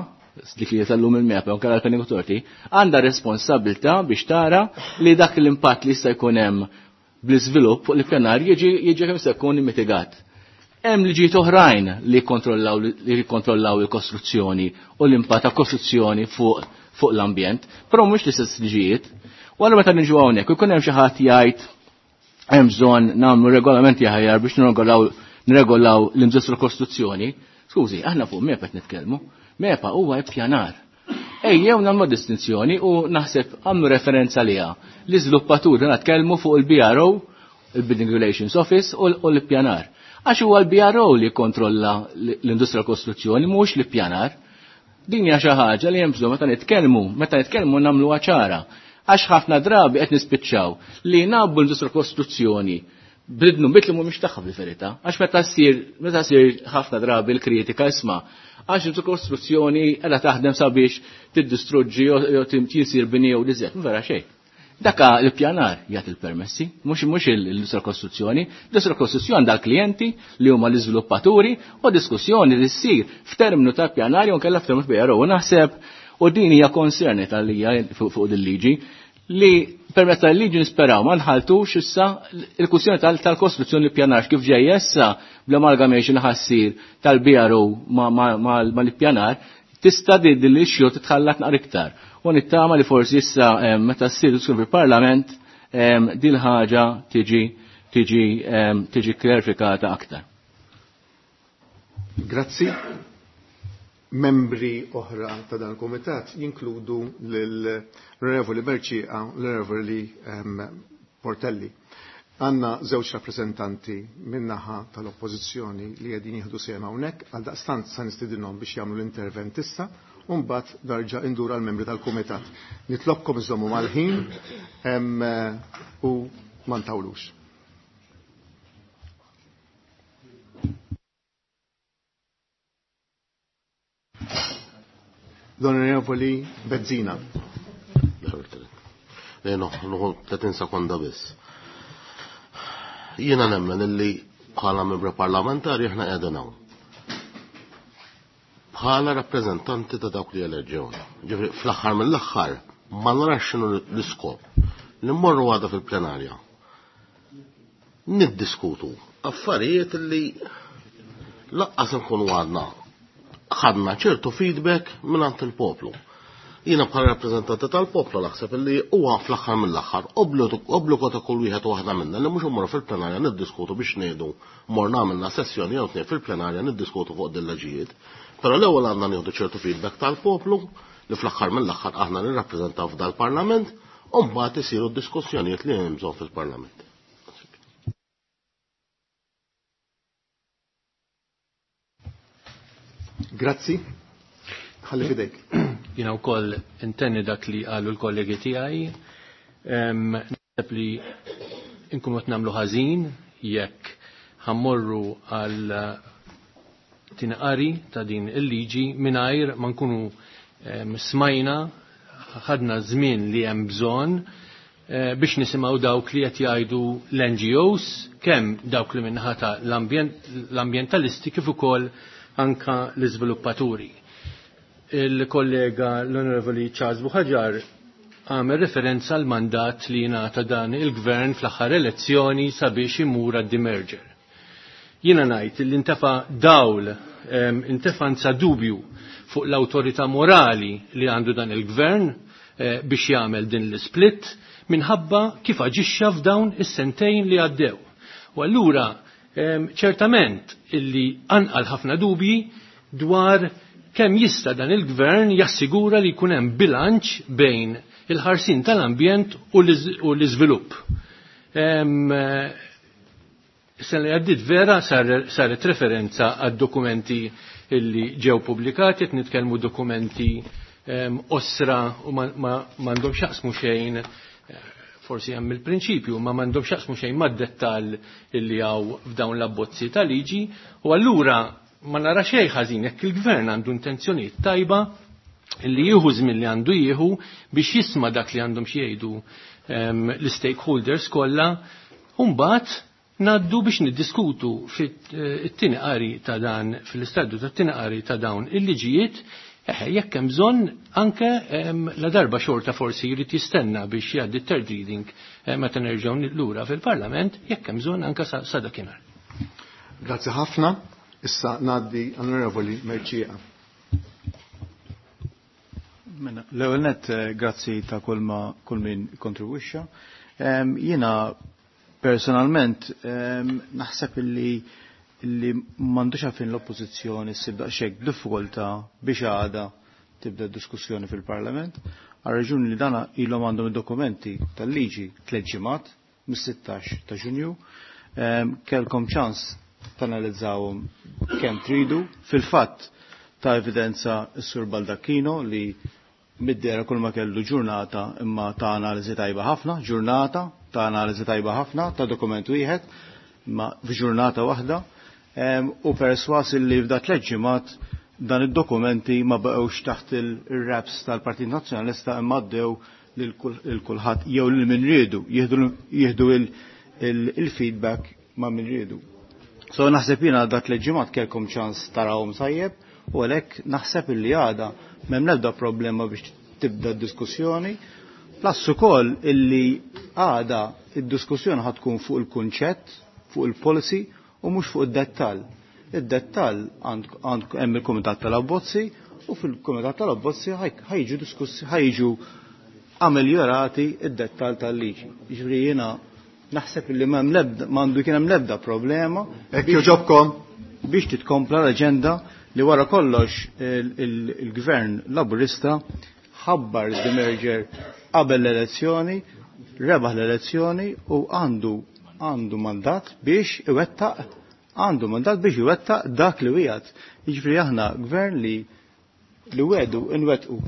dik li tal-lum il-MEPA, u l-Planning Authority, għandha responsabilità biex tara li dak l-impatt li jista' jkun hemm bl-iżvilupp fuq l-ippjanar jiġi jiġi kemm jista' jkun mitigat. Hemm liġijiet oħrajn li jikkontrollaw li jikkontrollaw il-kostruzzjoni u l-impatt ta' kostruzzjoni fuq fuq l-ambjent, però mhux l-istess liġijiet. U allura meta niġu hawnhekk ikun hemm xi ħadd jgħid hemm bżonn nagħmlu regolamenti aħjar biex nirregolaw nirregolaw l-industrija kostruzzjoni. Skużi, aħna fuq MEPA qed nitkellmu. MEPA huwa ippjanar. Ejjew nagħmlu distinzjoni u naħseb għamlu referenza liha. L-iżviluppaturi nitkellmu fuq il-B R O, il-Building Relations Office, u l-ippjanar. Għax huwa l-B R O li jikkontrolla l-industrija kostruzzjoni, mhux l-ippjanar. Din hija xi ħaġa li hemm bżonn meta nitkellmu, meta nitkellmu nagħmluha ċara. Għax ħafna drabi qed nispiċċaw li nabbu l-industrija kostruzzjoni bidnu bit li mhumiex tagħha fil-verità. Għax meta ssir meta ssir ħafna drabi l-kritika, isma', għax l kostruzzjoni qiegħda taħdem sabiex tiddistruġġi jew tisir bini jew diżet. Vera xejn. Daka l-pjanar jagħti il-permessi, mhux mhux l-industrija kostruzzjoni. L-industrija kostruzzjoni għandha l-klijenti li huma l-iżviluppaturi u diskussjoni li ssir f'terminu ta' pjanar jew kellha f'terminu B R O. U naħseb u din hija konserni tal-hija fuq din liġi li permezz tal-liġi nisperaw ma nħaltux issa il-kwistjoni tal-kostruzzjoni pjanar kif ġej issa bl-amalgamation ħassir tal-B R O mal-pjanar tista' din l-issue titħallat naqra iktar. U nittama li forsi issa meta ssir diskussjoni fil-Parlament din ħaġa tiġi tiġi tiġi klarifikata aktar. Grazzi. Membri oħra ta' dan il-komitat jinkludu l-Onorevoli Mercieca, l-Onorevoli Portelli. Għanna żewġ rappresentanti min-naħa tal-oppożizzjoni li qegħdin jieħdu sehem hawnhekk, għal daqstant sa nistidinhom biex jagħmlu l-intervent issa u mbagħad darġa' indura l-membri tal-kumitat. Nitlobkom iżommu mal-ħin u ma ntawlux. L-Onorevoli Bezzina. Le, no, tletin sekonda biss. Jiena nemmen illi bħala membri parlamentari aħna qegħdin hawn bħala rappreżentanti ta' dawk li eleġġewna. Ġifieri fl-aħħar mill-aħħar ma narax x'inhu l-iskop li mmorru għada fil-plenarja. Niddiskutu affarijiet li laqqas nkunu għadna ħadna ċertu feedback minn il-poplu. Jiena bħala rappreżentanti tal-poplu naħseb illi huwa fl-aħħar mill-aħħar obbligu ta' kull wieħed u waħda minna li mhux immorru fil-plenarja niddiskutu biex ngħidu morna għamilna sessjoni jew tnejn fil-plenarja niddiskutu fuq dil-leġijiet. Però l-ewwel għandna nieħdu ċertu feedback tal-poplu li fl-aħħar mill-aħħar aħna nirrappreżentaw f'dal-Parlament u mbagħad isiru d-diskussjonijiet li hemm bżonn fil-Parlament. Grazzi. Ħalli fidejk. Jiena wkoll intenni dak li qalu l-kollegi tiegħi. Naħseb li nkunu qed nagħmlu ħażin jekk ħa mmorru għal tinqari ta' din il-liġi mingħajr ma nkunu smajna, ħadna żmien li hemm bżonn eh, biex nisimgħu dawk li qed jgħidu l-N G Os, kemm dawk li minnaħa ta' l-ambjentalisti kif ukoll anka l-iżviluppaturi. Il-kollega l-Onorevoli Charles Buhagiar għamel referenza għal mandat li jingħata dan il-gvern fl-aħħar elezzjoni sabiex imur għad-demerger. Jiena ngħid li intefa dawl, intefa nsa dubju fuq l-awtorità morali li għandu dan il-gvern eh, biex jagħmel din l-split minħabba kif aġixxa f'dawn is-sentejn li għaddew. U allura ċertament illi anqal ħafna dubji dwar kemm jista' dan il-gvern jassigura li jkun hemm bilanċ bejn il-ħarsin tal-ambjent u l-iżvilupp. Sena li għaddit vera saret referenza għad dokumenti illi ġew pubblikati, qed nitkellmu dokumenti osra u m'għandhom x'jaqsmu xejn, forsi hemm il-prinċipju, ma m'għandhom x'jaqsmu xejn mad-dettall illi hawn f'dawn l-abbozzi ta' liġi, u allura ma nara xejn ħażin jekk il-gvern għandu intenzjonijiet tajba li jieħu żmien li għandu jieħu biex jisma' dak li għandhom xi jgħidu ehm, l-stakeholders kollha, u mbagħad ngħaddu biex niddiskutu fit-tieni qari ta' dan fil-istadju tat-tieni qari ta' dawn il-liġijiet jekk hemm bżonn anke ehm, la darba xorta forsi jrid jistenna biex jgħaddi third reading eh, meta nerġgħu lura fil-Parlament jekk hemm bżonn anke sa dakinhar. Grazzi ħafna. Issa ngħaddi Onorevoli Mercieca. Mela, l-ewwel nett eh, grazzi ta' kull ma kull min kontribwixxa. Ehm, jiena personalment ehm, naħseb illi illi m'għandux għalfejn l-oppożizzjoni ssib daqshekk diffikultà biex għada tibda diskussjoni fil-Parlament, għal raġuni li dana ilhom għandhom id-dokumenti tal-liġi tliet ġimgħat mis-sittax ta' Ġunju, ehm, kellkom ċans tanalizzawhom kemm tridu. Fil-fatt ta' evidenza s-Sur Baldacchino li middera kull ma kellu ġurnata imma ta' analiżi tajba ħafna, ġurnata ta' analiżi tajba ħafna ta' dokument wieħed imma f'ġurnata waħda u perswas li f'da tliet ġimgħat dan id-dokumenti ma baqgħux taħt il-raps tal-Partit Nazzjonalista imma għaddew lil kulħadd jew lil min riedu jieħdu il-feedback ma' min riedu. So naħseb jiena dak tliet ġimgħat kellkom ċans tarawhom tajjeb u għalhekk naħseb illi għada m'hemm l-ebda problema biex tibda d-diskussjoni. Plus ukoll illi għada id-diskussjoni ħa tkun fuq il-kunċett, fuq il-policy u mhux fuq id-dettall. Id-dettall għand hemm il-Kumitat tal-Abbozzi u fil-Kumitat tal-Abbozzi ħajġu diskussi ħajġu ameljorati id-dettall tal-liġi. Jiġifieri jiena naħseb li m'hemm l-ebda m'għandu kien hemm l-ebda problema. Hekk jogħġobkom. Biex titkompla l-aġenda li wara kollox il-gvern Laburista ħabbar the merger qabel l-elezzjoni, rebaħ l-elezzjoni u għandu għandu mandat biex iwettaq għandu mandat biex iwettaq dak li wiegħed. Jiġifieri aħna gvern li li wedu nwettqu.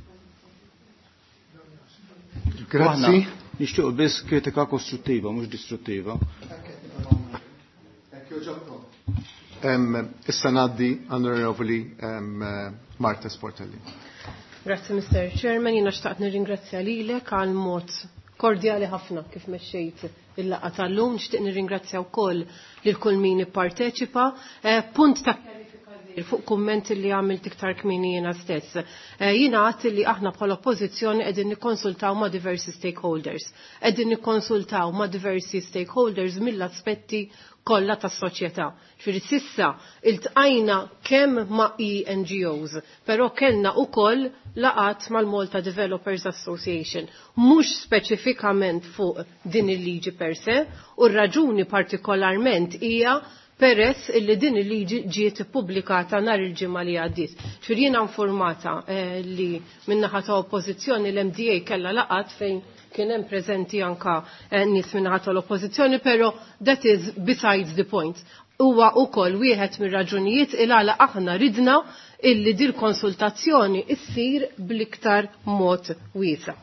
Grazzi. Nixtiequ biss kritika kostruttiva, mhux distruttiva. Issa ngħaddi Onorevoli Marta Sportelli. Grazzi Mister Chairman, jiena xtaqt nirringrazzja lilek għal mod kordjali ħafna kif mexxejt il-laqgħa tal-lum, nixtieq nirringrazzja wkoll lil kull min ipparteċipa. Punt ta' fuq kumment li għamilt iktar kmieni jiena stess. Jiena għadt li aħna bħala oppożizzjoni qegħdin nikkonsultaw ma' diversi stakeholders. Qegħdin nikkonsultaw ma' diversi stakeholders mill-aspetti kollha tas-soċjetà. Ġifieri sissa iltqajna kemm ma' E N G Os, però kellna wkoll laqat mal-Malta Developers Association, mhux speċifikament fuq din il-liġi per se, u r-raġuni partikolarment hija peress illi din il-liġi ġiet ippubblikata nhar il-ġimgħa li għaddiet. Ġifieri jiena informata eh, li min-naħa ta' oppożizzjoni l-M D A kellha laqat fejn kien hemm preżenti anka eh, nies min-naħa tal-oppożizzjoni, però that is besides the point. Huwa wkoll wieħed mir-raġunijiet il għala aħna ridna illi dil konsultazzjoni issir bl-iktar mod wiesa'.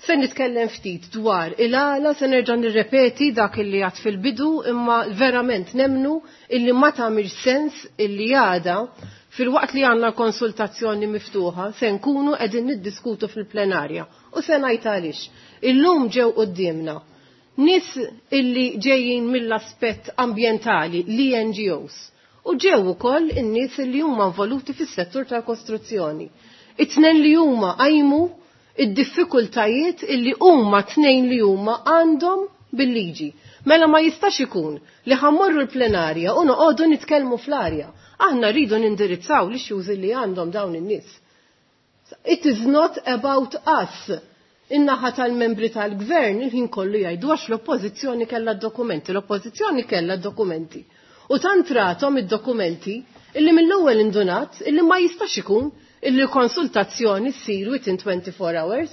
Se nitkellem ftit dwar il-għala, se nerġa' nirrepeti dak illi għad fil-bidu, imma verament nemnu illi ma tagħmilx sens illi għada fil-waqt li għandna konsultazzjoni miftuħa se nkunu qegħdin niddiskutu fil-plenarja. U se ngħid għaliex. Illum ġew quddiemna nies illi ġejjin mill-aspett ambjentali, l-E N G Os, u ġew ukoll in-nies illi huma involuti fis-settur tal-kostruzzjoni. It-tnejn li huma qajmu id-diffikultajiet illi huma tnejn li huma għandhom bil-liġi. Mela ma jistax ikun li ħammorru l-plenarja u noqogħdu nitkellmu fl-arja. Aħna rridu nindirizzaw l-issues li għandhom dawn in-nies. It is not about us. In-naħa tal-membri tal-gvern il-ħin kollu jgħidu għax l-oppożizzjoni kellha d-dokumenti, l-oppożizzjoni kellha d-dokumenti. U tant rathom id-dokumenti illi mill-ewwel indunat illi ma jistax ikun illi konsultazzjoni ssir within twenty-four hours.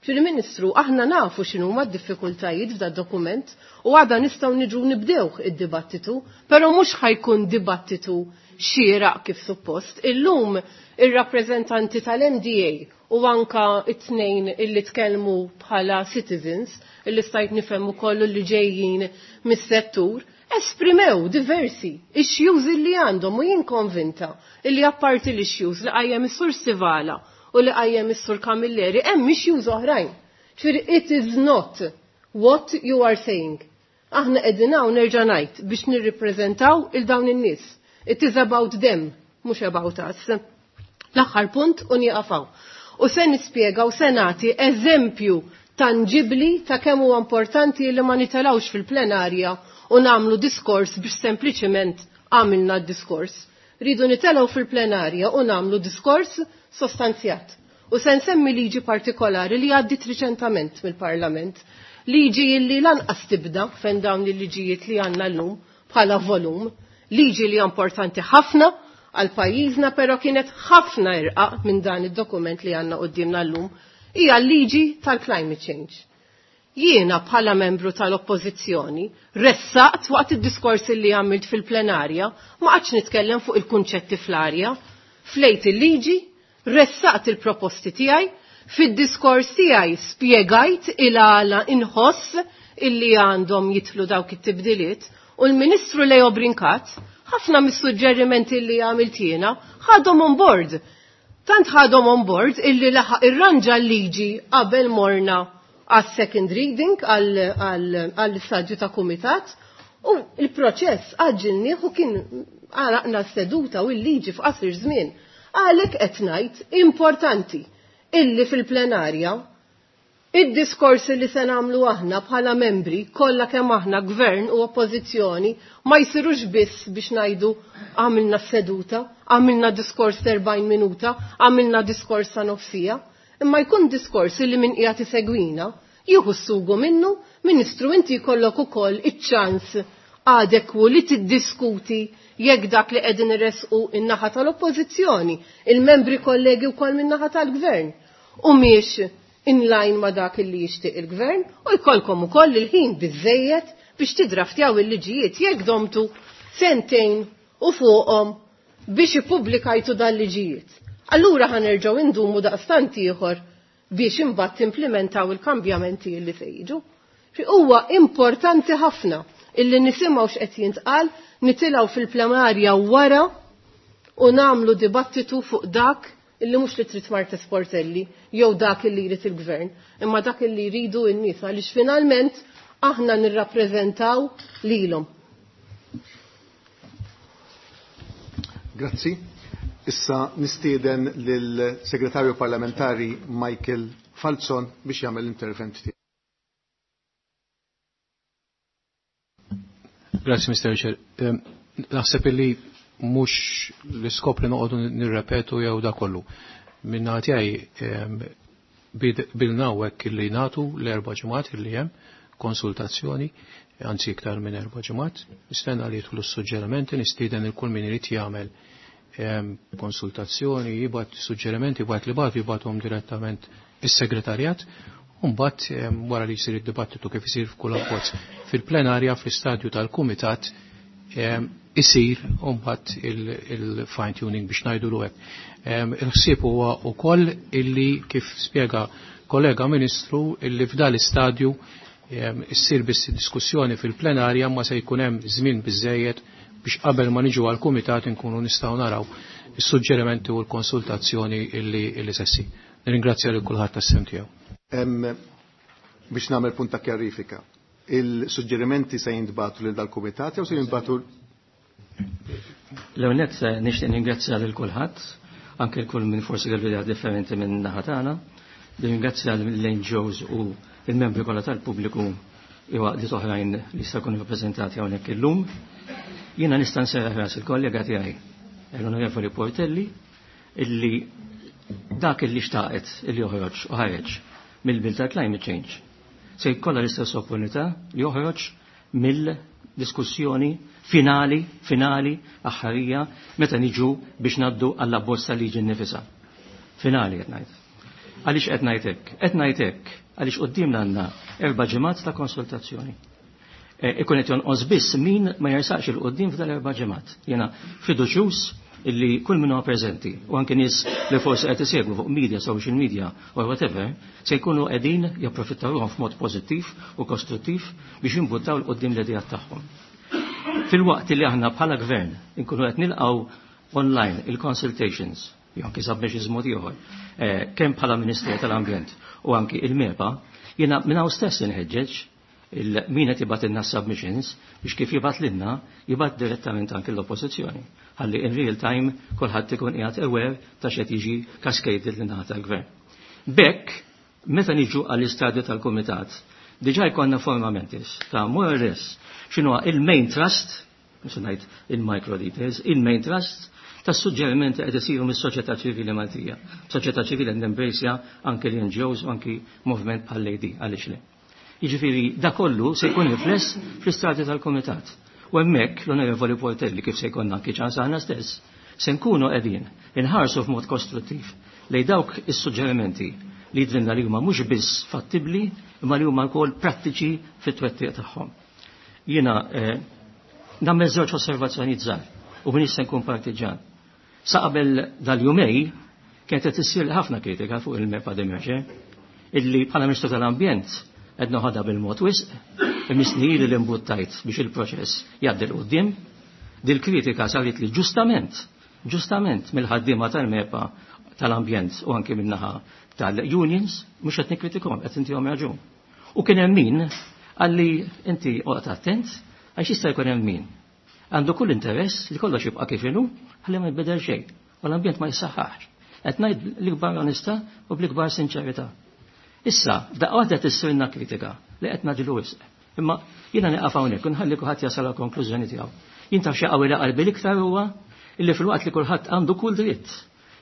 Prim Ministru, aħna nafu x'inhuma d-diffikultajiet f'da dokument u għada nistgħu niġu nibdewh id-dibattitu, però mhux ħajkun dibattitu xieraq kif suppost. Illum ir-rappreżentanti tal-M D A u anka it-tnejn illi tkellmu bħala citizens, illi stajt nifhem ukoll li ġejjin mis-settur, Esprimew diversi issues li għandhom u jien konvinta illi apparti l-issues li qajjem is-Sur Stivala u li qajjem is-Sur Camilleri hemm issues oħrajn. Ġifieri it is not what you are saying. Aħna qegħdin hawn nerġa' ngħid biex nirrippreżentaw il dawn in-nies. It is about them, mhux about us. L-aħħar punt u nieqafaw. U se nispjega u se nagħti eżempju tangibli ta' kemm huwa importanti li ma nitelawx fil-plenarja u nagħmlu diskors biex sempliċiment għamilna d-diskors. Ridu nitelgħu fil-plenarja u nagħmlu diskors sostanzjat. U se nsemmi liġi partikolari li għaddit riċentament mill-Parlament. Liġi illi lanqas tibda fejn dawn il-liġijiet li għandna llum bħala volum. Liġi li importanti ħafna għal pajjiżna però kienet ħafna irqaq minn dan id-dokument li għandna qudiemna llum hija l-liġi tal-climate change. Jiena bħala membru tal-oppożizzjoni ressaqt waqt id-diskors li għamilt fil-plenarja ma qgħadx nitkellem fuq il-kunċetti fl-arja, flejt il-liġi, ressaqt il-proposti tiegħi, fid-diskors tiegħi spjegajt il-għala inħoss illi għandhom jitlu dawk it-tibdiliet u l-Ministru Leo Brincat ħafna mis-suġġerimenti li għamilt jiena ħadhom on board. Tant ħadhom on board illi laħaq irranġa l-liġi qabel morna għas second reading għall-istadju ta' kumitat u il-proċess għaġġilnieh u kien għaraqna s-seduta u l-liġi f'qasir żmien. Għalhekk qed ngħid importanti illi fil-plenarja id-diskorsi li se nagħmlu aħna bħala membri kollha kemm aħna gvern u oppożizzjoni ma jsirux biss biex ngħidu għamilna seduta, għamilna diskors erbgħin minuta, għamilna diskors ta' nofsija, imma jkun diskors li min qiegħed isegwina jieħu s-sugu minnu, Ministru inti jkollok ukoll iċ-ċans adekwu li tiddiskuti jekk dak li qegħdin iressqu in-naħa tal-oppożizzjoni, il-membri kollegi wkoll min-naħa tal-gvern. U miex in line ma dak li jixtieq il-gvern u jkollkom ukoll il-ħin biżejjed biex tidraftjaw il-liġijiet jekk domtu sentejn u fuqhom biex ippubblikajtu dal-liġijiet. Allura ħanerġgħu indumu daqstant ieħor biex imbagħad timplementaw il-kambjamenti li se jiġu. Huwa importanti ħafna illi nisimgħu x'qed jintqal, nitilgħu fil-plenarja wara u nagħmlu dibattitu fuq dak illi mhux li trid Marta Sportelli jew dak illi jrid il-gvern, imma dak illi jridu n-nies għaliex finalment aħna nirrappreżentaw lilhom. Grazzi. Issa nistieden lill-Segretarju Parlamentari Michael Falzon biex jagħmel l-intervent tiegħu. Grazzi, Mister Chair. Naħseb illi mhux l-iskop li noqogħdu nirrepetu jew da kollu. Minna tiegħi bilna hekk illi nagħtu l-erba' ġimgħat illi hemm konsultazzjoni, anzi iktar minn erba' ġimgħat, nistenna li jidħlu s-suġġerimenti, nistieden il kull min irid jagħmel konsultazzjoni, jibgħat suġġerimenti, jibgħat li bagħtu jibgħathom direttament is-segretarjat. Mbagħad wara li jsir id-dibattitu kif isir f'kull abbozz fil-plenarja fl-istadju tal-kumitat isir mbagħad il-fine tuning biex ngħidu hekk. Il-ħsieb huwa wkoll illi kif spjega kollega Ministru illi f'dan l-istadju issir biss diskussjoni fil-plenarja ma se jkun hemm żmien biżejjed biex qabel ma niġu għall-kumitat inkunu nistgħu naraw is-suġġerimenti u l-konsultazzjoni illi illi se ssir. Nirringrazzja lil kulħadd tas-sem tiegħu. Biex nagħmel punt ta' kjarifika, il-suġġerimenti se jintbagħtu lil dal-kumitat jew se jintbagħtu? L-ewwel nett nixtieq ningrazzja lil kulħadd, anke l kull min forsi kellu idea differenti minn naħa tagħna. Ningrazzja lill-N G Os u l-membri kollha tal-pubbliku jew għaqdiet oħrajn li jista' jkunu rappreżentati hawnhekk illum. Jiena nista' nserraħ ras il-kollega tiegħi, l-Onorevoli Portelli, illi dak illi xtaqet illi joħroġ u ħareġ mill-bill ta' climate change se jkollha l-istess opportunità li joħroġ mill-diskussjoni finali, finali, aħħarija, meta niġu biex naddu għall-abbozz tal-liġi nnifisha. Finali qed ngħid. Għaliex qed ngħid hekk? Qed ngħid hekk għaliex quddiemna għandna erba' ġimgħat ta' konsultazzjoni. Ikun qed jonqos biss min ma jersaqx il quddiem f'dan erba' ġimgħat. Jiena fiduċjuż illi kull min huwa preżenti u anke nies li forsi qed isegwu fuq media, social media or whatever, se jkunu qegħdin japprofittawhom f'mod pożittiv u kostruttiv biex jimbuttaw l quddiem l-idejat tagħhom. Fil-waqt li aħna bħala gvern inkunu qed nilqgħu online il-consultations, jew anki submissions mod ieħor, eh, kemm bħala Ministeru tal-Ambjent u anki il-MEPA, jiena minn hawn stess inħeġġeġ il-min qed jibgħatilna submissions biex kif jibgħat lilna jibgħat direttament anki l-oppożizzjoni. Ħalli in real time kulħadd ikun qiegħed aware ta' x'qed jiġi cascaded lin naħa tal-gvern. B'hekk, meta niġu għall-istadju tal-kumitat, diġà jkollna forma mentis ta' more or less x'inhuwa il-main thrust, mhux ngħid il-micro details, il-main thrust tas suġġerimenti qed isiru mis-soċjetà ċivili Maltija. Soċjetà ċivili nembrejsja anke l-N G Os u anki movement bħal L A D, għaliex le. Jiġifieri da kollu se jkun rifless fl-istadju tal-kumitat. U hemmhekk l-Onorevoli Portelli, kif se jkollna anki ċans aħna stess, se nkunu qegħdin inħarsu f'mod kostruttiv lejn dawk is-suġġerimenti li jidrinna li huma mhux biss fattibbli imma li huma wkoll prattiċi fit-twettiq tagħhom. Jiena eh, nagħmel żewġ osservazzjonijiet żgħar u m'iniex se nkun partiġan. Sa qabel dal-jumejn kienet qed issir ħafna kritika fuq il-MEPA demerger, illi bħala Ministru tal-Ambjent qed noħodha bil-mod wisq, imissni li l-imbuttajt biex il-proċess jgħaddi 'l quddiem. Dil-kritika saret li ġustament, ġustament mill-ħaddiema tal-MEPA tal-ambjent u anki min-naħa tal-unions, mhux qed nikkritikhom, qed intihom raġun. U kien hemm min għalli inti oqgħod attent għax jista' jkun hemm min għandu kull interess li kollox jibqa' kif inhu ħalli ma jbidel xejn u l-ambjent ma jissaħħax. Qed ngħid l-ikbar onestà u bl-ikbar sinċerità. Issa, daqqa waħda tissirna kritika li qed ngħaġġlu wisq. Imma jiena nieqaf hawnhekk u nħalli kulħadd jasal għal konklużjoni tiegħu. Jien taf xi qawwi qalbi l-iktar huwa illi fil-waqt li kulħadd għandu kull dritt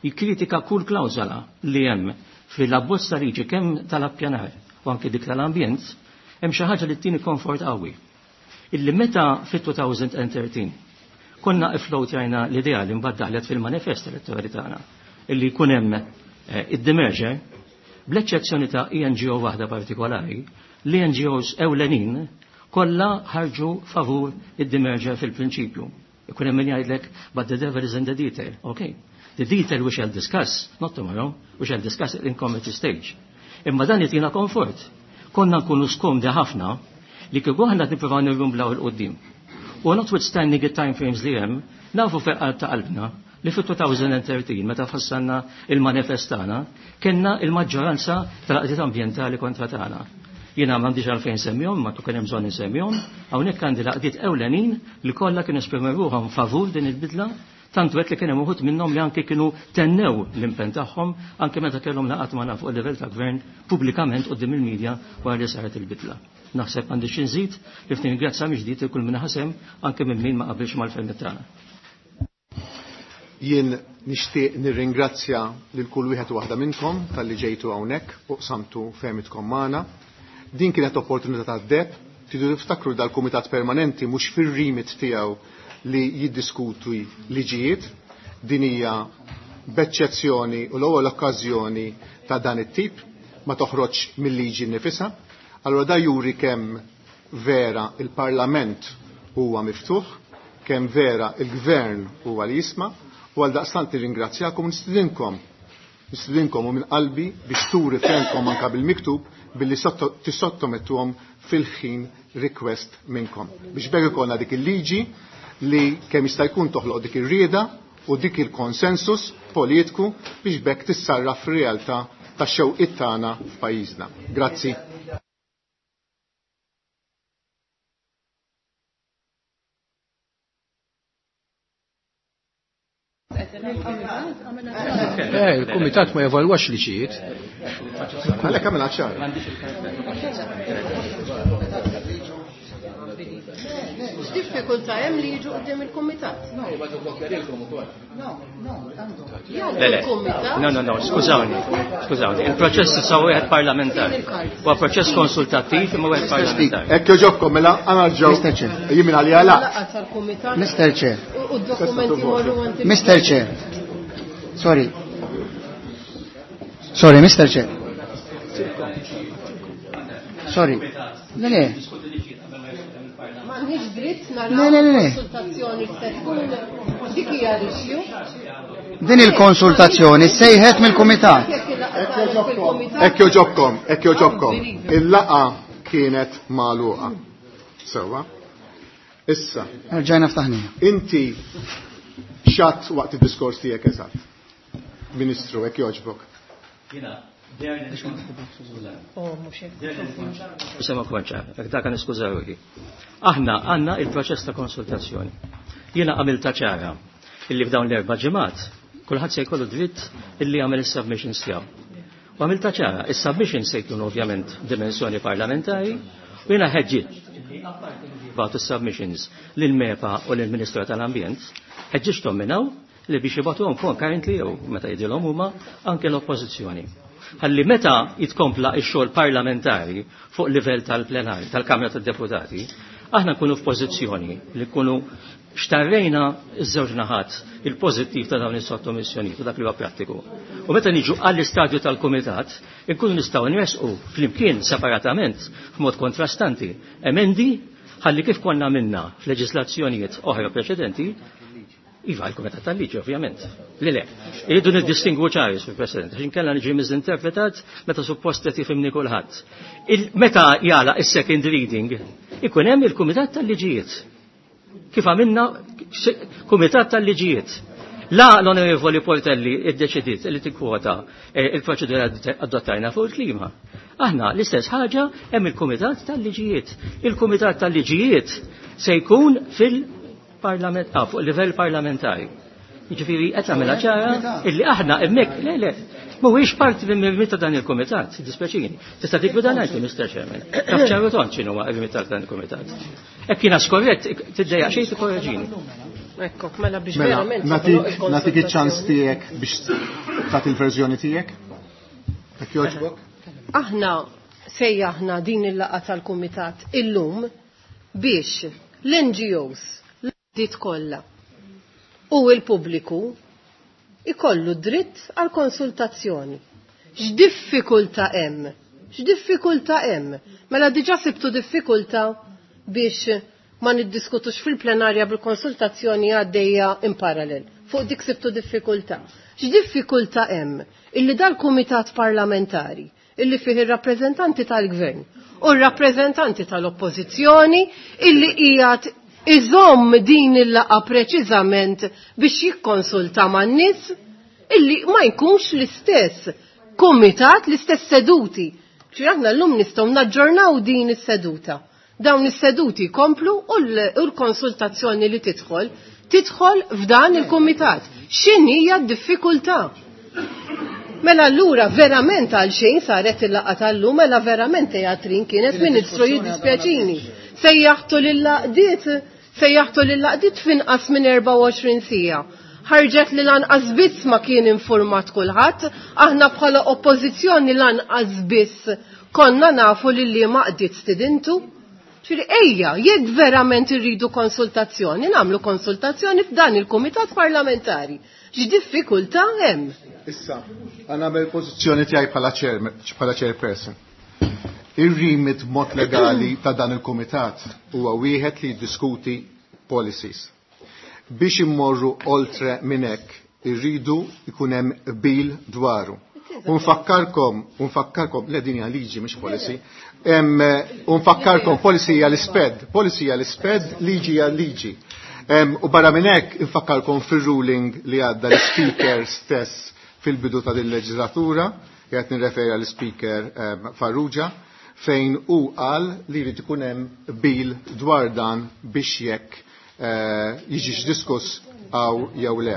jikkritika kull klawżola li hemm fil-abbozz ta' liġi kemm tal-appjanar u anke dik tal-ambjent, hemm xi ħaġa li ttini komfort qawwi. Illi meta fit-elfejn u tlettax konna iflowtjajna l-idea li mbagħad daħlet fil-manifest elettorali tagħna illi jkun hemm eh, id-demerger, bl-eċċezzjoni ta' N G O waħda partikolari, l-N G Os ewlenin kollha ħarġu favur id-demerger fil-prinċipju. Ikun hemm min jgħidlek, "But the devil is in the detail." Okay. The detail we shall discuss, not tomorrow, we shall discuss it in committee stage. Imma dan jtina komfort. Konna nkunu skomdi ħafna li kieku aħna nippruvaw nirrumblaw 'il quddiem. U notwithstanding it-time frames li hemm, nafu fil-qalb ta' qalbna li fit-elfejn u tlettax meta fassalna il-manifest tagħna, kellna il-maġġoranza tal-għaqdiet ambjentali kontra tagħna. Jiena m'għandix għalfejn semmihom, ma kien hemm bżonn insemmihom, hawnhekk għandi l-għaqdiet ewlenin li kollha kienu esprimew ruħhom favur din il-bidla, tant wet li kien hemm uħud minnhom li anke kienu tennew l-impenn tagħhom anke meta kellhom laqgħat magħna fuq il-livell ta' gvern pubblikament quddiem il-medja wara li saret il-bidla. Naħseb għandi xi nżid li f'ningrazzja mill-ġdid kull min ħasem anke minn min ma qabilx mal-fehmiet tagħna. Jien nixtieq nirringrazzja lil kull wieħed u waħda minnkom talli ġejtu hawnhekk u qsamtu fehmitkom magħna. Din kienet opportunità tad-deheb, tridu tiftakru dal-Kumitat Permanenti mhux fir-remit tiegħu li jiddiskutu liġijiet, din hija b'eċċezzjoni u l-ewwel okkażjoni ta' dan it-tip ma toħroġ mill-liġi nifisha. Allura da juri kemm vera il-Parlament huwa miftuħ, kemm vera il-Gvern huwa li jisma', u għal daqstant nirringrazzjakom u nistidinkom nistidinkom u minn qalbi biex turi fehmkom anka bil-miktub billi tissottomettuhom fil-ħin request minnkom. Biex b'hekk ikollna dik il-liġi li kemm jista' jkun toħloq dik ir-rieda u dik il-konsensus politiku biex b'hekk tissarraf fir-realtà tax-xewqiet tagħna f'pajjiżna. Grazzi. Eh, il-kumitat ma jevalwax liġijiet. Għalhekk għamilha ċara. X'diffikultà hemm li jiġu quddiem il-kumitat? No, no, Le, le. No, no, no, skużawni, skużawni. Il-proċess issa wieħed parlamentari. Huwa proċess konsultattiv imma wieħed parlamentari. Hekk joġobkom mela għana ġew. Mister Chair. Jien minn għalija la. Laqgħa tal-kumitat. Mister Chair. U d-dokumenti morru għand il- Mister Chair. Sorry. Sorry, Mister Chair. Sorry. Le, le. M'għandniex dritt Le, naraw le, le, le. konsultazzjoni se tkun dik hija l-issue. Din il-konsultazzjoni sejħet mill-kumitat. Hekk joġobkom, hekk joġobkom. Il-laqgħa kienet magħluqa. Sewwa. Issa. Rġajna ftaħnija. Inti xatt waqt id-diskors tiegħek eżatt. Ministru, hekk jogħġbok. Jiena Sema konċa, dak għan iskużawki. Aħna għandna il-proċess ta' konsultazzjoni. Jiena għamilta ċara illi f'dawn l-erba' ġimgħat kulħadd se jkollu dritt illi jagħmel is-submissions tiegħu. U għamilta ċara, is-submissions se jkunu ovvjament dimensjoni parlamentari u jiena ħeġġiet bagħtu submissions lil MEPA u lil Ministru tal-Ambjent, ħeġġiġthom minn hawn li biex jibgħatuhom concurrently jew meta jidilhom huma anke l-oppożizzjoni. Ħalli meta jitkompla x-xogħol parlamentari fuq livell tal-plenari, tal-Kamra tad-Deputati, aħna nkunu f'pożizzjoni li nkunu xtarrejna iż-żewġ naħat il-pożittiv ta' dawn is-sottomissjonijiet u dak li huwa prattiku. U meta niġu għall-istadju tal-kumitat, inkunu nistgħu nresqu flimkien separatament f'mod kontrastanti emendi ħalli kif konna minna f'leġislazzjonijiet oħra preċedenti. Iva, il-Kumitat tal-Liġi, ovvjament. Li le, irridu niddistingwu ċari, Sur President, għax inkella niġi miżinterpretat meta suppost qed jifhimni kulħadd. Meta jala is-second reading, ikun hemm il-Kumitat tal-Liġijiet. Kif għamilna Kumitat tal-Liġijiet. La l-Onorevoli Portelli iddeċidiet li tikkwota il-proċedura adottajna fuq il-klima. Aħna l-istess ħaġa hemm il-Kumitat tal-Liġijiet. Il-Kumitat tal-Liġijiet se jkun fil- Parlament, ah, fuq livell parlamentari. Jiġifieri qed nagħmilha ċara illi aħna hemmhekk le le mhuwiex parti minn ta' dan il-kumitat, dispjaċini. Tista' tikbida ngħid Mister Chairman. Taf ċaru tont x'inhu huwa r ta' dan il-kumitat. Hekk jiena skorrett tiddejjaq xejn tikkorreġini. Ekku, mela biex verament. Nagħtik nagħtik iċ-ċans tiegħek biex tagħti l-verżjoni tiegħek. Hekk jogħġbok? Aħna sejjaħna din il-laqgħa tal-kumitat illum biex l-N G Os dit kollha u l-pubbliku ikollu dritt għal konsultazzjoni. X'diffikultà hemm? X'diffikultà hemm? Mela diġà sibtu diffikultà biex ma niddiskutux fil-plenarja bil-konsultazzjoni għaddejja in parallel. Fuq dik sibtu diffikultà. X'diffikultà hemm illi dal-kumitat parlamentari illi fih ir-rappreżentanti tal-gvern u r-rappreżentanti tal-oppożizzjoni illi qiegħed iżomm din il-laqgħa preċiżament biex jikkonsulta man-nies illi ma jkunx l-istess kumitat, l-istess seduti. Ċi aħna llum nistgħu naġġornaw din is-seduta. Dawn is-seduti jkomplu u l-konsultazzjoni li tidħol tidħol f'dan il-kumitat. X'inhi hija d-diffikultà? Mela allura verament għal xejn saret il-laqgħa tal-lum, mela verament teatrin kienet Ministru jiddispjaċini. Sejjaħtu lill-laqdiet, sejjaħtu lill-laqdiet f'inqas minn erbgħa u għoxrin siegħa. Ħarġet li lanqas biss ma kien informat kulħadd, aħna bħala oppożizzjoni lanqas biss konna nafu li li ma qdiet stidintu. Ġifieri ejja, jekk verament irridu konsultazzjoni, nagħmlu konsultazzjoni f'dan il-kumitat parlamentari. X'diffikultà hemm? Issa, għana nagħmel pożizzjoni tiegħi bħala chair, bħala chairperson. Ir-remit mod legali ta' dan il-kumitat huwa wieħed li jiddiskuti policies. Biex immorru oltre minn hekk irridu jkun hemm qbil dwaru. U nfakkarkom, u nfakkarkom, le din hija liġi mhix policy. U nfakkarkom policy hija l-isped, policy hija l-isped, liġi hija liġi. U barra minn hekk infakkarkom fir-ruling li għadda l-speaker stess fil-bidu ta' din il-leġislatura, qed nirreferi għall-speaker Farrugia, fejn hu qal li jrid ikun hemm qbil dwar dan biex jekk jiġix diskuss għaw jew le.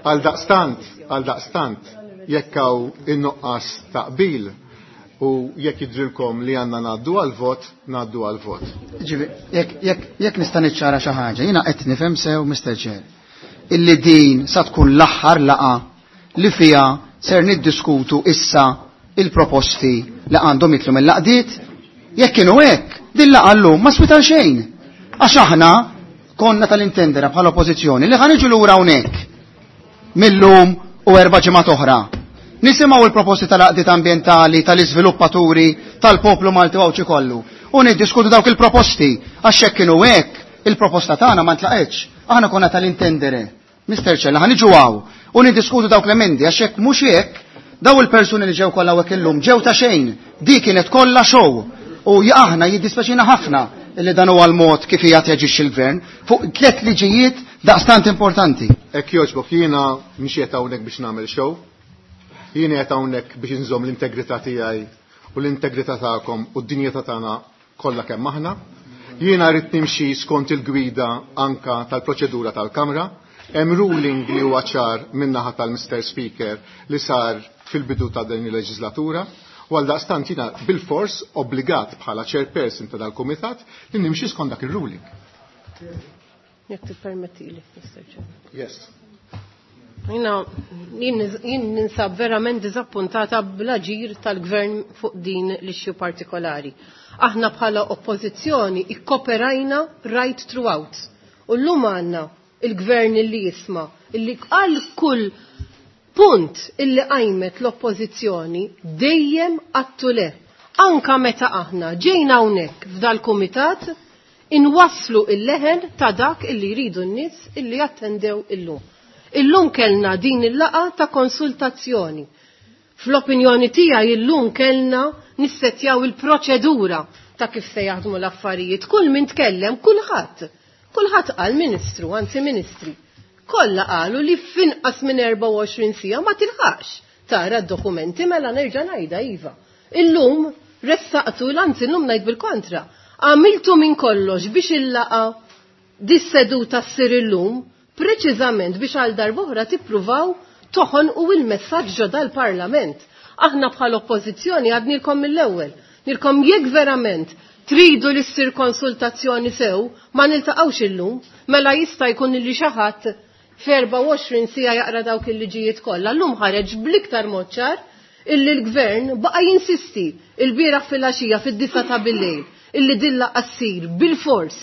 Għal daqstant, għal daqstant, jekk hawn in-nuqqas ta' qbil u jekk jidrilkom li għandna ngħaddu għal vot, ngħaddu għal vot. Ġifieri, jekk, jekk, jekk nista' niċċara xi ħaġa, jiena qed nifhem sew Mister Chair, illi din sa tkun l-aħħar laqgħa li fiha ser niddiskutu issa il-proposti li għandhom jitlu mill-laqdiet, jekk kienu hekk, din laqgħa llum ma swita xejn. Għax aħna konna tal-intendera bħala oppożizzjoni li ħaniġu lura hawnhekk millum u erba' ġimgħat oħra. Nisimgħu il-proposti tal-għaqdiet ambjentali, tal-iżviluppaturi, tal-poplu Malti u Għawdxi kollu. U niddiskutu dawk il-proposti, għax hekk kienu hekk, il-proposta tagħna ma ntlaqgħetx. Aħna konna tal-intendere. Mister Ċella, ħaniġu hawn u niddiskutu dawk l-emendi, għax hekk mhux hekk, daw il-persuni li ġew kollha hawnhekk illum ġew ta' xejn, di kienet kollha show. U aħna jiddispeċina ħafna Illi dan huwa l-mod kif qiegħed jaġixxi l-gvern fuq tliet liġijiet daqstant importanti. Hekk jogħġbok, jiena mhux qiegħed hawnhekk biex nagħmel show. Jiena qiegħed hawnhekk biex inżomm l-integrità tiegħi u l-integrità tagħkom u d-dinjità tagħna kollha kemm aħna. Jiena rrid nimxi skont il-gwida anka tal-proċedura tal-Kamra. Hemm ruling li huwa ċar min-naħa tal-Mister Speaker li sar fil-bidu ta' din il-leġislatura. U għal daqstant jiena bil-fors obbligat bħala chairperson ta' dal-kumitat li nimxi skont dak ir-ruling. Jekk tippermettili, Mister Chairman. Yes. Jiena jien ninsab verament diżappuntata bl-aġir tal-gvern fuq din l-issue partikolari. Aħna bħala oppożizzjoni ikkoperajna right throughout. U llum għandna il-gvern illi jisma' illi għal kull punt illi qajmet l-oppożizzjoni dejjem għattu le. Anka meta aħna ġejna hawnhekk f'dal-kumitat inwasslu il-leħen ta' dak illi jridu n-nies illi jattendew illum. Illum kellna din il-laqa ta' konsultazzjoni. Fl-opinjoni tiegħi illum kellna nissettjaw il-proċedura ta' kif se jaħdmu l-affarijiet. Kull min tkellem, kulħadd. Kulħadd qal ministru, anzi ministri. Kollha qalu li f'inqas minn erbgħa u għoxrin siegħa ma tilħaqx tara d-dokumenti, mela nerġa' ngħidha iva. Illum ressaqtu, anzi illum ngħid bil-kontra. Għamiltu minn kollox biex il-laqa dis-seduta ssir illum, preċiżament biex għal darb'oħra tippruvaw toħonqu il-messaġġ ġo dal-Parlament. Aħna bħal oppożizzjoni għadnilkom mill-ewwel. Nilkom jekk verament tridu li ssir konsultazzjoni sew, ma niltaqgħux illum, mela jista' jkun li xi ħadd f'erbgħa u għoxrin siegħa jaqra dawk il-liġijiet kollha. Llum ħareġ bl-iktar mod ċar illi l-gvern baqa' jinsisti il-bieraħ fil-għaxija fid-disa ta' bil-lejl illi dilla qassir bil-fors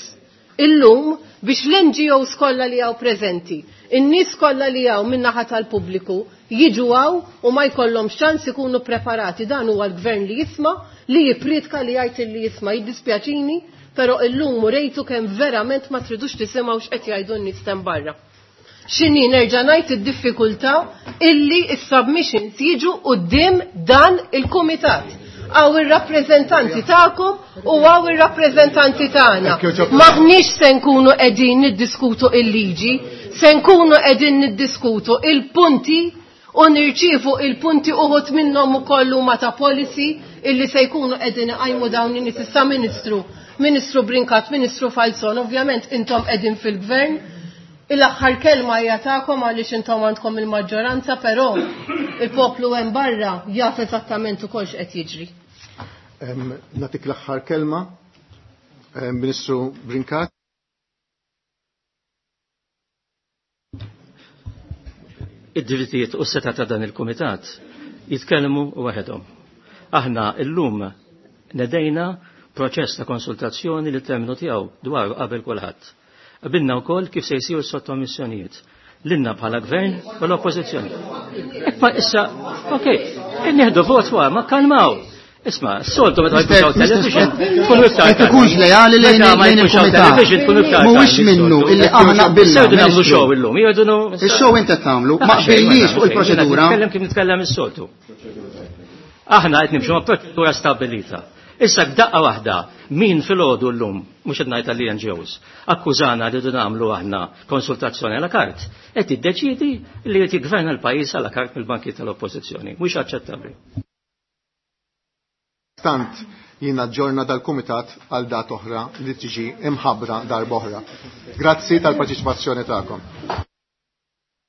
illum biex l-N G Os kollha li hawn preżenti, in-nies kollha li hawn min-naħa tal-pubbliku jiġu hawn u ma jkollhomx ċans ikunu preparati. Dan huwa l-gvern li jisma', li jippriedka, li jgħid illi jisma'. Jiddispjaċini, però illum urejtu kemm verament ma tridux tisimgħu x'qed jgħidu n-nies hemm barra. X'inhi nerġa' ngħid id-diffikultà illi s-submissions jiġu quddiem dan il-kumitat. Għaw ir-rappreżentanti tagħkom u għaw ir-rappreżentanti tagħna. Maħniex se nkunu qegħdin niddiskutu il-liġi, se nkunu qegħdin niddiskutu il-punti u nirċievu il-punti uħud minnhom ukoll huma ta' policy illi se jkunu qegħdin iqajmu dawn in-nies. Issa Ministru, Ministru Brincat, Ministru Falzon, ovvjament intom qegħdin fil-gvern. Il-aħħar kelma hija tagħkom għaliex intom għandkom il-maġġoranza, però il-poplu hemm barra jaf eżattament ukoll x'qed jiġri. Em, Nagħtik l-aħħar kelma, em, Ministru Brincat. Id-drittijiet u s-setgħa ta' dan il-kumitat jitkellmu waħedhom. Aħna llum nedejna proċess ta' konsultazzjoni li terminu tiegħu dwar qabel kulħadd. Qabilna wkoll kif se jsiru s-sottomissjonijiet. Lilna bħala gvern u l-oppożizzjoni. Ma issa, okej, nieħdu vot wara, ma kalmaw. Isma', s-soltu meta jkun hawn television, tkunu iktar Qed ikunx lejali lejn Meta ma lejn jkunx hawn il-kumitat. television, tkunu iktar Mhuwiex tardi, minnu s-soltu. illi aħna qbilna, Issa jridu nagħmlu Ministru. show illum, jridu nu- Ix-show inti qed tagħmlu, ma Ah, xejn, ma qbilniex nagħmlu fuq xejn. il-proċedura. Nitkellem kif nitkellem is-soltu. Aħna qed nimxu ma' proċedura stabbilita. Issa f'daqqa waħda, min filgħodu llum, mhux qed ngħid tal-N G Os, akkużana li rridu nagħmlu aħna konsultazzjoni għala kart, qed jiddeċiedi li jrid jiggverna l-pajjiż għala kart mill-banki tal-Oppożizzjoni. Mhux aċċettabbli. Stant jiena ġorna dal-kumitat għal dat oħra li tiġi imħabbra darb'oħra. Grazzi tal-parteċipazzjoni tagħkom.